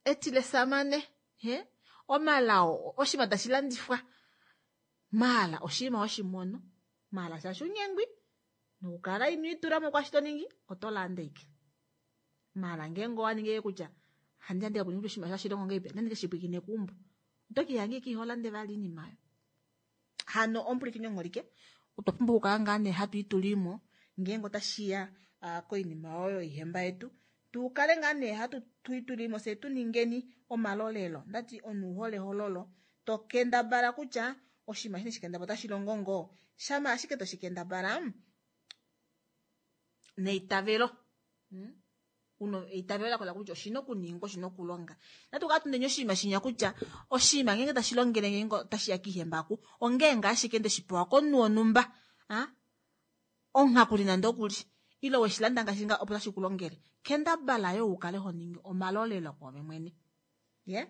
etile samane he omalao oshima tashi landifwa. Maala oshima oshimono. Maala shaashi unyengwi nokukala ino itula mo kwashi to ningi oto landa ike. Maala ngeenge owa ningi kutya handi ande kuninga oshima shashi longo ngeipe nandike shipwikine kuumbu. Oto kihange ki holande vali iinima yo. Hano omupulikini ongholike otwa pumbwa okukala ngaa nee hatu itulimo ngeenge otashiya uh, koinima oyo ihemba yetu tukale ngaa nee hatu tuitulimo se tu ningeni omalolelo. Ndati onuhole hololo to kendabala kutya oshinima shini shikendabala otashi longo ngoo shama ashike toshikendabala neitavelo. Hmm? Uno eitavelo lakola kutya oshina okuningwa oshina okulonga. Natu kala tuneni oshinima shinya kutya oshinima ngeenge tashi longele ngeenge otashi ya kiihembaku ongeenge ashike ndeshi pewa komunhu wonhumba ah onghakuli nande okuli ilo weshilanda ngaashi nga opo tashi kulongele. Kendabala yo ukale ho ningi omalolelo kwoove mwene. Ye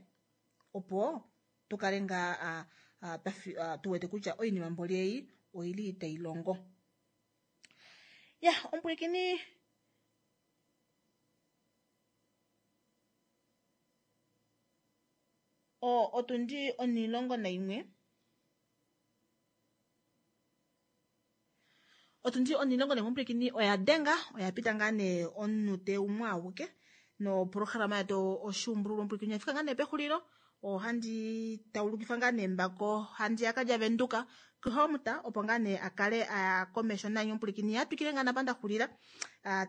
opo tukale nga tu wete kutya oinima mboli ei oili tai longo. Ya omupulikini o otundi onilongo naimwe otundi onilongo naimwe omupulikini oya denga oya pita ngaa nee omunute umwe awuke no programa yetu oshuumbululwa omupulikini oyafika ngaa nee pexulilo. Ohandi taulukifa ngaa nee mbako handi yakadja Venduka kuhomuta opo ngaa nee akale aya komesho nanye omupulikini yatwikile ngaa napa ndaxulila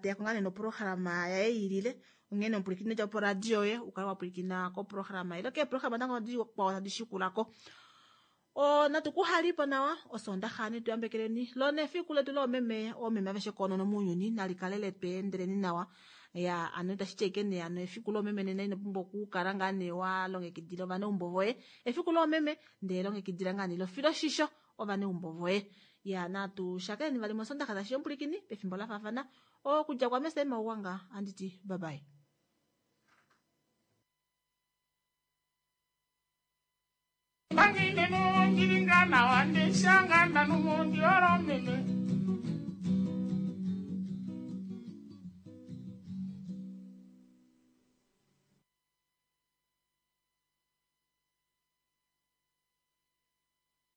teyako ngaa nee noprograma yaye ilile. Onghene omupulikini dja po radio ye ukale wapulikina koprograma ile keeprograma natango dikwao tadi shikulako. O natu kuhalipo nawa osondaxa ne tuyambekeleni lona efiku letu loomeme oomeme aveshe koonono mounyuni nalikale letweendeleni nawa. Ya ano itashi ti ashike nee ano efiku loomeme nena ino pumbwa okukala ngaa nee wa longekidila ovaneumbo voye efiku loomeme ndee longekidila ngaa nee lofiloshisho ovaneumbo voye. Ya natu shakeneni vali mosondaxa tashi omupulikini pefimbo la faafana okudja kwame Selma Ugwanga anditi bye bye. Bangine no ngiringana wande shanga nanu mondi oro meme.